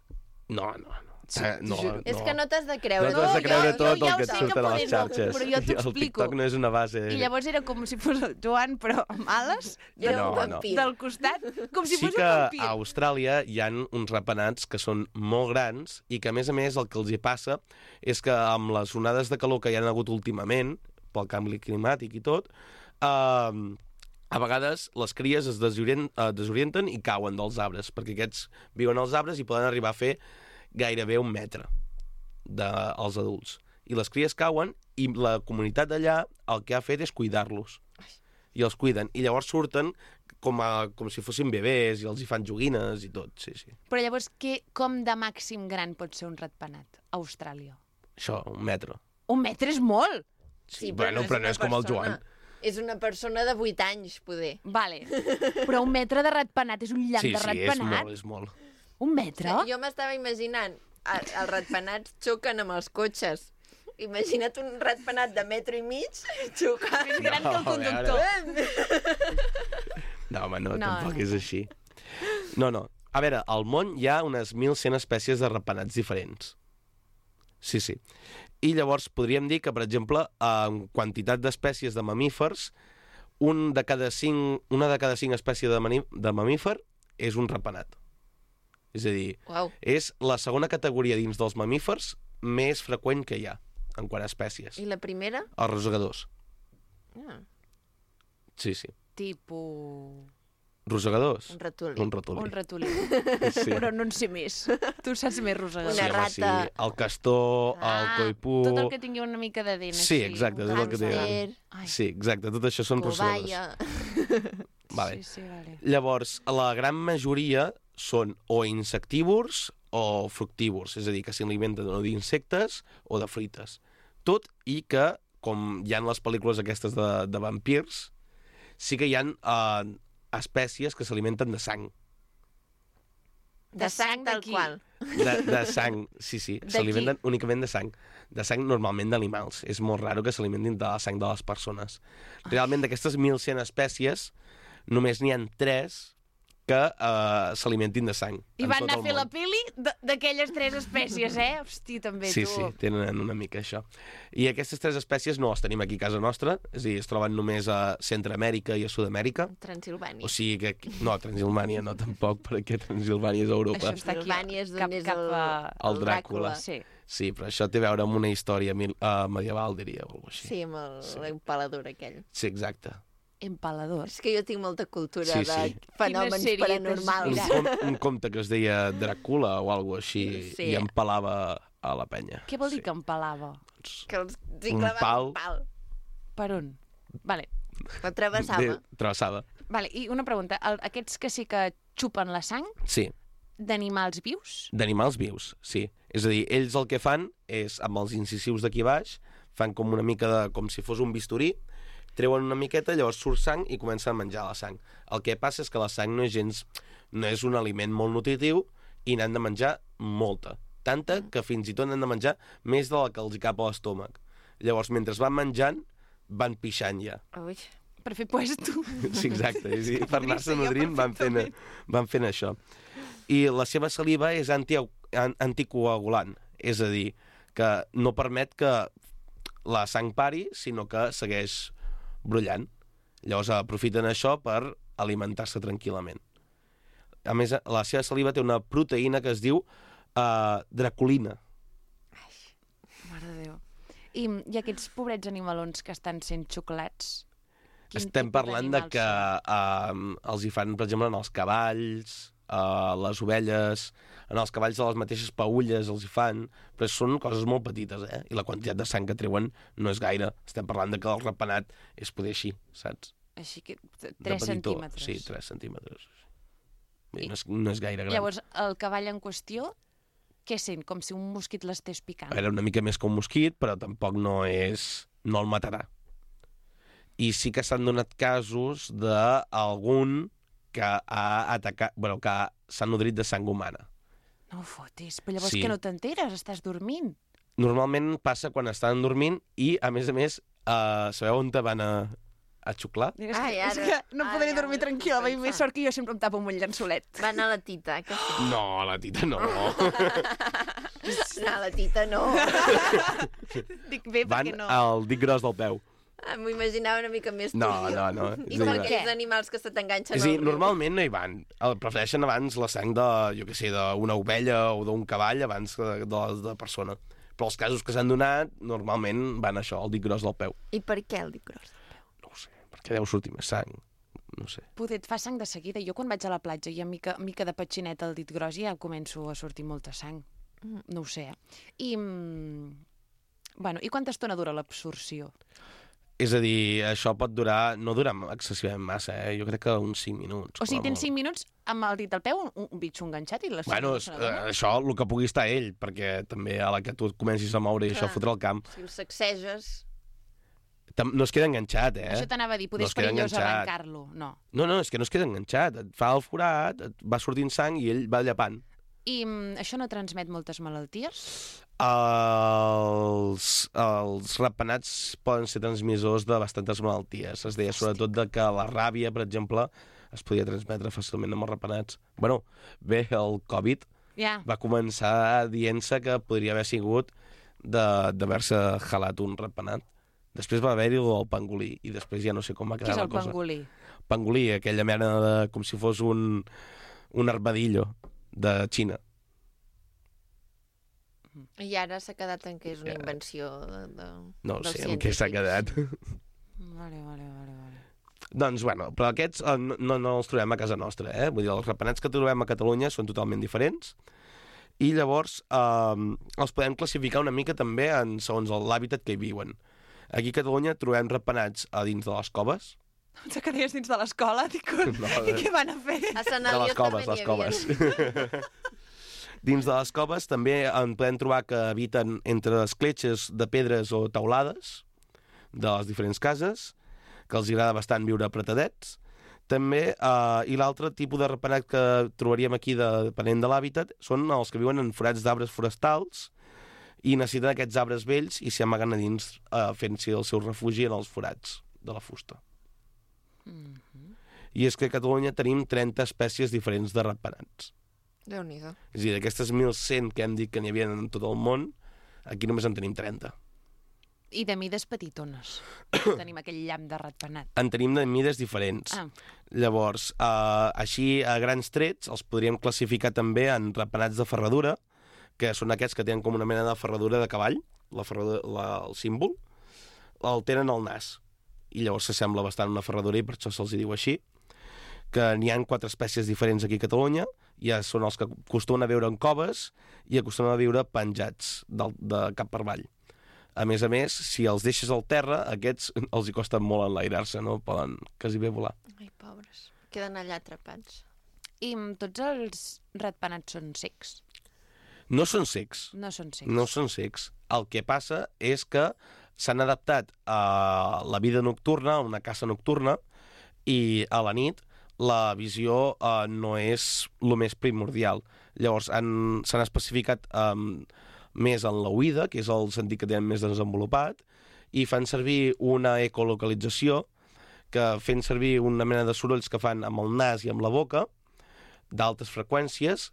[SPEAKER 8] No, no, no. Eh, no, no.
[SPEAKER 1] És que no t'has de creure.
[SPEAKER 8] No t'has de
[SPEAKER 2] jo-
[SPEAKER 8] creure
[SPEAKER 2] jo
[SPEAKER 8] tot
[SPEAKER 2] ja
[SPEAKER 8] el
[SPEAKER 2] ho
[SPEAKER 8] que et
[SPEAKER 2] sé
[SPEAKER 8] surt
[SPEAKER 2] que
[SPEAKER 8] a les
[SPEAKER 2] potser no,
[SPEAKER 8] xarxes.
[SPEAKER 2] però jo
[SPEAKER 8] El
[SPEAKER 2] t'explico.
[SPEAKER 8] TikTok no és una base...
[SPEAKER 2] I llavors era com si fos el Joan, però amb ales,
[SPEAKER 1] Era
[SPEAKER 8] No,
[SPEAKER 1] un
[SPEAKER 8] no.
[SPEAKER 1] vampir.
[SPEAKER 2] del costat, com si
[SPEAKER 8] Sí
[SPEAKER 2] fos
[SPEAKER 8] que
[SPEAKER 2] un
[SPEAKER 8] a
[SPEAKER 2] vampir.
[SPEAKER 8] Austràlia hi ha uns ratpenats que són molt grans i que, a més a més, el que els hi passa és que amb les onades de calor que hi han hagut últimament, pel canvi climàtic i tot, eh, a vegades les cries es desorient, eh, desorienten i cauen dels arbres, perquè aquests viuen als arbres i poden arribar a fer gairebé un metre dels adults. I les cries cauen i la comunitat d'allà el que ha fet és cuidar-los. I els cuiden. I llavors surten com, a, com si fossin bebès i els hi fan joguines i tot, sí, sí.
[SPEAKER 2] Però llavors, què, com de màxim gran pot ser un ratpenat a Austràlia?
[SPEAKER 8] Això, un metre.
[SPEAKER 2] Un metre és molt!
[SPEAKER 8] Sí, bueno, però no
[SPEAKER 1] una
[SPEAKER 8] és com el
[SPEAKER 1] persona.
[SPEAKER 8] Joan.
[SPEAKER 1] És una persona de vuit anys, poder.
[SPEAKER 2] Vale. Però un metre de ratpenat és un llamp
[SPEAKER 8] Sí,
[SPEAKER 2] de
[SPEAKER 8] sí, és
[SPEAKER 2] ratpenat?
[SPEAKER 8] molt, és molt.
[SPEAKER 2] Un metre?
[SPEAKER 1] Jo m'estava imaginant, a- els ratpenats xoquen amb els cotxes. Imagina't un ratpenat de metro i mig xocant.
[SPEAKER 2] Més gran que el
[SPEAKER 8] No, a veure.
[SPEAKER 2] conductor.
[SPEAKER 8] No, home, no,
[SPEAKER 2] No,
[SPEAKER 8] tampoc
[SPEAKER 2] no.
[SPEAKER 8] és així. No, no. A veure, al món hi ha unes mil cent espècies de ratpenats diferents. Sí, sí. I llavors podríem dir que, per exemple, en quantitat d'espècies de mamífers, un de cada cinc, una de cada cinc espècies de, mani, de mamífer és un ratpenat. És a dir,
[SPEAKER 1] Uau.
[SPEAKER 8] és la segona categoria dins dels mamífers més freqüent que hi ha, en quant a espècies.
[SPEAKER 1] I la primera?
[SPEAKER 8] Els rosegadors.
[SPEAKER 1] Ah,
[SPEAKER 8] Sí, sí.
[SPEAKER 2] Tipus...
[SPEAKER 8] Rosegadors.
[SPEAKER 1] un ratolí.
[SPEAKER 8] Un ratolí.
[SPEAKER 2] Un ratolí.
[SPEAKER 8] Sí.
[SPEAKER 2] Però no en sé més. Tu saps més, rosegador.
[SPEAKER 1] Una
[SPEAKER 8] Sí, home, sí.
[SPEAKER 1] rata.
[SPEAKER 8] El castor, el coipú...
[SPEAKER 2] Tot el que tingui una mica de dent.
[SPEAKER 8] Sí,
[SPEAKER 2] així.
[SPEAKER 8] exacte, tot el que té.
[SPEAKER 1] Hàmster,
[SPEAKER 2] Ai,
[SPEAKER 8] Sí, exacte, tot això són rosegadors.
[SPEAKER 1] cobaya.
[SPEAKER 8] Vale.
[SPEAKER 2] Sí, sí, vale.
[SPEAKER 8] Llavors, la gran majoria són o insectívors o fructívors, és a dir, que s'alimenten o d'insectes o de fruites. Tot i que, com hi ha les pel·lícules aquestes de, de vampirs, sí que hi ha eh, espècies que s'alimenten de sang.
[SPEAKER 1] De sang tal
[SPEAKER 2] d'aquí.
[SPEAKER 1] qual.
[SPEAKER 8] De, de sang, sí, sí.
[SPEAKER 2] De
[SPEAKER 8] S'alimenten únicament de sang. De sang normalment d'animals. És molt raro que s'alimentin de la sang de les persones. Realment, d'aquestes mil cent espècies, només n'hi ha tres que uh, s'alimentin de sang.
[SPEAKER 2] I
[SPEAKER 8] en
[SPEAKER 2] van
[SPEAKER 8] tot
[SPEAKER 2] anar a
[SPEAKER 8] el
[SPEAKER 2] fer la
[SPEAKER 8] món.
[SPEAKER 2] pili de- d'aquelles tres espècies, eh? Hosti, també
[SPEAKER 8] Sí,
[SPEAKER 2] tu.
[SPEAKER 8] sí, tenen una mica això. I aquestes tres espècies no les tenim aquí a casa nostra, és a dir, es troben només a Centroamèrica i a Sud-amèrica.
[SPEAKER 1] Transilvània.
[SPEAKER 8] O sigui que... aquí- No, Transilvània no, tampoc, perquè Transilvània és a Europa.
[SPEAKER 2] Això està aquí,
[SPEAKER 1] Transilvània és
[SPEAKER 2] cap,
[SPEAKER 1] d'on és
[SPEAKER 2] cap
[SPEAKER 1] el,
[SPEAKER 2] a...
[SPEAKER 8] El Dràcula.
[SPEAKER 2] Sí.
[SPEAKER 8] Sí, però això té a veure amb una història mil, uh, medieval, diria, o alguna cosa així.
[SPEAKER 1] Sí, amb el-
[SPEAKER 8] Sí.
[SPEAKER 1] l'empalador aquell.
[SPEAKER 8] Sí, exacte.
[SPEAKER 2] Empaladors.
[SPEAKER 1] És que jo tinc molta cultura
[SPEAKER 8] Sí,
[SPEAKER 1] de
[SPEAKER 8] sí.
[SPEAKER 1] fenòmens
[SPEAKER 2] Quina sèrie
[SPEAKER 1] paranormals.
[SPEAKER 8] Un,
[SPEAKER 2] Mira.
[SPEAKER 8] com, un conte que es deia Dràcula o alguna cosa així,
[SPEAKER 1] Sí.
[SPEAKER 8] i empalava a la penya.
[SPEAKER 2] Què vol dir
[SPEAKER 8] Sí.
[SPEAKER 2] que empalava?
[SPEAKER 1] Que els hi
[SPEAKER 8] Un
[SPEAKER 1] clavava
[SPEAKER 8] pal.
[SPEAKER 1] un pal.
[SPEAKER 2] Per on? Vale.
[SPEAKER 1] La travessava.
[SPEAKER 8] De, travessada.
[SPEAKER 2] Vale, i una pregunta. El, aquests que sí que xupen la sang
[SPEAKER 8] Sí,
[SPEAKER 2] d'animals vius?
[SPEAKER 8] d'animals vius, sí. És a dir, ells el que fan és, amb els incisius d'aquí baix, fan com una mica de... com si fos un bisturí, treuen una miqueta, llavors surt sang i comencen a menjar la sang. El que passa és que la sang no és gens... no és un aliment molt nutritiu i n'han de menjar molta. Tanta que fins i tot n'han de menjar més de la que els hi cap a l'estómac. Llavors, mentre van menjant, van pixant ja.
[SPEAKER 1] Ui.
[SPEAKER 2] Per fer puesto.
[SPEAKER 8] Sí, exacte. És a dir, per anar-se
[SPEAKER 2] jo
[SPEAKER 8] nodrint van fent, van fent això. I la seva saliva és anti, an, anticoagulant, és a dir, que no permet que la sang pari, sinó que segueix brollant. Llavors aprofiten això per alimentar-se tranquil·lament. A més, la seva saliva té una proteïna que es diu uh, draculina.
[SPEAKER 2] Mare de Déu. I, I aquests pobrets animalons que estan sent xuclats? Quin
[SPEAKER 8] Estem
[SPEAKER 2] tipus
[SPEAKER 8] parlant de
[SPEAKER 2] d'animals
[SPEAKER 8] que
[SPEAKER 2] són?
[SPEAKER 8] uh, els hi fan, per exemple, en els cavalls, uh, les ovelles, en els cavalls de les mateixes paulles els hi fan, però són coses molt petites, eh? I la quantitat de sang que treuen no és gaire. Estem parlant de que el ratpenat és poder així, saps?
[SPEAKER 2] Així que
[SPEAKER 8] De
[SPEAKER 2] tres
[SPEAKER 8] petitó.
[SPEAKER 2] centímetres.
[SPEAKER 8] Sí, tres centímetres. Vull dir, no, és, no és gaire gran.
[SPEAKER 2] Llavors, el cavall en qüestió, què sent? Com si un mosquit l'estés picant.
[SPEAKER 8] Era una mica més que un mosquit, però tampoc no és... no el matarà. I sí que s'han donat casos d'algun que ha atacat... bueno, que s'ha nodrit de sang humana.
[SPEAKER 2] No ho fotis, però llavors
[SPEAKER 8] Sí.
[SPEAKER 2] que no t'enteres, estàs dormint.
[SPEAKER 8] Normalment passa quan estan dormint i, a més a més, uh, sabeu on te van a... a xuclar.
[SPEAKER 2] És,
[SPEAKER 1] Ai,
[SPEAKER 2] que, és
[SPEAKER 1] ara-
[SPEAKER 2] que no
[SPEAKER 1] ara
[SPEAKER 2] podré
[SPEAKER 1] ja
[SPEAKER 2] dormir
[SPEAKER 1] ho
[SPEAKER 2] tranquil·la,
[SPEAKER 1] estic
[SPEAKER 2] veig més
[SPEAKER 1] pensant.
[SPEAKER 2] sort que jo sempre em tapo amb un llençolet.
[SPEAKER 1] Va anar a la tita, que sí.
[SPEAKER 8] No, la tita no.
[SPEAKER 1] No, la tita no.
[SPEAKER 2] Dic bé,
[SPEAKER 8] Van
[SPEAKER 2] perquè no.
[SPEAKER 8] al dit gros del peu.
[SPEAKER 1] Ah, m'ho imaginava una mica més
[SPEAKER 8] No,
[SPEAKER 1] turbio.
[SPEAKER 8] no, no.
[SPEAKER 1] I
[SPEAKER 8] És
[SPEAKER 1] per
[SPEAKER 8] a dir,
[SPEAKER 1] aquells animals que se t'enganxen
[SPEAKER 8] És a dir,
[SPEAKER 1] al riu.
[SPEAKER 8] normalment no hi van. El prefereixen abans la sang de, jo què sé, d'una ovella o d'un cavall abans que de, de, de persona. Però els casos que s'han donat, normalment van a això, al dit gros del peu.
[SPEAKER 1] I per què el dit gros?
[SPEAKER 8] No ho sé, perquè deu sortir més sang. No sé.
[SPEAKER 2] Poder et fa sang de seguida. Jo quan vaig a la platja i a mica, mica de petxineta al dit gros ja començo a sortir molta sang. No ho sé, eh? I, mm, bueno, i quanta estona dura l'absorció?
[SPEAKER 8] És a dir, això pot durar... No dura excessivament massa, eh? Jo crec que uns cinc minuts.
[SPEAKER 2] O sigui,
[SPEAKER 8] com a
[SPEAKER 2] tens
[SPEAKER 8] molt.
[SPEAKER 2] cinc minuts amb el dit al peu, un, un bitxo enganxat i la
[SPEAKER 8] Bueno,
[SPEAKER 2] no
[SPEAKER 8] és,
[SPEAKER 2] se
[SPEAKER 8] eh,
[SPEAKER 2] n'adona?
[SPEAKER 8] això, el que pugui estar ell, perquè també a la que tu et comencis a moure i
[SPEAKER 1] Clar.
[SPEAKER 8] això fotre el camp,
[SPEAKER 1] Si el sacseges...
[SPEAKER 8] tam- no es queda enganxat, eh?
[SPEAKER 2] Això t'anava a dir, poder
[SPEAKER 8] No
[SPEAKER 2] és
[SPEAKER 8] es queda
[SPEAKER 2] perillós
[SPEAKER 8] enganxat.
[SPEAKER 2] arrencar-lo. No.
[SPEAKER 8] No, no, és que no es queda enganxat. Et fa el forat, et va sortint sang i ell va llapant.
[SPEAKER 2] I mm, això no transmet moltes malalties?
[SPEAKER 8] Els, els ratpenats poden ser transmissors de bastantes malalties. Es deia sobretot de que la ràbia, per exemple, es podia transmetre fàcilment amb els ratpenats. Bueno, bé, el Covid
[SPEAKER 2] Ja.
[SPEAKER 8] va començar dient-se que podria haver sigut de- d'haver-se jalat un ratpenat. Després va haver-hi el pangolí, i després ja no sé com va
[SPEAKER 2] Qui
[SPEAKER 8] quedar
[SPEAKER 2] és
[SPEAKER 8] la
[SPEAKER 2] el
[SPEAKER 8] cosa.
[SPEAKER 2] pangolí?
[SPEAKER 8] Pangolí, aquella mena de... com si fos un, un armadillo de Xina.
[SPEAKER 1] I ara s'ha quedat en què és una
[SPEAKER 8] Ja.
[SPEAKER 1] invenció de, de,
[SPEAKER 8] No ho
[SPEAKER 1] dels
[SPEAKER 8] sé en què s'ha
[SPEAKER 1] científics.
[SPEAKER 8] quedat.
[SPEAKER 2] Vale, vale, vale, vale.
[SPEAKER 8] Doncs, bueno, però aquests eh, no, no, no els trobem a casa nostra, eh? Vull dir, els ratpenats que trobem a Catalunya són totalment diferents, i llavors eh, els podem classificar una mica també en segons l'hàbitat que hi viuen. Aquí a Catalunya trobem ratpenats a dins de les coves.
[SPEAKER 2] Pensava que deies dins de l'escola, dic,
[SPEAKER 8] No,
[SPEAKER 2] i què van a fer?
[SPEAKER 1] A Sant
[SPEAKER 8] De les
[SPEAKER 1] Eliot
[SPEAKER 8] coves,
[SPEAKER 1] també
[SPEAKER 8] les
[SPEAKER 1] n'hi havia.
[SPEAKER 8] coves. Dins de les coves també en podem trobar que habiten entre escletxes de pedres o taulades de les diferents cases, que els agrada bastant viure apretadets. També, eh, i l'altre tipus de ratpenat que trobaríem aquí, de, depenent de l'hàbitat, són els que viuen en forats d'arbres forestals i necessiten aquests arbres vells i s'hi amaguen a dins eh, fent-s'hi el seu refugi en els forats de la fusta.
[SPEAKER 2] Mm-hmm.
[SPEAKER 8] I és que a Catalunya tenim trenta espècies diferents de ratpenats.
[SPEAKER 1] Déu-n'hi-do.
[SPEAKER 8] És a dir, d'aquestes mil cent que hem dit que n'hi havia en tot el món, aquí només en tenim trenta.
[SPEAKER 2] I de mides petitones. Tenim aquell llamp de ratpenat.
[SPEAKER 8] En tenim de mides diferents.
[SPEAKER 2] Ah.
[SPEAKER 8] Llavors, eh, així, a grans trets, els podríem classificar també en ratpenats de ferradura, que són aquests que tenen com una mena de ferradura de cavall, la ferradura, la, el símbol, el tenen al nas. I llavors s'assembla bastant a una ferradura i per això se'ls diu així. Que n'hi ha quatre espècies diferents aquí a Catalunya, ja són els que acostumen a viure en coves i acostumen a viure penjats del, de cap per avall. A més a més, si els deixes al terra, aquests els hi costa molt enlairar-se, no poden quasi bé volar.
[SPEAKER 1] Ai, pobres. Queden allà atrapats.
[SPEAKER 2] I mm, tots els ratpenats són secs?
[SPEAKER 8] No són secs,
[SPEAKER 2] No són secs.
[SPEAKER 8] no són secs. El que passa és que s'han adaptat a la vida nocturna, a una caça nocturna, i a la nit la visió eh, no és el més primordial. Llavors, han- s'han especificat eh, més en l'oïda, que és el sentit que tenen més desenvolupat, i fan servir una ecolocalització, que fent servir una mena de sorolls que fan amb el nas i amb la boca, d'altes freqüències,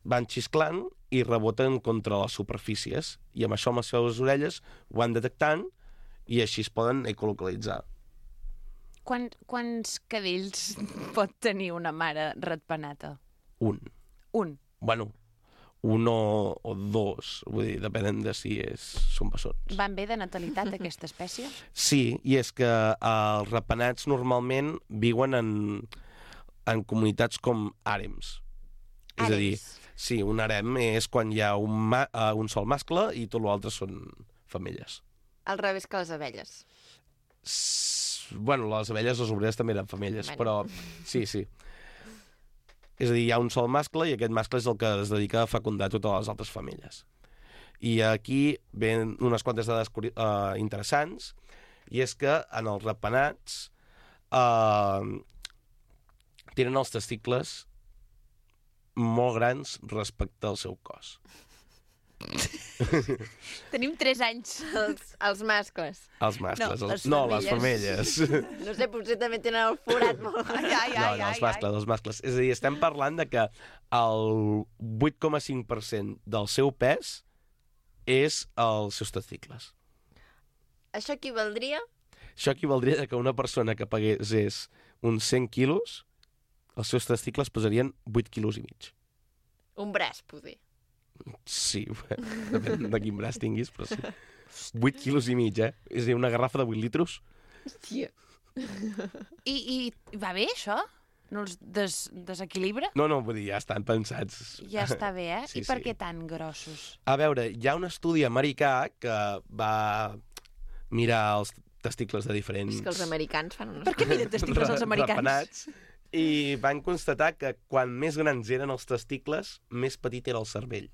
[SPEAKER 8] van xisclant i reboten contra les superfícies. I amb això, amb les seves orelles, ho van detectant i així es poden ecolocalitzar.
[SPEAKER 2] Quan, quants cadells pot tenir una mare ratpenata?
[SPEAKER 8] Un.
[SPEAKER 2] Un.
[SPEAKER 8] Bueno, un o, o dos, vull dir, depenent de si és, són bessons.
[SPEAKER 2] Van bé de natalitat, aquesta espècie?
[SPEAKER 8] Sí, i és que eh, els ratpenats normalment viuen en, en comunitats com àrems. És a dir, sí, un harem és quan hi ha un, ma uh, un sol mascle i tot l'altre són femelles.
[SPEAKER 1] Al revés que les abelles.
[SPEAKER 8] S bueno, les abelles, les obreres també eren femelles,
[SPEAKER 1] Bueno.
[SPEAKER 8] però sí, sí. És a dir, hi ha un sol mascle i aquest mascle és el que es dedica a fecundar totes les altres femelles. I aquí ven unes quantes dades uh, interessants, i és que en els ratpenats uh, tenen els testicles molt grans respecte al seu cos.
[SPEAKER 2] Tenim tres anys.
[SPEAKER 1] Els, els mascles.
[SPEAKER 8] Els mascles.
[SPEAKER 2] No,
[SPEAKER 8] els...
[SPEAKER 2] les
[SPEAKER 8] no les femelles.
[SPEAKER 1] No sé, potser també tenen el forat molt...
[SPEAKER 2] Ai, ai,
[SPEAKER 8] No,
[SPEAKER 2] ai,
[SPEAKER 8] no, els
[SPEAKER 2] ai,
[SPEAKER 8] mascles, els mascles. És a dir, estem parlant de que el vuit coma cinc per cent del seu pes és els seus testicles.
[SPEAKER 1] Això equivaldria?
[SPEAKER 8] Això equivaldria que una persona que pesés uns cent quilos, els seus testicles pesarien vuit quilos i mig.
[SPEAKER 1] Un braç, poder.
[SPEAKER 8] Sí, depèn de quin braç tinguis, però sí. vuit quilos i mig, eh? És a dir, una garrafa de vuit litros.
[SPEAKER 1] Hòstia.
[SPEAKER 2] I, I va bé, això? No els des, desequilibra?
[SPEAKER 8] No, no, vull dir, ja estan pensats.
[SPEAKER 2] Ja està bé, eh?
[SPEAKER 8] Sí,
[SPEAKER 2] I per
[SPEAKER 8] sí.
[SPEAKER 2] què tan grossos?
[SPEAKER 8] A veure, hi ha un estudi americà que va mirar els testicles de diferents...
[SPEAKER 1] És que els americans fan unes...
[SPEAKER 2] Per què miden testicles els americans?
[SPEAKER 8] Rapenats, i van constatar que quan més grans eren els testicles, més petit era el cervell.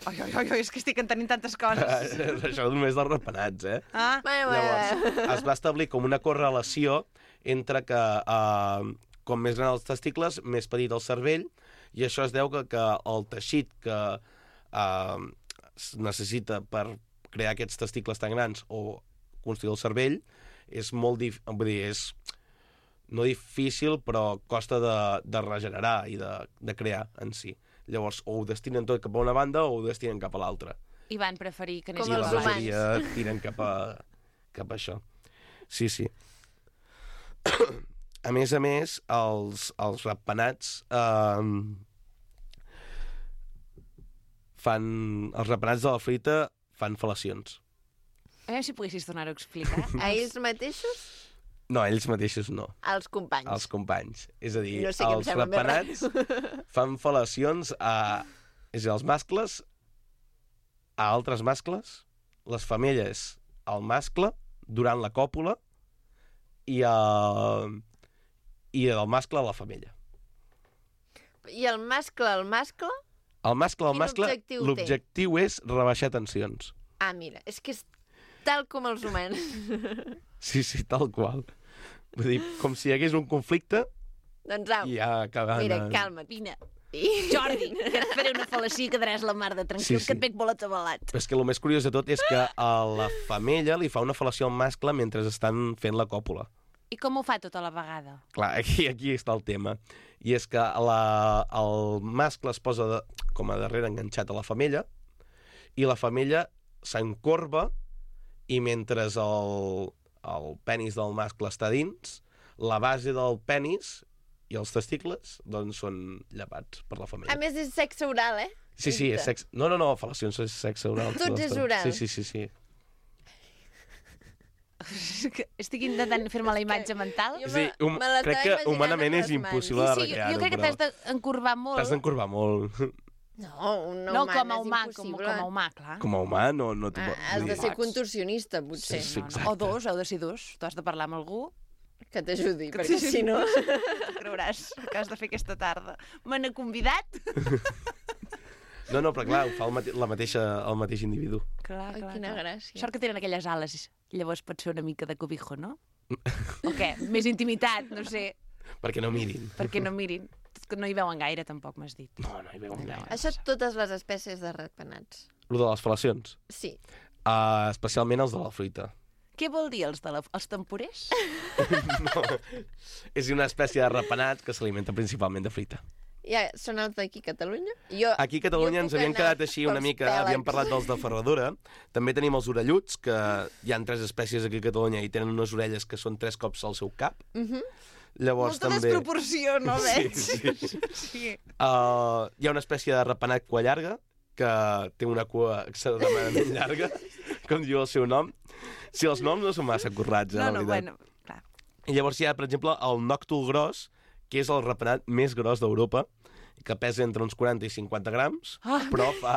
[SPEAKER 2] Ai, ai, ai, és que estic entenent tantes coses.
[SPEAKER 8] Això només dels rapenats, eh?
[SPEAKER 2] Ah,
[SPEAKER 1] Bueno, bueno,
[SPEAKER 8] Llavors,
[SPEAKER 1] bueno.
[SPEAKER 8] es va establir com una correlació entre que uh, com més gran els testicles, més petit el cervell, i això es deu que, que el teixit que uh, es necessita per crear aquests testicles tan grans o construir el cervell és molt dif... vull dir, és no difícil, però costa de, de regenerar i de, de crear en si. Llavors, o ho destinen tot cap a una banda o ho destinen cap a l'altra.
[SPEAKER 2] i van preferir que
[SPEAKER 1] Com
[SPEAKER 2] anés
[SPEAKER 8] I
[SPEAKER 1] els
[SPEAKER 8] la
[SPEAKER 2] cap a
[SPEAKER 1] humans.
[SPEAKER 8] majoria tiren cap a, cap a això. Sí, sí. A més a més, els, els ratpenats eh, fan... Els ratpenats de la fruita fan fel·lacions.
[SPEAKER 2] A veure si poguessis tornar-ho a explicar.
[SPEAKER 1] A ells mateixos?
[SPEAKER 8] No, ells mateixos no.
[SPEAKER 1] Als companys.
[SPEAKER 8] Els companys. És a dir,
[SPEAKER 1] No sé què em
[SPEAKER 8] els
[SPEAKER 1] sembla més
[SPEAKER 8] ratpenats fan fel·lacions a... És a dir, els mascles a altres mascles, les femelles al mascle durant la còpula i, a... i el mascle a la femella.
[SPEAKER 1] I el mascle, el mascle?
[SPEAKER 8] El mascle al
[SPEAKER 1] Quin
[SPEAKER 8] mascle,
[SPEAKER 1] objectiu té?
[SPEAKER 8] l'objectiu és rebaixar tensions.
[SPEAKER 1] Ah, mira, és que és tal com els humans.
[SPEAKER 8] Sí, sí, tal qual. Vull dir, com si hi hagués un conflicte
[SPEAKER 1] Doncs au,
[SPEAKER 8] i ja acaben...
[SPEAKER 1] mira,
[SPEAKER 8] en-
[SPEAKER 1] calma't.
[SPEAKER 2] Vine,
[SPEAKER 1] I...
[SPEAKER 2] Jordi, que et faré una fel·lacia i quedaràs la mar de tranquil,
[SPEAKER 8] Sí, sí.
[SPEAKER 2] que et veig molt atabalat.
[SPEAKER 8] Però és que el més curiós de tot és que a la femella li fa una fel·lació al mascle mentre estan fent la còpula.
[SPEAKER 2] I com ho fa tota la vegada?
[SPEAKER 8] Clar, aquí, aquí està el tema. I és que la, el mascle es posa de, com a darrere enganxat a la femella i la femella s'encorba i mentre el, el penis del mascle està dins, la base del penis i els testicles doncs són llepats per la femella.
[SPEAKER 1] A més, és sexe oral, eh?
[SPEAKER 8] Sí, sí, és sexe... No, no, no, fel·lacions és sexe oral.
[SPEAKER 1] Tot és oral.
[SPEAKER 8] Sí, sí, sí, sí.
[SPEAKER 2] Estic intentant fer-me la imatge mental.
[SPEAKER 1] Jo
[SPEAKER 8] És a dir,
[SPEAKER 1] me-
[SPEAKER 8] hum,
[SPEAKER 1] me l'estava
[SPEAKER 8] crec que
[SPEAKER 1] imaginant
[SPEAKER 8] humanament
[SPEAKER 1] amb
[SPEAKER 8] és
[SPEAKER 1] les mans.
[SPEAKER 8] impossible de
[SPEAKER 2] Sí, sí, jo,
[SPEAKER 8] recrear-ho,
[SPEAKER 2] jo crec que
[SPEAKER 8] però
[SPEAKER 2] t'has d'encorbar molt.
[SPEAKER 8] t'has d'encorbar molt.
[SPEAKER 1] No, un
[SPEAKER 2] No,
[SPEAKER 1] humà
[SPEAKER 2] com a
[SPEAKER 1] és
[SPEAKER 2] humà, com,
[SPEAKER 1] impossible.
[SPEAKER 2] com a humà, clar.
[SPEAKER 8] Com a humà no, no t'ho
[SPEAKER 1] Ah,
[SPEAKER 8] pot-
[SPEAKER 1] has
[SPEAKER 8] vull
[SPEAKER 1] de
[SPEAKER 8] dir,
[SPEAKER 1] ser contorsionista, potser.
[SPEAKER 8] Sí, sí.
[SPEAKER 2] No, no.
[SPEAKER 8] exacte.
[SPEAKER 2] O dos, heu de ser dos. Tu has de parlar amb algú.
[SPEAKER 1] Que t'ajudi, perquè si no...
[SPEAKER 2] Tu creuràs que has de fer aquesta tarda. Me n'he convidat?
[SPEAKER 8] No, no, però clar, ho fa el, mate la mateixa, el mateix individu.
[SPEAKER 2] Clar,
[SPEAKER 1] Ai, quina gràcia.
[SPEAKER 2] Sort que tenen aquelles ales. Llavors pot ser una mica de cobijo, no? O què? Més intimitat, no sé.
[SPEAKER 8] Perquè no mirin.
[SPEAKER 2] Perquè no mirin. Que no hi veuen gaire, tampoc m'has dit.
[SPEAKER 8] No, no hi veuen gaire.
[SPEAKER 1] Això totes les espècies de ratpenats.
[SPEAKER 8] Lo de les fel·lacions.
[SPEAKER 1] Sí.
[SPEAKER 8] Uh, especialment els de la fruita.
[SPEAKER 2] Què vol dir els, de la, els temporers?
[SPEAKER 8] No. És una espècie de ratpenats que s'alimenta principalment de fruita.
[SPEAKER 1] Ja, són els d'aquí a Catalunya? Jo,
[SPEAKER 8] Aquí a Catalunya
[SPEAKER 1] jo
[SPEAKER 8] ens
[SPEAKER 1] puc
[SPEAKER 8] havíem
[SPEAKER 1] anar
[SPEAKER 8] quedat així una
[SPEAKER 1] pels
[SPEAKER 8] mica,
[SPEAKER 1] pèlegs.
[SPEAKER 8] havíem parlat dels de ferradura, també tenim els orelluts, que hi han tres espècies aquí a Catalunya i tenen unes orelles que són tres cops al seu cap.
[SPEAKER 1] Mhm.
[SPEAKER 8] Llavors
[SPEAKER 2] Molta
[SPEAKER 8] també...
[SPEAKER 2] desproporció, no veig?
[SPEAKER 8] Sí, sí.
[SPEAKER 2] Sí.
[SPEAKER 8] Uh, hi ha una espècie de ratpenat cua llarga, que té una cua extremadament llarga, com diu el seu nom. Si els noms no són massa currats, eh,
[SPEAKER 2] No,
[SPEAKER 8] la
[SPEAKER 2] no,
[SPEAKER 8] veritat.
[SPEAKER 2] bueno, clar.
[SPEAKER 8] I llavors hi ha, per exemple, el nòctul gros, que és el ratpenat més gros d'Europa, que pesa entre uns quaranta i cinquanta grams,
[SPEAKER 2] Ah.
[SPEAKER 8] però fa...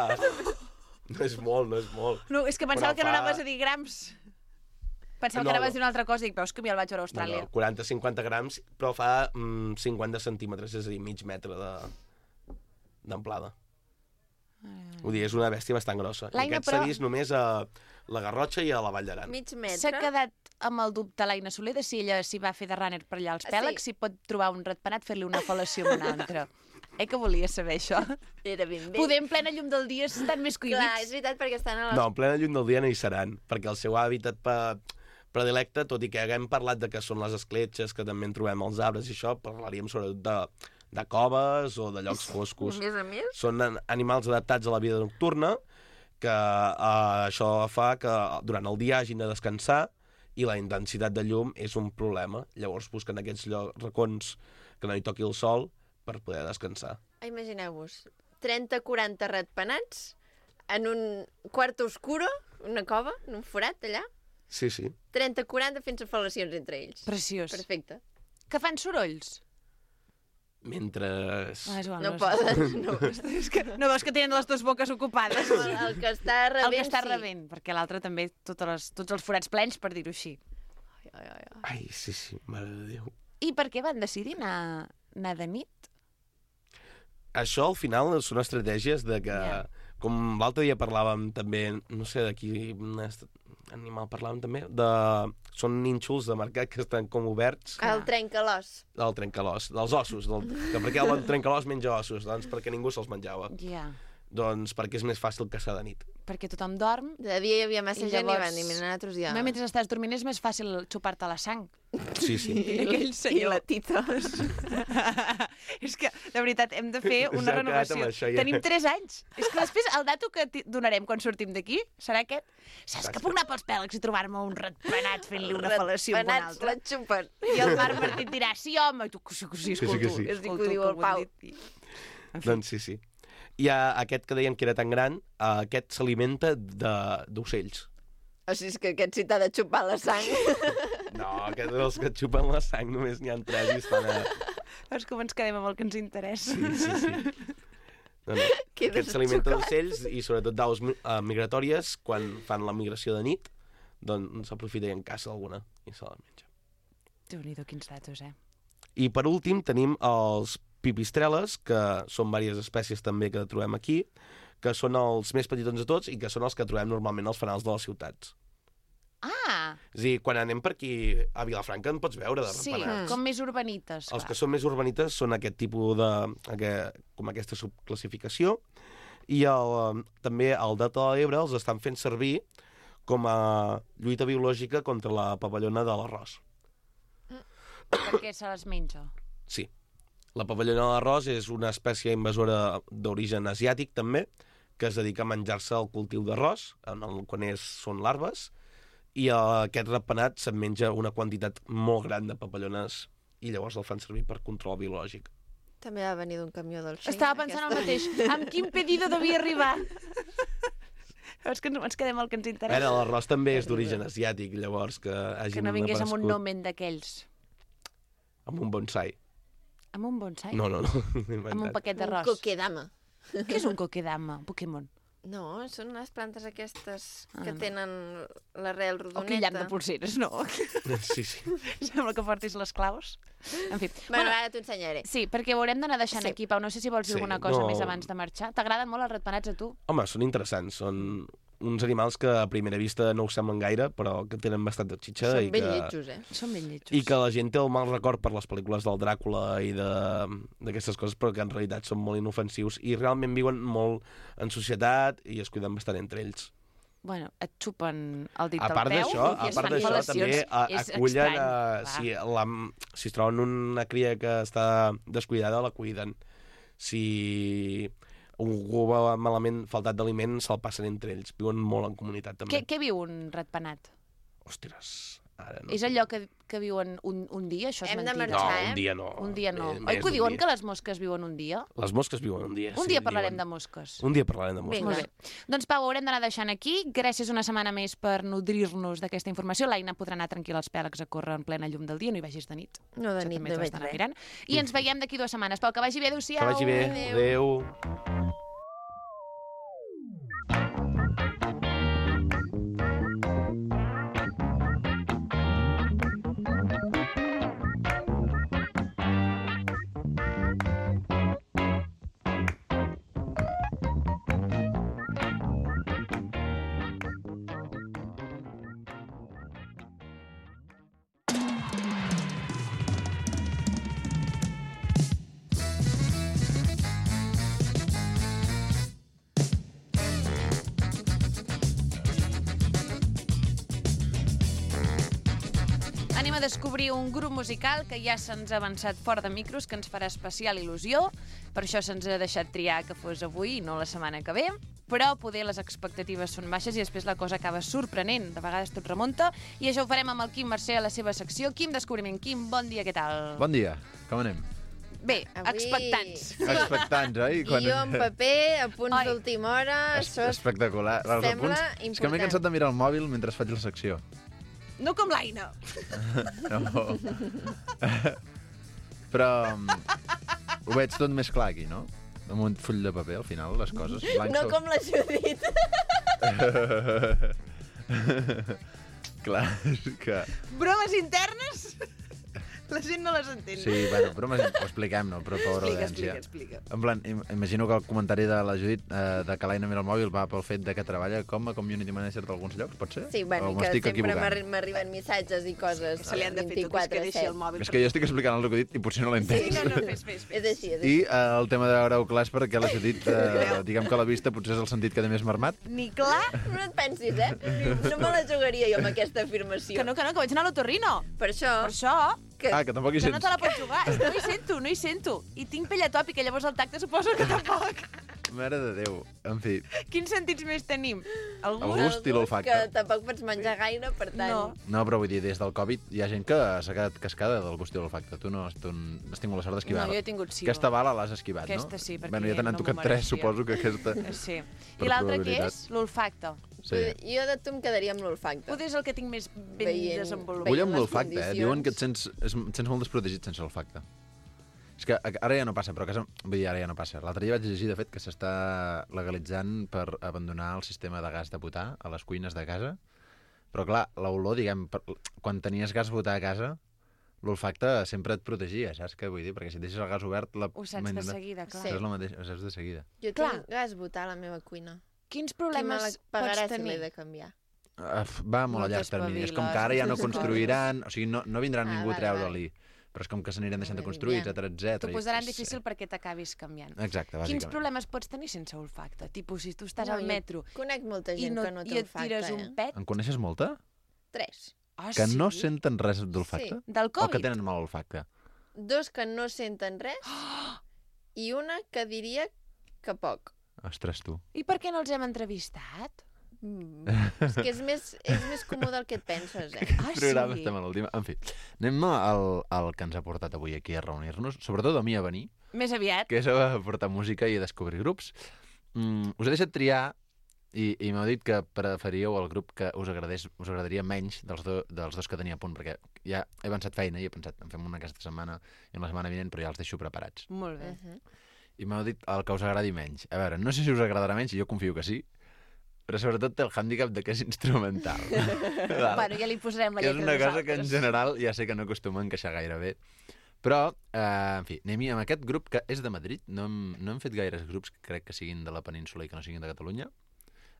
[SPEAKER 8] No és molt, no és molt.
[SPEAKER 2] No, és que pensava
[SPEAKER 8] Però
[SPEAKER 2] que no
[SPEAKER 8] fa-
[SPEAKER 2] anaves a dir grams. Pensava
[SPEAKER 8] No,
[SPEAKER 2] que anaves
[SPEAKER 8] no.
[SPEAKER 2] a dir una altra cosa i dic, veus que mi el vaig veure a
[SPEAKER 8] No,
[SPEAKER 2] Austràlia.
[SPEAKER 8] no, quaranta a cinquanta grams, però fa mm, cinquanta centímetres, és a dir, mig metre de d'amplada. Vull dir, és una bèstia bastant grossa. I
[SPEAKER 2] L'Aina,
[SPEAKER 8] aquest
[SPEAKER 2] però-
[SPEAKER 8] s'ha vist només a la Garrotxa i a la Vall d'Aran.
[SPEAKER 1] Mig
[SPEAKER 2] S'ha
[SPEAKER 1] metre.
[SPEAKER 2] quedat amb el dubte l'Aina Soler de si ella s'hi va fer de runner per allà als
[SPEAKER 1] Sí.
[SPEAKER 2] pèlegs, si pot trobar un ratpenat, fer-li una fel·lació amb un altre. Eh que volia saber això?
[SPEAKER 1] Era ben bé.
[SPEAKER 2] Poder en plena llum del dia estan més
[SPEAKER 1] Clar, és
[SPEAKER 2] cohibits.
[SPEAKER 1] veritat, perquè estan a les...
[SPEAKER 8] No, en plena llum del dia no hi seran, perquè el seu hàbitat pe... predilecte, tot i que haguem parlat de que són les escletxes, que també en trobem als arbres i això, parlaríem sobretot de, de coves o de llocs foscos.
[SPEAKER 1] A més a més.
[SPEAKER 8] Són an- animals adaptats a la vida nocturna, que eh, això fa que durant el dia hagin de descansar i la intensitat de llum és un problema. Llavors busquen aquests llocs, racons que no hi toqui el sol per poder descansar.
[SPEAKER 1] Imagineu-vos, trenta quaranta ratpenats en un quarto oscuro, una cova, en un forat allà,
[SPEAKER 8] Sí, sí.
[SPEAKER 1] trenta quaranta fent fel·lacions entre ells.
[SPEAKER 2] Preciós.
[SPEAKER 1] Perfecte.
[SPEAKER 2] Que fan sorolls?
[SPEAKER 8] Mentre...
[SPEAKER 2] Ah, és igual,
[SPEAKER 1] No
[SPEAKER 2] és-
[SPEAKER 1] poden, no.
[SPEAKER 2] És que no veus que tenen les dues boques ocupades?
[SPEAKER 1] El, el que està rebent,
[SPEAKER 2] El que està
[SPEAKER 1] sí.
[SPEAKER 2] rebent, perquè l'altre també, totes les, tots els forats plens, per dir-ho així. Ai, ai, ai, ai.
[SPEAKER 8] Ai, sí, sí, mare de Déu.
[SPEAKER 2] I per què van decidir anar, anar de nit?
[SPEAKER 8] Això, al final, són estratègies de que...
[SPEAKER 2] Ja.
[SPEAKER 8] Com l'altre dia parlàvem també, no sé de quin est- animal parlàvem també, de... Són nínxols de mercat que estan com oberts.
[SPEAKER 1] El trencalòs.
[SPEAKER 8] Del trencalòs, dels ossos. Del... Que per què el trencalòs menja ossos? Doncs perquè ningú se'ls menjava.
[SPEAKER 2] Ja.
[SPEAKER 8] Doncs perquè és més fàcil caçar de nit.
[SPEAKER 2] Perquè tothom dorm.
[SPEAKER 1] De dia hi havia massa
[SPEAKER 2] I
[SPEAKER 1] gent i
[SPEAKER 2] llavors-
[SPEAKER 1] van dir, mira, nosaltres ja...
[SPEAKER 2] No, mentre estàs dormint és més fàcil xupar-te la sang.
[SPEAKER 8] Sí, sí.
[SPEAKER 2] Aquell
[SPEAKER 1] I
[SPEAKER 2] senyor.
[SPEAKER 1] la titos.
[SPEAKER 2] És que, de veritat, hem de fer una
[SPEAKER 8] S'ha quedat
[SPEAKER 2] renovació.
[SPEAKER 8] amb això, ja.
[SPEAKER 2] Tenim tres anys. És que després el dato que ti- donarem quan sortim d'aquí serà aquest. Saps que puc anar pels pèlegs i trobar-me un ratpenat fent-li una fel·lació amb un
[SPEAKER 1] Ratpenats
[SPEAKER 2] altre?
[SPEAKER 1] la xupen.
[SPEAKER 2] I el Marc Martí et dirà, sí, home, i tu, que sí, que sí,
[SPEAKER 8] sí,
[SPEAKER 2] escolto.
[SPEAKER 8] que sí.
[SPEAKER 1] És dir que ho
[SPEAKER 2] escolto
[SPEAKER 1] diu el
[SPEAKER 2] que ho
[SPEAKER 1] Pau.
[SPEAKER 2] han dit. I-
[SPEAKER 8] Doncs sí, sí. I uh, aquest que deien que era tan gran, uh, aquest s'alimenta de- d'ocells.
[SPEAKER 1] O sigui, és que aquest sí t'ha de xupar la sang.
[SPEAKER 8] No, aquests dels que et xupen la sang només n'hi ha tres i estan a...
[SPEAKER 2] Veus com ens quedem amb el que ens interessa?
[SPEAKER 8] Sí, sí, sí. No, no.
[SPEAKER 1] Quedes
[SPEAKER 8] Aquest s'alimenta
[SPEAKER 1] xocat.
[SPEAKER 8] d'ocells i sobretot d'aus mi- uh, migratòries, quan fan la migració de nit, doncs s'aprofita i en caça alguna i se la menja.
[SPEAKER 2] Déu-n'hi-do, quins datos, eh?
[SPEAKER 8] I per últim tenim els pipistreles, que són diverses espècies també que trobem aquí, que són els més petitons de tots i que són els que trobem normalment als fanals de les ciutats.
[SPEAKER 2] Ah,
[SPEAKER 8] És a dir, quan anem per aquí a Vilafranca en pots veure de
[SPEAKER 2] sí,
[SPEAKER 8] ratpenats.
[SPEAKER 2] com més urbanites.
[SPEAKER 8] Els
[SPEAKER 2] clar.
[SPEAKER 8] que són més urbanites són aquest tipus de... Aquest, com aquesta subclassificació. I el, també al Delta de l'Ebre els estan fent servir com a lluita biològica contra la papallona de l'arròs.
[SPEAKER 2] Perquè se les menja.
[SPEAKER 8] Sí. La papallona de l'arròs és una espècie invasora d'origen asiàtic, també, que es dedica a menjar-se el cultiu d'arròs, en el, quan és, són larves, i eh, aquest ratpenat se'n menja una quantitat molt gran de papallones i llavors el fan servir per control biològic.
[SPEAKER 1] També va venir d'un camió del Shein.
[SPEAKER 2] Estava pensant el mateix. Amb quin pedido devia arribar? Veus que ens quedem el que ens
[SPEAKER 8] A
[SPEAKER 2] interessa?
[SPEAKER 8] veure, l'arròs també és d'origen asiàtic, llavors que hagin
[SPEAKER 2] Que no vingués amb un
[SPEAKER 8] aparegut
[SPEAKER 2] nomen d'aquells.
[SPEAKER 8] amb un bonsai.
[SPEAKER 2] Amb un bonsai?
[SPEAKER 8] No, no, no.
[SPEAKER 2] Amb un paquet
[SPEAKER 1] Un
[SPEAKER 2] d'arròs.
[SPEAKER 1] coquedama.
[SPEAKER 2] Què és un coquedama? Un Pokémon.
[SPEAKER 1] No, són les plantes aquestes que
[SPEAKER 2] Ah, no.
[SPEAKER 1] tenen l'arrel
[SPEAKER 2] O aquell
[SPEAKER 1] rodoneta.
[SPEAKER 2] llarg de pulseres, no?
[SPEAKER 8] Sí, sí.
[SPEAKER 2] Sembla que portis les claus. En fi.
[SPEAKER 1] Bueno, ara t'ho ensenyaré.
[SPEAKER 2] Sí, perquè ho haurem d'anar deixant
[SPEAKER 1] Sí.
[SPEAKER 2] aquí, Pau. No sé si vols dir
[SPEAKER 8] Sí,
[SPEAKER 2] alguna cosa
[SPEAKER 8] no.
[SPEAKER 2] més abans de marxar. T'agraden molt els ratpenats a tu?
[SPEAKER 8] Home, són interessants. Són uns animals que a primera vista no ho semblen gaire, però que tenen bastant de xitxa.
[SPEAKER 1] Són
[SPEAKER 8] i
[SPEAKER 1] ben
[SPEAKER 8] que...
[SPEAKER 1] lletjos, eh?
[SPEAKER 2] Són ben lletjos.
[SPEAKER 8] I que la gent té el mal record per les pel·lícules del Dràcula i de- d'aquestes coses, però que en realitat són molt inofensius i realment viuen molt en societat i es cuiden bastant entre ells.
[SPEAKER 2] Bueno, et xupen el dit
[SPEAKER 8] A part
[SPEAKER 2] del peu
[SPEAKER 8] d'això,
[SPEAKER 2] i
[SPEAKER 8] a
[SPEAKER 2] es
[SPEAKER 8] part
[SPEAKER 2] fan
[SPEAKER 8] d'això
[SPEAKER 2] fel·lacions.
[SPEAKER 8] també a,
[SPEAKER 2] És
[SPEAKER 8] acullen
[SPEAKER 2] estrany,
[SPEAKER 8] a,
[SPEAKER 2] clar.
[SPEAKER 8] si, la, si es troben una cria que està descuidada, la cuiden. Si algú va malament faltat d'aliment, se'l passen entre ells. Viuen molt en comunitat, també.
[SPEAKER 2] Què, què viu un ratpenat?
[SPEAKER 8] Ostres, ara no.
[SPEAKER 2] És allò que, que viuen un, un dia? Això és
[SPEAKER 1] Hem de
[SPEAKER 2] mentida.
[SPEAKER 8] No,
[SPEAKER 1] marxar, eh?
[SPEAKER 8] un dia no.
[SPEAKER 2] Un dia no.
[SPEAKER 8] Més-
[SPEAKER 2] Oi
[SPEAKER 8] més
[SPEAKER 2] que ho
[SPEAKER 8] un
[SPEAKER 2] diuen
[SPEAKER 8] dia.
[SPEAKER 2] que les mosques viuen un dia?
[SPEAKER 8] Les mosques viuen un dia.
[SPEAKER 2] Un
[SPEAKER 8] sí,
[SPEAKER 2] dia parlarem
[SPEAKER 8] diuen.
[SPEAKER 2] de mosques.
[SPEAKER 8] Un dia parlarem de mosques.
[SPEAKER 1] Vinga.
[SPEAKER 2] Molt bé. Doncs Pau, haurem d'anar deixant aquí. Gràcies una setmana més per nodrir-nos d'aquesta informació. L'Aina podrà anar tranquil·la als pèlegs a córrer en plena llum del dia. No hi vagis de nit.
[SPEAKER 1] No, de
[SPEAKER 2] Això
[SPEAKER 1] nit
[SPEAKER 2] també
[SPEAKER 1] no
[SPEAKER 2] t'ho has
[SPEAKER 1] veig
[SPEAKER 2] d'anar
[SPEAKER 1] res.
[SPEAKER 2] mirant. I ens veiem d'aquí dues setmanes. Pau, que vagi bé. Adéu-siau.
[SPEAKER 8] Que vagi bé.
[SPEAKER 1] Adéu.
[SPEAKER 8] Adéu.
[SPEAKER 2] anem a descobrir un grup musical que ja se'ns ha avançat fora de micros, que ens farà especial il·lusió. Per això se'ns ha deixat triar que fos avui i no la setmana que ve. Però poder les expectatives són baixes i després la cosa acaba sorprenent. De vegades tot remunta. I això ho farem amb el Quim Mercè a la seva secció. Quim Descobriment. Quim, bon dia, què tal?
[SPEAKER 9] Bon dia, com anem?
[SPEAKER 2] Bé,
[SPEAKER 1] Avui-
[SPEAKER 2] expectants.
[SPEAKER 1] Sí.
[SPEAKER 9] Expectants, oi?
[SPEAKER 1] Guió en paper, a punts
[SPEAKER 2] Ai.
[SPEAKER 1] d'última hora,
[SPEAKER 9] Es-
[SPEAKER 1] això és...
[SPEAKER 9] Espectacular. Els
[SPEAKER 1] sembla
[SPEAKER 9] apunts- És que m'he
[SPEAKER 1] important.
[SPEAKER 9] cansat de mirar el mòbil mentre faig la secció.
[SPEAKER 2] No com l'Aina.
[SPEAKER 9] No. Però um, ho veig tot més clar aquí, no? Amb un full de paper, al final, les coses. Blanc
[SPEAKER 1] No
[SPEAKER 9] sobre-
[SPEAKER 1] com la Judit.
[SPEAKER 9] Clar, és que...
[SPEAKER 2] Bromes internes? La gent no les entén.
[SPEAKER 9] Sí, bueno, però ho expliquem, no? Però pobra
[SPEAKER 2] Explica,
[SPEAKER 9] audiència.
[SPEAKER 2] explica, explica.
[SPEAKER 9] En plan, im imagino que el comentari de la Judit eh, de que l'Aina mira el mòbil va pel fet de que treballa com a community manager d'alguns llocs, pot ser?
[SPEAKER 1] Sí, bueno,
[SPEAKER 9] O
[SPEAKER 1] i
[SPEAKER 9] m'ho
[SPEAKER 1] que
[SPEAKER 9] estic
[SPEAKER 1] sempre
[SPEAKER 9] equivocant?
[SPEAKER 1] m'arri- m'arriben missatges i coses
[SPEAKER 2] Se li han de fer tot, és que deixi el mòbil.
[SPEAKER 9] És que jo estic explicant el que he dit i potser no l'he entès.
[SPEAKER 2] Sí, no, no, fes, fes, fes.
[SPEAKER 1] És així, és
[SPEAKER 9] I
[SPEAKER 1] així.
[SPEAKER 9] eh, el tema de veure-ho clar és perquè la Judit, eh, diguem que la vista potser és el sentit que té més marmat.
[SPEAKER 2] Ni clar.
[SPEAKER 1] No et pensis, eh? No me la jugaria jo amb aquesta afirmació.
[SPEAKER 2] Que no, que no, que vaig anar a l'otorrino.
[SPEAKER 1] Per això...
[SPEAKER 2] Per això,
[SPEAKER 1] Que...
[SPEAKER 9] Ah, que tampoc hi
[SPEAKER 2] que no
[SPEAKER 9] sents.
[SPEAKER 2] te la pots jugar. És que no hi sento, no hi sento. I tinc pell atòpica, llavors el tacte suposo que tampoc.
[SPEAKER 9] Mare de Déu. En fi,
[SPEAKER 2] Quins sentits més tenim?
[SPEAKER 9] el
[SPEAKER 2] Algun?
[SPEAKER 9] gust i l'olfacte.
[SPEAKER 1] Que tampoc pots menjar gaire, per tant...
[SPEAKER 2] No.
[SPEAKER 9] No, però vull dir, des del Covid hi ha gent que s'ha quedat cascada del gust i l'olfacte. Tu no has, tu has tingut la sort d'esquivar.
[SPEAKER 2] No, jo he tingut sí.
[SPEAKER 9] Aquesta bala l'has esquivat,
[SPEAKER 2] Aquesta
[SPEAKER 9] no?
[SPEAKER 2] sí, perquè
[SPEAKER 9] bueno, ja te n'han
[SPEAKER 2] no m'ho
[SPEAKER 9] tocat tres,
[SPEAKER 2] mereixia.
[SPEAKER 9] suposo que aquesta...
[SPEAKER 2] Sí.
[SPEAKER 9] Per
[SPEAKER 2] I l'altre què
[SPEAKER 9] probabilitat.
[SPEAKER 2] és? L'olfacte.
[SPEAKER 9] Sí.
[SPEAKER 1] Jo de tu em quedaria amb l'olfacte.
[SPEAKER 2] Potser és el que tinc més ben
[SPEAKER 1] Veient-
[SPEAKER 2] desenvolupat.
[SPEAKER 9] Vull amb
[SPEAKER 1] les
[SPEAKER 9] l'olfacte, eh?
[SPEAKER 1] condicions.
[SPEAKER 9] Diuen que et sents, es- et sents molt desprotegit sense l'olfacte. És que a- ara ja no passa, però a casa... Vull dir, ara ja no passa. L'altre dia vaig llegir, de fet, que s'està legalitzant per abandonar el sistema de gas de butà a les cuines de casa. Però, clar, l'olor, diguem, per... quan tenies gas butà a casa, l'olfacte sempre et protegia, saps què vull dir? Perquè si et deixes el gas obert... La...
[SPEAKER 2] Ho saps de seguida, clar.
[SPEAKER 1] Sí.
[SPEAKER 9] És el mateix, ho saps de seguida.
[SPEAKER 1] Jo
[SPEAKER 2] Clar.
[SPEAKER 1] tinc gas butà a la meva cuina.
[SPEAKER 2] Quins
[SPEAKER 1] Qui me la
[SPEAKER 2] problemes
[SPEAKER 1] pagarà
[SPEAKER 2] pots
[SPEAKER 1] si l'he
[SPEAKER 2] tenir?
[SPEAKER 1] de canviar?
[SPEAKER 9] Uh, va molt a llarg
[SPEAKER 2] Moltes
[SPEAKER 9] termini. És com
[SPEAKER 2] paviles,
[SPEAKER 9] que ara ja no
[SPEAKER 2] moltes
[SPEAKER 9] construiran, o sigui, no, no vindrà
[SPEAKER 1] Ah,
[SPEAKER 9] ningú a
[SPEAKER 1] vale,
[SPEAKER 9] treure-li, però és com que s'aniran deixant de construir,
[SPEAKER 1] Ja.
[SPEAKER 9] etcètera, etcètera.
[SPEAKER 2] T'ho posaran difícil perquè t'acabis canviant.
[SPEAKER 9] Exacte,
[SPEAKER 2] Quins
[SPEAKER 9] bàsicament.
[SPEAKER 2] problemes pots tenir sense olfacte? Tipus, si tu estàs
[SPEAKER 1] No,
[SPEAKER 2] al
[SPEAKER 1] jo
[SPEAKER 2] metro
[SPEAKER 1] Conec molta
[SPEAKER 2] i,
[SPEAKER 1] gent
[SPEAKER 2] no,
[SPEAKER 1] que no
[SPEAKER 2] i
[SPEAKER 1] té
[SPEAKER 2] et
[SPEAKER 1] olfacte,
[SPEAKER 2] tires
[SPEAKER 1] eh?
[SPEAKER 2] un pet...
[SPEAKER 9] En coneixes molta?
[SPEAKER 1] Tres.
[SPEAKER 2] Ah,
[SPEAKER 9] Que
[SPEAKER 2] sí?
[SPEAKER 9] no senten res d'olfacte?
[SPEAKER 2] Del
[SPEAKER 9] O que
[SPEAKER 2] Covid?
[SPEAKER 9] tenen mal olfacte?
[SPEAKER 1] Dos que no senten res i una que diria que poc.
[SPEAKER 9] Ostres, tu.
[SPEAKER 2] I per què no els hem entrevistat?
[SPEAKER 1] Mm. És que és més, és més comú del que et penses, eh?
[SPEAKER 2] Ah,
[SPEAKER 9] programa
[SPEAKER 2] sí?
[SPEAKER 9] estem a l'última. En fi, anem al, al que ens ha portat avui aquí a reunir-nos, sobretot a mi a venir,
[SPEAKER 2] Més aviat.
[SPEAKER 9] que és a portar música i a descobrir grups. Mm, us he deixat triar i, i m'heu dit que preferíeu el grup que us, agradés, us agradaria menys dels, do, dels dos que tenia a punt, perquè ja he avançat feina i he pensat, en fem una aquesta setmana i en la setmana vinent, però ja els deixo preparats.
[SPEAKER 2] Molt bé.
[SPEAKER 1] Uh -huh.
[SPEAKER 9] I m'heu dit el que us agradi menys. A veure, no sé si us agradarà menys, jo confio que sí, però sobretot té el hàndicap de que és instrumental. Val?
[SPEAKER 2] Bueno, ja li posarem la
[SPEAKER 9] Que és
[SPEAKER 2] lletra
[SPEAKER 9] una cosa que en
[SPEAKER 2] nosaltres.
[SPEAKER 9] general ja sé que no acostuma a encaixar gaire bé. Però, eh, en fi, anem-hi amb aquest grup que és de Madrid. No hem, no hem fet gaires grups que crec que siguin de la península i que no siguin de Catalunya.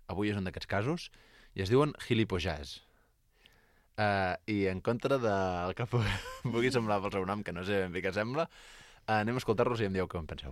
[SPEAKER 9] Avui és un d'aquests casos. I es diuen Gilipojàs. Uh, I en contra del que pu pugui semblar pel seu nom, que no sé ben bé què sembla, uh, anem a escoltar-los i em dieu què en penseu.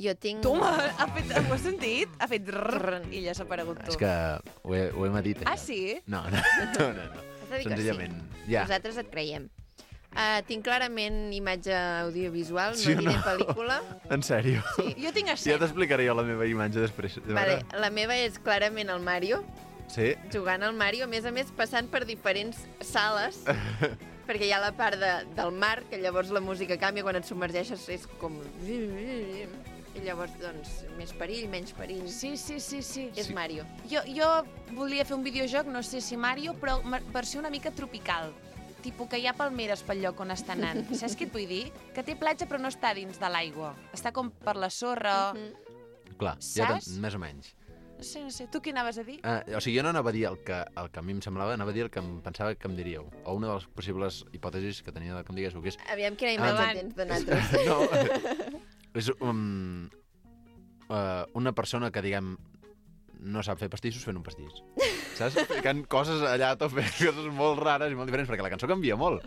[SPEAKER 1] Jo tinc...
[SPEAKER 2] Toma, ha fet, ho has sentit? Ha fet rrrr, i ja s'ha aparegut tu.
[SPEAKER 9] És que ho he, ho he medit.
[SPEAKER 2] Ah,
[SPEAKER 9] allò.
[SPEAKER 2] sí?
[SPEAKER 9] No, no, no, no. no.
[SPEAKER 1] Has de dir que
[SPEAKER 9] Senzillament,
[SPEAKER 1] sí.
[SPEAKER 9] ja.
[SPEAKER 1] Nosaltres et creiem. Uh, tinc clarament imatge audiovisual,
[SPEAKER 9] Sí o
[SPEAKER 1] no diré
[SPEAKER 9] no?
[SPEAKER 1] pel·lícula.
[SPEAKER 9] En sèrio?
[SPEAKER 1] Sí.
[SPEAKER 2] Jo tinc
[SPEAKER 9] Ja
[SPEAKER 2] escena.
[SPEAKER 9] t'explicaré jo la meva imatge després. De
[SPEAKER 1] Vale,
[SPEAKER 9] veure?
[SPEAKER 1] la meva és clarament el Mario,
[SPEAKER 9] Sí?
[SPEAKER 1] jugant al Mario, a més a més passant per diferents sales, Perquè hi ha la part de, del mar, que llavors la música canvia, quan et submergeixes és com... I llavors, doncs, més perill, menys perill.
[SPEAKER 2] Sí, sí, sí, sí.
[SPEAKER 1] És
[SPEAKER 9] Sí.
[SPEAKER 1] Mario.
[SPEAKER 2] Jo, jo volia fer un videojoc, no sé si Mario, però ma- versió una mica tropical. Tipus que hi ha palmeres pel lloc on està anant. Saps què et vull dir? Que té platja però no està dins de l'aigua. Està com per la sorra.
[SPEAKER 1] Mhm.
[SPEAKER 9] Clar, ja
[SPEAKER 2] Saps?
[SPEAKER 9] ten, més o menys.
[SPEAKER 2] No sé, no sé. Tu què anaves a dir?
[SPEAKER 9] Uh, o sigui, jo no anava a dir el que, el que a mi em semblava, anava a dir el que em pensava que em diríeu. O una de les possibles hipòtesis que tenia de que em diguéssiu, que és...
[SPEAKER 1] Aviam quina
[SPEAKER 9] Ah,
[SPEAKER 1] imatge
[SPEAKER 2] van.
[SPEAKER 1] tens de nosaltres.
[SPEAKER 9] no, és um, uh, una persona que, diguem, no sap fer pastissos fent un pastís. Saps? Ficant coses allà a tope, coses molt rares i molt diferents, perquè la cançó canvia molt.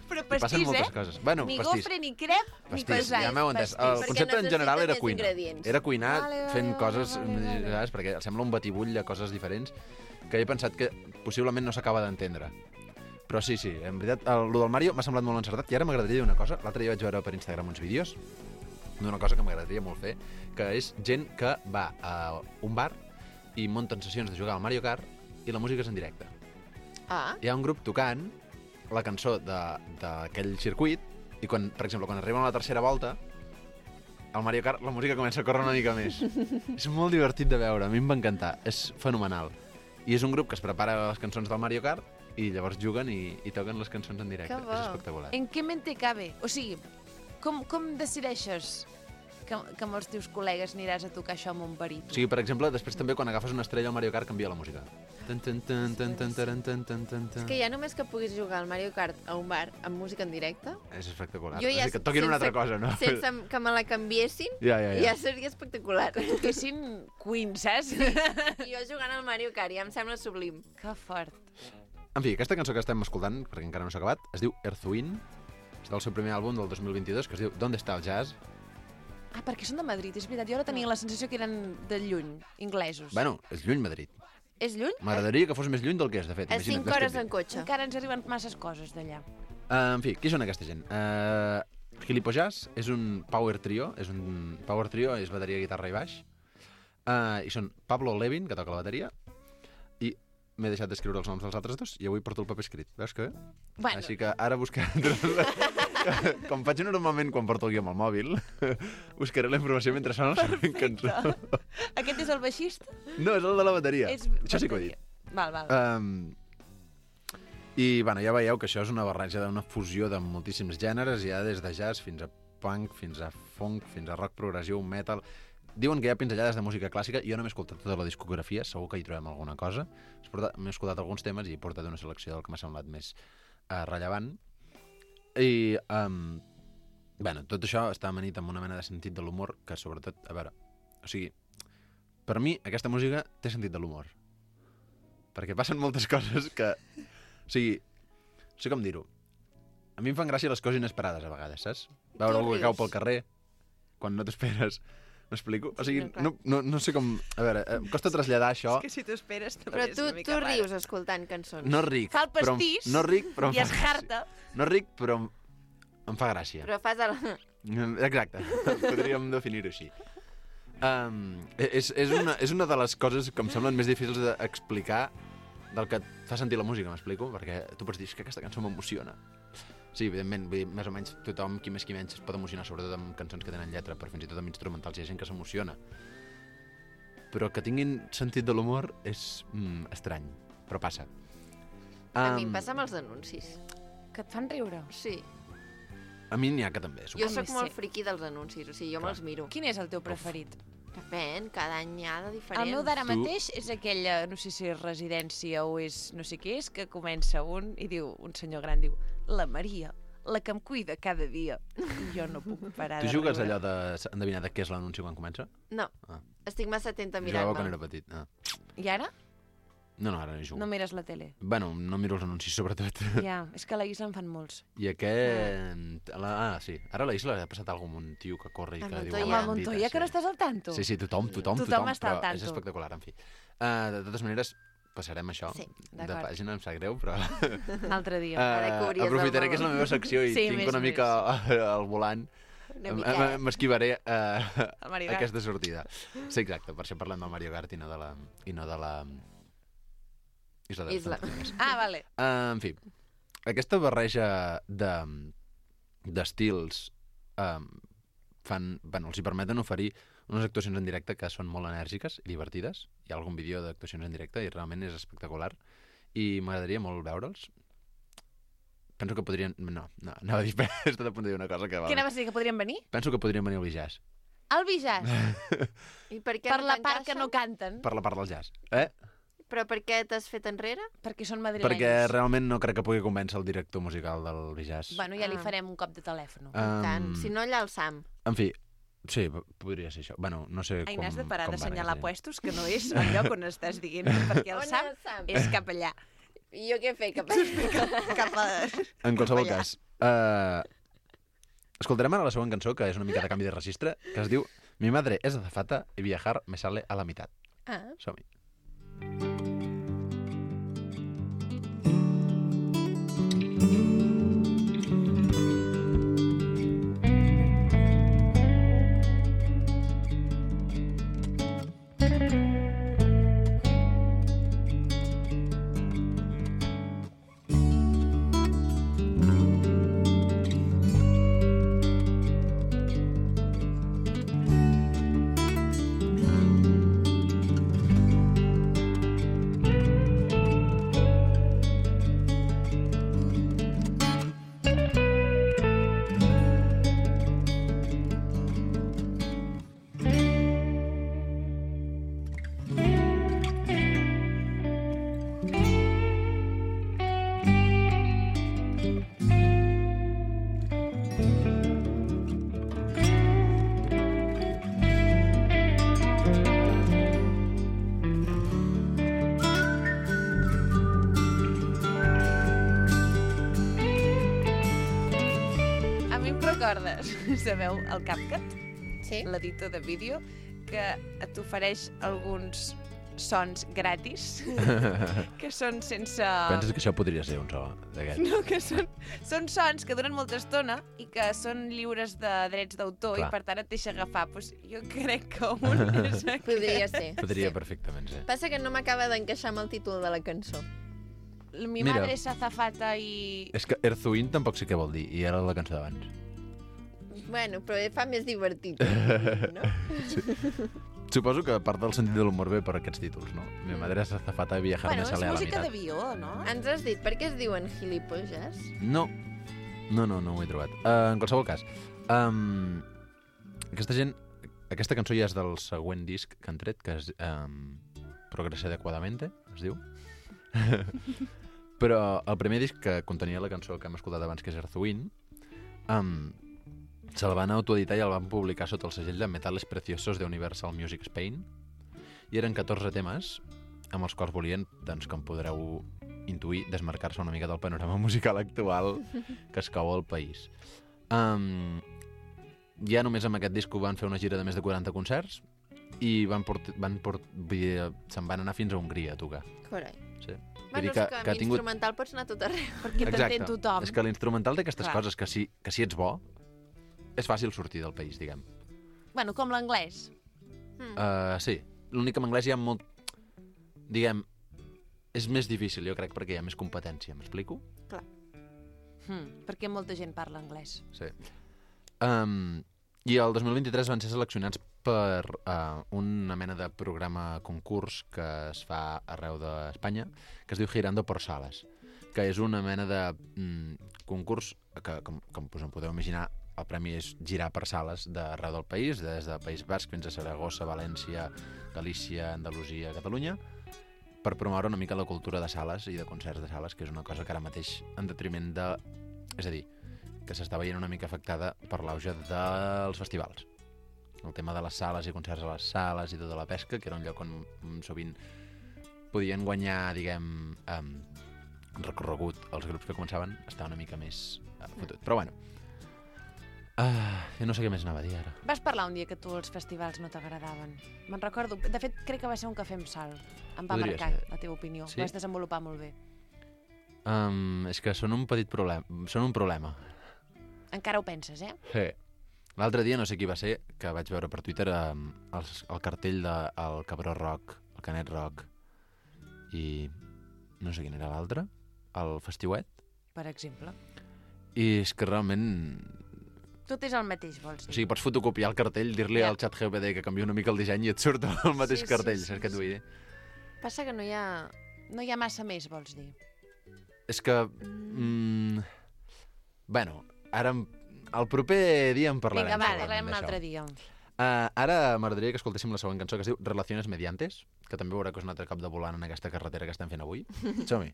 [SPEAKER 2] Però
[SPEAKER 9] I passen
[SPEAKER 2] pastís,
[SPEAKER 9] moltes
[SPEAKER 2] eh?
[SPEAKER 9] coses. Bueno,
[SPEAKER 2] Ni
[SPEAKER 9] pastís.
[SPEAKER 2] gofre, ni crep, ni
[SPEAKER 9] Pastís,
[SPEAKER 2] pesat.
[SPEAKER 9] ja m'heu entès. El
[SPEAKER 1] Perquè
[SPEAKER 9] concepte en general
[SPEAKER 1] necessita
[SPEAKER 9] era
[SPEAKER 1] més
[SPEAKER 9] cuina.
[SPEAKER 1] ingredients.
[SPEAKER 9] Era cuinar
[SPEAKER 2] Vale, vale,
[SPEAKER 9] fent
[SPEAKER 2] vale,
[SPEAKER 9] coses,
[SPEAKER 2] vale, vale.
[SPEAKER 9] saps? Perquè sembla un batibull de coses diferents que he pensat que possiblement no s'acaba d'entendre. Però sí, sí, en veritat, el, el del Mario m'ha semblat molt encertat i ara m'agradaria dir una cosa. L'altre dia vaig veure per Instagram uns vídeos d'una cosa que m'agradaria molt fer, que és gent que va a un bar i munten sessions de jugar al Mario Kart i la música és en directe.
[SPEAKER 1] Ah,
[SPEAKER 9] Hi ha un grup tocant la cançó de- d'aquell circuit i, quan, per exemple, quan arriben a la tercera volta, al Mario Kart la música comença a córrer una mica més. És molt divertit de veure, a mi em va encantar. És fenomenal. I és un grup que es prepara les cançons del Mario Kart i llavors juguen i, i toquen les cançons en directe.
[SPEAKER 1] Que bo.
[SPEAKER 9] És espectacular.
[SPEAKER 2] En què mente cabe? O sigui, com, com decideixes que, que amb els teus col·legues aniràs a tocar això amb un baríton?
[SPEAKER 9] O sigui, per exemple, després també quan agafes una estrella al Mario Kart canvia la música. Tan, tan, tan, tan, tan, tan, tan, tan, tan,
[SPEAKER 1] és que ja només que puguis jugar al Mario Kart a un bar amb música en directe,
[SPEAKER 9] És espectacular.
[SPEAKER 1] jo ja
[SPEAKER 9] és que et toquin una altra cosa, no?
[SPEAKER 1] sense que me la canviessin,
[SPEAKER 9] Ja, ja, ja.
[SPEAKER 1] ja seria espectacular.
[SPEAKER 2] Toquessin Queen, saps?
[SPEAKER 1] I jo jugant al Mario Kart, ja em sembla sublim.
[SPEAKER 2] Que fort.
[SPEAKER 9] En fi, aquesta cançó que estem escoltant, perquè encara no s'ha acabat, es diu Earth Wind, és del seu primer àlbum del dos mil vint-i-dos, que es diu ¿Dónde está el jazz?
[SPEAKER 2] Ah, perquè són de Madrid, és veritat. Jo ara tenia la sensació que eren de lluny, inglesos.
[SPEAKER 9] Bueno, és lluny Madrid.
[SPEAKER 2] És lluny?
[SPEAKER 9] M'agradaria que fos més lluny del que és, de fet.
[SPEAKER 1] A
[SPEAKER 9] Imagina't,
[SPEAKER 1] cinc
[SPEAKER 9] ves que
[SPEAKER 1] hores
[SPEAKER 9] et
[SPEAKER 1] en
[SPEAKER 9] dic.
[SPEAKER 1] cotxe.
[SPEAKER 2] Encara ens arriben masses coses d'allà.
[SPEAKER 9] Uh, en fi, qui són aquesta gent? Uh, Gilipollas és un power trio, és un power trio, és bateria, guitarra i baix. Uh, I són Pablo Levin, que toca la bateria, i m'he deixat d'escriure els noms dels altres dos i avui porto el paper escrit. Veus que bé?
[SPEAKER 2] Bueno,
[SPEAKER 9] Així que ara buscaré... Com faig normalment quan porto el guió amb el mòbil, buscaré la informació mentre sona la següent cançó.
[SPEAKER 2] aquest és el baixista?
[SPEAKER 9] No, és el de la bateria.
[SPEAKER 2] És
[SPEAKER 9] Això sí que ho he dit.
[SPEAKER 2] Val, val.
[SPEAKER 9] Um, I, bueno, ja veieu que això és una barreja d'una fusió de moltíssims gèneres, ja des de jazz fins a punk, fins a funk, fins a rock progressiu, metal... Diuen que hi ha pinzellades de música clàssica, jo no m'he escoltat tota la discografia, segur que hi trobem alguna cosa. M'he escoltat alguns temes i he portat una selecció del que m'ha semblat més uh, rellevant. I, um, bueno, tot això està amanit amb una mena de sentit de l'humor que, sobretot, a veure, o sigui, per mi aquesta música té sentit de l'humor. Perquè passen moltes coses que... O sigui, no sé com dir-ho. A mi em fan gràcia les coses inesperades, a vegades, saps? Veure
[SPEAKER 1] Tu
[SPEAKER 9] algú que
[SPEAKER 1] rius.
[SPEAKER 9] cau pel carrer, quan no t'esperes. M'explico? O sigui,
[SPEAKER 1] No, clar.
[SPEAKER 9] no, no, no sé com... A veure, em costa traslladar això.
[SPEAKER 2] És que si t'ho esperes també
[SPEAKER 1] Però
[SPEAKER 2] és
[SPEAKER 1] tu,
[SPEAKER 2] una mica
[SPEAKER 1] tu
[SPEAKER 2] raro.
[SPEAKER 1] rius escoltant cançons.
[SPEAKER 9] No ric.
[SPEAKER 2] Fa el
[SPEAKER 9] però em-
[SPEAKER 2] pastís
[SPEAKER 9] no ric, però em
[SPEAKER 2] i
[SPEAKER 9] fa
[SPEAKER 2] es
[SPEAKER 9] gràcia.
[SPEAKER 2] harta.
[SPEAKER 9] No ric, però em, em fa gràcia.
[SPEAKER 1] Però fas el...
[SPEAKER 9] Exacte, podríem definir-ho així. Um, és, és, una, és una de les coses que em semblen més difícils d'explicar del que et fa sentir la música, m'explico? Perquè tu pots dir "És que aquesta cançó m'emociona". Sí, evidentment, vull dir, més o menys tothom, qui més qui menys, es pot emocionar, sobretot amb cançons que tenen lletra, però fins i tot amb instrumentals hi ha gent que s'emociona. Però que tinguin sentit de l'humor és mm, estrany, però passa.
[SPEAKER 1] A mi em
[SPEAKER 9] Um,
[SPEAKER 1] passa amb els anuncis.
[SPEAKER 2] Que et fan riure.
[SPEAKER 1] Sí.
[SPEAKER 9] A mi n'hi ha que també,
[SPEAKER 1] Jo
[SPEAKER 9] suposo.
[SPEAKER 1] sóc
[SPEAKER 2] sí.
[SPEAKER 1] molt friqui dels anuncis, o sigui, jo
[SPEAKER 9] Clar.
[SPEAKER 1] me'ls miro.
[SPEAKER 2] Quin és el teu preferit?
[SPEAKER 1] Depèn, cada any hi ha de diferents.
[SPEAKER 2] El meu d'ara
[SPEAKER 9] Tu-
[SPEAKER 2] mateix és aquella, no sé si és residència o és no sé què és, que comença un i diu, un senyor gran diu, la Maria, la que em cuida cada dia. I jo no puc parar
[SPEAKER 9] Tu
[SPEAKER 2] de
[SPEAKER 9] jugues
[SPEAKER 2] riure.
[SPEAKER 9] allò de endevinar de què és l'anunci quan comença?
[SPEAKER 1] No,
[SPEAKER 9] Ah.
[SPEAKER 1] estic massa atenta a
[SPEAKER 9] Jugava quan
[SPEAKER 1] mirar-me'l.
[SPEAKER 9] era petit. Ah.
[SPEAKER 2] I ara?
[SPEAKER 9] No, no, ara no hi jugo.
[SPEAKER 2] No mires la tele.
[SPEAKER 9] Bueno, no miro els anuncis, sobretot.
[SPEAKER 2] Ja, és que a la Isla en fan molts.
[SPEAKER 9] I aquest... La... Ah, sí. Ara a la Isla ha passat alguna cosa amb un tio que corre i
[SPEAKER 1] A
[SPEAKER 9] que diu...
[SPEAKER 1] Montoya.
[SPEAKER 2] Home,
[SPEAKER 9] "Hola,
[SPEAKER 2] el
[SPEAKER 9] Andita",
[SPEAKER 2] Montoya, que no
[SPEAKER 9] sí.
[SPEAKER 2] estàs al tanto.
[SPEAKER 9] Sí, sí, tothom, tothom,
[SPEAKER 2] Tothom
[SPEAKER 9] tothom,
[SPEAKER 2] està al
[SPEAKER 9] però és
[SPEAKER 2] tanto.
[SPEAKER 9] espectacular, en fi. Uh, de totes maneres, passarem això
[SPEAKER 1] Sí,
[SPEAKER 9] de
[SPEAKER 2] d'acord.
[SPEAKER 9] pàgina, em sap greu, però...
[SPEAKER 2] Un altre dia.
[SPEAKER 1] Ara que
[SPEAKER 9] Uh,
[SPEAKER 1] hauries
[SPEAKER 9] aprofitaré
[SPEAKER 1] del
[SPEAKER 9] que és la meva secció i
[SPEAKER 2] Sí,
[SPEAKER 9] tinc
[SPEAKER 2] més,
[SPEAKER 9] una mica al volant.
[SPEAKER 1] Una
[SPEAKER 9] M-
[SPEAKER 1] mica.
[SPEAKER 9] m- M'esquivaré uh,
[SPEAKER 2] El Mario Kart.
[SPEAKER 9] aquesta sortida. Sí, exacte, per això parlem del Mario Kart i no de la... I no de la... Isla de les
[SPEAKER 1] Isla.
[SPEAKER 9] Fantasmies.
[SPEAKER 2] Ah, vale.
[SPEAKER 9] Uh, en fi, aquesta barreja de d'estils um, fan, bueno, els hi permeten oferir unes actuacions en directe que són molt enèrgiques i divertides. Hi ha algun vídeo d'actuacions en directe i realment és espectacular. I m'agradaria molt veure'ls. Penso que podrien... No, no, anava a dir... He estat a punt de dir una cosa que...
[SPEAKER 2] Què anaves a dir, que podrien venir?
[SPEAKER 9] Penso que podrien venir al Bijàs.
[SPEAKER 2] Al Bijàs?
[SPEAKER 1] I per què
[SPEAKER 2] Per
[SPEAKER 1] no
[SPEAKER 2] la part
[SPEAKER 1] t'encaixen?
[SPEAKER 2] que no canten?
[SPEAKER 9] Per la part del jazz. Eh?
[SPEAKER 1] Però per què t'has fet enrere?
[SPEAKER 2] Perquè són madrilenys.
[SPEAKER 9] Perquè realment no crec que pugui convèncer el director musical del Bijàs.
[SPEAKER 2] Bueno, ja li
[SPEAKER 1] Ah.
[SPEAKER 2] farem un cop de telèfon.
[SPEAKER 9] Um,
[SPEAKER 1] Tant. Si no, allà el Sam.
[SPEAKER 9] En fi, sí, p- podria ser això. Bueno, no sé
[SPEAKER 2] Ai,
[SPEAKER 9] com...
[SPEAKER 2] n'has de parar
[SPEAKER 9] com va
[SPEAKER 2] d'assenyalar
[SPEAKER 9] aquesta gent.
[SPEAKER 2] puestos, que no és el lloc on estàs dient, perquè el
[SPEAKER 1] On
[SPEAKER 2] Sam
[SPEAKER 1] el Sam?
[SPEAKER 2] és cap allà.
[SPEAKER 1] I jo què he fet? Cap...
[SPEAKER 2] Cap a...
[SPEAKER 9] En qualsevol
[SPEAKER 2] allà.
[SPEAKER 9] cas, uh, escoltarem ara la següent cançó, que és una mica de canvi de registre, que es diu Mi madre es azafata y viajar me sale a la mitad.
[SPEAKER 1] Ah.
[SPEAKER 9] Som-hi.
[SPEAKER 2] A mi em recordes, sabeu, el CapCut,
[SPEAKER 1] Sí?
[SPEAKER 2] l'editor de vídeo, que t'ofereix alguns sons gratis, que són sense...
[SPEAKER 9] Penses que això podria ser un so d'aquest?
[SPEAKER 2] No, que són, són sons que duren molta estona i que són lliures de drets d'autor i
[SPEAKER 9] Clar.
[SPEAKER 2] per tant et deixa agafar. Pues jo crec que un és aquest.
[SPEAKER 1] Podria ser.
[SPEAKER 9] Podria
[SPEAKER 1] Sí.
[SPEAKER 9] perfectament ser.
[SPEAKER 1] Passa que no m'acaba d'encaixar amb el títol de la cançó.
[SPEAKER 2] Mi
[SPEAKER 9] Mira.
[SPEAKER 2] madre es azafata i...
[SPEAKER 9] És que Erzuin tampoc sé què vol dir, i era la cançó d'abans.
[SPEAKER 1] Bueno, però fa més divertit. No?
[SPEAKER 9] Suposo que part del sentit de l'humor ve per aquests títols, no? Mi madre es azafata y viajar
[SPEAKER 2] Bueno,
[SPEAKER 9] me
[SPEAKER 2] és
[SPEAKER 9] sale a la
[SPEAKER 2] música
[SPEAKER 9] mitad.
[SPEAKER 2] d'avió, no?
[SPEAKER 1] Ens has dit per què es diuen gilipolles?
[SPEAKER 9] No, no, no, no ho he trobat. Uh, en qualsevol cas, um, aquesta gent, aquesta cançó ja és del següent disc que han tret, que és um, Progrese Adequadamente, es diu. Però el primer disc que contenia la cançó que hem escoltat abans, que és Erzuin, um, se'l van autoeditar i el van publicar sota el segell de Metales Preciosos de Universal Music Spain, i eren catorze temes amb els quals volien, doncs, com podreu intuir, desmarcar-se una mica del panorama musical actual que es cau al país. Um, ja només amb aquest disc van fer una gira de més de quaranta concerts i van port van port vull dir, se'n van anar fins a Hongria a tocar.
[SPEAKER 1] Carai.
[SPEAKER 9] Sí.
[SPEAKER 1] Bueno, és que, que amb instrumental pots anar a tot arreu.
[SPEAKER 2] Perquè t'entén tothom.
[SPEAKER 9] És que l'instrumental té aquestes
[SPEAKER 2] Clar.
[SPEAKER 9] coses que si, que si ets bo, és fàcil sortir del país, diguem.
[SPEAKER 2] Bueno, com l'anglès.
[SPEAKER 1] Mm.
[SPEAKER 9] Uh, sí, l'únic que en anglès hi ha molt... Diguem, és més difícil, jo crec, perquè hi ha més competència, m'explico?
[SPEAKER 1] Clar.
[SPEAKER 2] Hmm, perquè molta gent parla anglès.
[SPEAKER 9] Sí. Um, I el dos mil vint-i-tres van ser seleccionats per uh, una mena de programa concurs que es fa arreu d'Espanya, que es diu Girando por Salas, que és una mena de mm, concurs que, com, com us en podeu imaginar, el premi és girar per sales d'arreu del país, des del País Basc fins a Saragossa, València, Galícia, Andalusia, Catalunya, per promoure una mica la cultura de sales i de concerts de sales, que és una cosa que ara mateix en detriment de... És a dir, que s'està veient una mica afectada per l'auge dels festivals. El tema de les sales i concerts a les sales i tota la pesca, que era un lloc on mm, sovint podien guanyar, diguem, um, recorregut els grups que començaven, està una mica més uh, fotut. Però bueno, uh, jo no sé què més anava a dir ara.
[SPEAKER 2] Vas parlar un dia que tu els festivals no t'agradaven. Me'n recordo. De fet, crec que va ser un cafè amb sal. Em va
[SPEAKER 9] Podria
[SPEAKER 2] marcar
[SPEAKER 9] ser.
[SPEAKER 2] la teva opinió.
[SPEAKER 9] Sí?
[SPEAKER 2] Ho vas desenvolupar molt bé.
[SPEAKER 9] Um, és que són un petit problema. Són un problema.
[SPEAKER 2] Encara ho penses, eh?
[SPEAKER 9] Sí. L'altre dia, no sé qui va ser, que vaig veure per Twitter um, el, el cartell del de, Cabró Rock, el Canet Rock, i no sé quin era l'altre, el Festiuet,
[SPEAKER 2] per exemple.
[SPEAKER 9] I és que realment...
[SPEAKER 2] Tot és el mateix, vols
[SPEAKER 9] O
[SPEAKER 2] dir?
[SPEAKER 9] sigui, pots fotocopiar el cartell, dir-li
[SPEAKER 2] Ja.
[SPEAKER 9] al xat G P D que canvia una mica el disseny i et surt el mateix
[SPEAKER 2] Sí, sí,
[SPEAKER 9] cartell,
[SPEAKER 2] sí,
[SPEAKER 9] saps què et vull dir?
[SPEAKER 1] Passa que no hi ha...
[SPEAKER 2] No hi ha massa més, vols dir?
[SPEAKER 9] És que... Mm, bueno, ara... em- El proper dia en parlarem.
[SPEAKER 2] Vinga, va,
[SPEAKER 9] segurament,
[SPEAKER 2] parlarem un
[SPEAKER 9] d'això.
[SPEAKER 2] altre dia.
[SPEAKER 9] Uh, ara m'agradaria que escoltéssim la següent cançó que es diu Relaciones Mediantes, que també veurà que és un altre cop de volant en aquesta carretera que estem fent avui. Som-hi.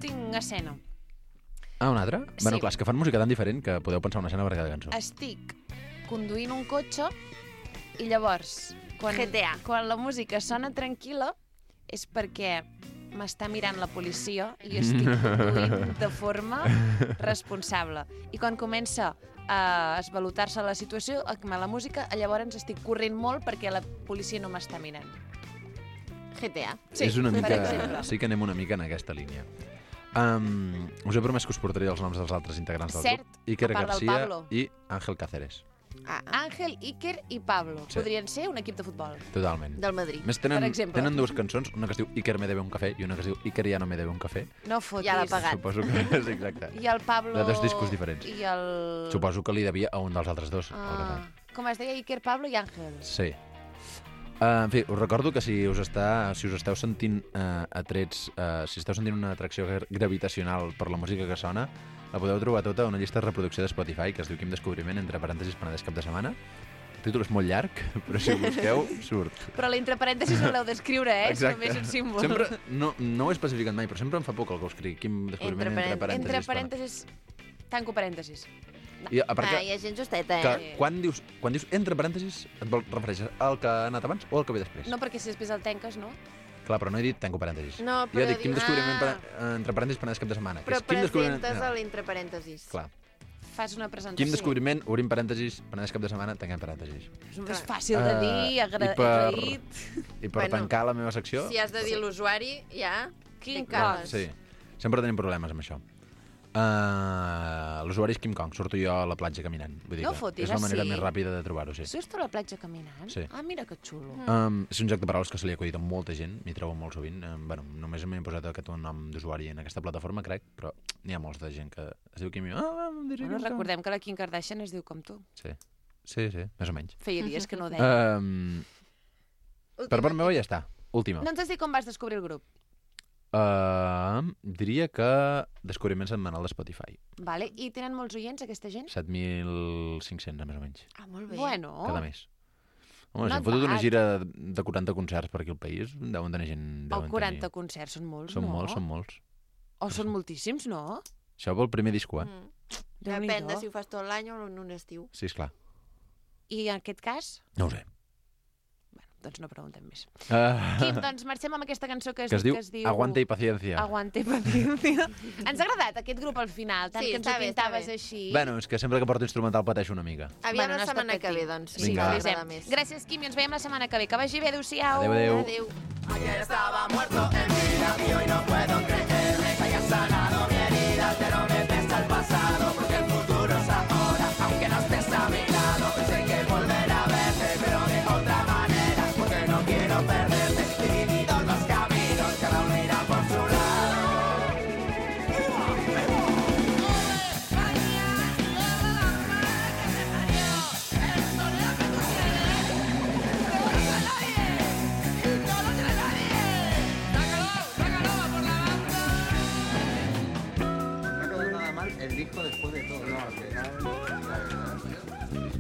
[SPEAKER 2] Tinc una escena.
[SPEAKER 9] Ah, una altra?
[SPEAKER 2] Sí.
[SPEAKER 9] Bueno, clar, és que fan música tan diferent que podeu pensar una escena per cada cançó.
[SPEAKER 2] Estic conduint un cotxe i llavors, quan,
[SPEAKER 1] G T A.
[SPEAKER 2] quan la música sona tranquil·la, és perquè m'està mirant la policia i jo estic conduint de forma responsable. I quan comença a esvalotar-se la situació, amb la música, llavors estic corrent molt perquè la policia no m'està mirant.
[SPEAKER 1] G T A.
[SPEAKER 2] Sí,
[SPEAKER 9] és una
[SPEAKER 2] per
[SPEAKER 9] mica...
[SPEAKER 2] exemple.
[SPEAKER 9] Sí que anem una mica en aquesta línia. Um, us he promès que us portaré els noms dels altres integrants del
[SPEAKER 2] Cert,
[SPEAKER 9] grup. Iker
[SPEAKER 2] a part del
[SPEAKER 9] Garcia
[SPEAKER 2] Pablo.
[SPEAKER 9] i Ángel Cáceres.
[SPEAKER 1] Ah,
[SPEAKER 2] Àngel, Iker i Pablo.
[SPEAKER 9] Sí.
[SPEAKER 2] Podrien ser un equip de futbol.
[SPEAKER 9] Totalment.
[SPEAKER 1] del Madrid.
[SPEAKER 9] Més tenen,
[SPEAKER 2] Per exemple.
[SPEAKER 9] tenen dues cançons, una que es diu Iker me debe un cafè i una que es diu Iker ja no me debe un cafè.
[SPEAKER 2] No fotis.
[SPEAKER 1] Ja l'ha pagat.
[SPEAKER 9] Suposo que és exacte.
[SPEAKER 2] I el Pablo...
[SPEAKER 9] De dos discos diferents.
[SPEAKER 2] I el...
[SPEAKER 9] Suposo que li devia a un dels altres dos. el
[SPEAKER 2] Ah,
[SPEAKER 9] cafè.
[SPEAKER 2] com es deia Iker, Pablo i Àngel.
[SPEAKER 9] Sí. Uh, en fi, us recordo que si us, està, si us esteu sentint uh, atrets, uh, si esteu sentint una atracció gra- gravitacional per la música que sona, la podeu trobar tota a una llista de reproducció de Spotify que es diu Quim Descobriment, entre parèntesis, Penedès cap de setmana. El títol és molt llarg, però si ho busqueu, surt.
[SPEAKER 2] Però l'entre parèntesis no l'heu d'escriure, eh? És
[SPEAKER 9] Exacte.
[SPEAKER 2] només un símbol.
[SPEAKER 9] Sempre, no, no ho he especificat mai, però sempre em fa por que algú escrigui Quim Descobriment,
[SPEAKER 1] Entre
[SPEAKER 9] entre parèntesis.
[SPEAKER 2] Entre parèntesis... Tanco parèntesis.
[SPEAKER 9] I a part
[SPEAKER 1] Ah,
[SPEAKER 9] que,
[SPEAKER 1] hi ha gent justeta,
[SPEAKER 9] que
[SPEAKER 1] eh?
[SPEAKER 9] quan, dius, quan dius entre parèntesis, et vol refereixes al que ha anat abans o al que ve després?
[SPEAKER 2] No, perquè si després el tanques, no?
[SPEAKER 9] Clar, però no he dit tanco parèntesis.
[SPEAKER 1] No,
[SPEAKER 9] Jo
[SPEAKER 1] però
[SPEAKER 9] dic Quim
[SPEAKER 1] dius-
[SPEAKER 9] Descobriment,
[SPEAKER 1] Ah.
[SPEAKER 9] ah. entre parèntesis, Penedès cap de setmana.
[SPEAKER 1] Però
[SPEAKER 9] que és Quim Descobriment...
[SPEAKER 1] presentes
[SPEAKER 9] no.
[SPEAKER 1] a l'entre parèntesis.
[SPEAKER 9] Clar.
[SPEAKER 2] Fas una presentació.
[SPEAKER 9] Quim Descobriment, obrim parèntesis, Penedès cap de setmana, tanquem parèntesis.
[SPEAKER 2] És més fàcil de dir,
[SPEAKER 9] Eh,
[SPEAKER 2] agra...
[SPEAKER 9] i per-
[SPEAKER 2] agraït.
[SPEAKER 9] I per
[SPEAKER 1] Bueno,
[SPEAKER 9] tancar la meva secció...
[SPEAKER 1] Si has de dir l'usuari, ja...
[SPEAKER 2] King
[SPEAKER 1] te cagues.
[SPEAKER 9] Sí, sempre tenim problemes amb això. Uh, L'usuari és Kim Kong, surto jo a la platja caminant. Vull dir
[SPEAKER 2] No
[SPEAKER 9] que
[SPEAKER 2] fotis,
[SPEAKER 9] és la
[SPEAKER 2] ah,
[SPEAKER 9] manera
[SPEAKER 2] sí?
[SPEAKER 9] més ràpida de trobar-ho, sí.
[SPEAKER 2] Surts tu a la platja caminant?
[SPEAKER 9] Sí.
[SPEAKER 2] Ah, mira que xulo.
[SPEAKER 9] Um, és un joc de paraules que se li ha acudit a molta gent, m'hi trobo molt sovint. Um, bueno, només m'he posat aquest nom d'usuari en aquesta plataforma, crec, però n'hi ha molts de gent que es diu Kim i... Ah, em diré
[SPEAKER 2] Bueno,
[SPEAKER 9] Kim Kong.
[SPEAKER 2] recordem que la Kim Kardashian es diu com tu.
[SPEAKER 9] Sí, sí, sí, més o menys.
[SPEAKER 2] Feia dies que no ho deia.
[SPEAKER 9] Um, per part meva ja està. Última.
[SPEAKER 2] No ens has dit com vas descobrir el grup.
[SPEAKER 9] Uh, diria que descobriment setmanal de Spotify.
[SPEAKER 2] Vale. I tenen molts oients, aquesta gent?
[SPEAKER 9] set mil cinc-cents, més o menys,
[SPEAKER 1] Ah, molt bé.
[SPEAKER 2] Bueno.
[SPEAKER 9] cada mes. Home, si
[SPEAKER 2] Not
[SPEAKER 9] hem fotut una
[SPEAKER 2] bad.
[SPEAKER 9] gira de quaranta concerts per aquí al país, deuen tenir gent...
[SPEAKER 2] O
[SPEAKER 9] Deuen
[SPEAKER 2] quaranta
[SPEAKER 9] tenir...
[SPEAKER 2] concerts, són molts,
[SPEAKER 9] Són
[SPEAKER 2] no?
[SPEAKER 9] molts, són molts.
[SPEAKER 2] O són moltíssims, no?
[SPEAKER 9] Això pel primer disco, eh?
[SPEAKER 1] Mm.
[SPEAKER 2] Déu-n'hi-do.
[SPEAKER 1] Depèn de si ho fas tot l'any o en un estiu.
[SPEAKER 9] Sí, esclar.
[SPEAKER 2] I en aquest cas?
[SPEAKER 9] No ho sé.
[SPEAKER 2] Doncs no preguntem més.
[SPEAKER 9] Uh,
[SPEAKER 2] Quim, doncs marxem amb aquesta cançó que es,
[SPEAKER 9] que es diu,
[SPEAKER 2] que es diu...
[SPEAKER 9] Aguante y paciencia.
[SPEAKER 2] Aguante y paciencia. Ens ha agradat aquest grup al final, tant
[SPEAKER 1] Sí,
[SPEAKER 2] que ens
[SPEAKER 1] està
[SPEAKER 2] ho
[SPEAKER 1] bé, està
[SPEAKER 2] pintaves
[SPEAKER 1] bé.
[SPEAKER 2] així.
[SPEAKER 9] Bueno, és que sempre que porto instrumental pateixo una mica.
[SPEAKER 1] Aviam
[SPEAKER 2] Bueno, no
[SPEAKER 1] la
[SPEAKER 2] està
[SPEAKER 1] setmana que
[SPEAKER 2] patint.
[SPEAKER 1] ve, doncs.
[SPEAKER 2] Sí,
[SPEAKER 9] Vinga.
[SPEAKER 2] avisem.
[SPEAKER 1] M'agrada més.
[SPEAKER 2] Gràcies, Quim, i ens veiem la setmana que ve. Que vagi bé, adéu-siau.
[SPEAKER 9] Adéu, adéu.
[SPEAKER 1] Adéu.
[SPEAKER 5] Ayer estaba muerto en vida y hoy no puedo creerme que haya sanado mi herida, pero me pesa el pasado porque el futuro es ahora. Aunque no estés a mi lado, sé que volver a verte, pero de otra manera, porque no quiero perderte. Divididos los caminos, cada uno irá por su lado.
[SPEAKER 10] No ha quedado nada mal el disco después de todo. No, al final...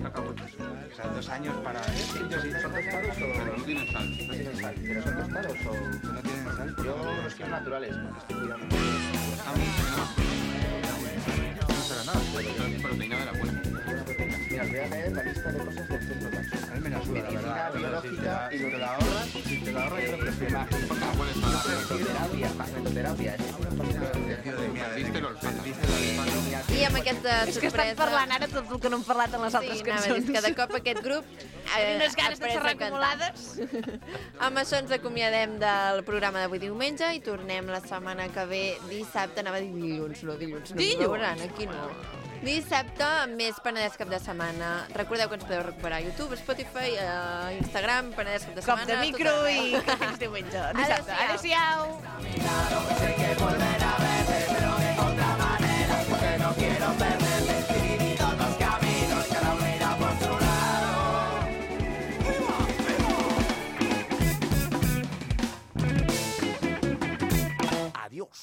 [SPEAKER 10] Acabo de... O sea, dos años para... ¿Son tostados o no tienen sal? No tienen sal. ¿Pero son tostados o no tienen sal? Yo los quiero naturales, porque estoy cuidando. No será nada, pero proteína de la buena. Mira, os voy a leer la lista de cosas del centro Taxón.
[SPEAKER 11] A mí me la suda, la
[SPEAKER 10] Medicina,
[SPEAKER 11] verdad.
[SPEAKER 10] biológica
[SPEAKER 11] Si
[SPEAKER 10] y
[SPEAKER 11] te la ahorras, si te la ahorras, creo que sí.
[SPEAKER 10] Magnetoterapia, magnetoterapia, es una
[SPEAKER 1] I amb aquesta
[SPEAKER 2] És que estan
[SPEAKER 1] sorpresa...
[SPEAKER 2] parlant ara tot el que no hem parlat en les altres
[SPEAKER 1] Sí, anava a dir,
[SPEAKER 2] cançons.
[SPEAKER 1] cada cop aquest grup...
[SPEAKER 2] Tinc unes ganes de
[SPEAKER 1] après
[SPEAKER 2] xerrar
[SPEAKER 1] a cantar.
[SPEAKER 2] acumulades.
[SPEAKER 1] Amb això ens acomiadem del programa d'avui diumenge i tornem la setmana que ve dissabte, anava a dir dilluns, no dilluns, no
[SPEAKER 2] Dilluns.
[SPEAKER 1] dilluns. Veuran, aquí no. Dissabte, amb més Penedès Cap de Setmana. Recordeu que ens podeu recuperar a YouTube, Spotify, a Instagram, Penedès Cap de
[SPEAKER 2] Cop
[SPEAKER 1] Setmana...
[SPEAKER 2] de micro
[SPEAKER 1] tot
[SPEAKER 2] i
[SPEAKER 1] arreu.
[SPEAKER 2] que fins diumenge. Dissabte.
[SPEAKER 1] Adéu-siau.
[SPEAKER 6] Adiós.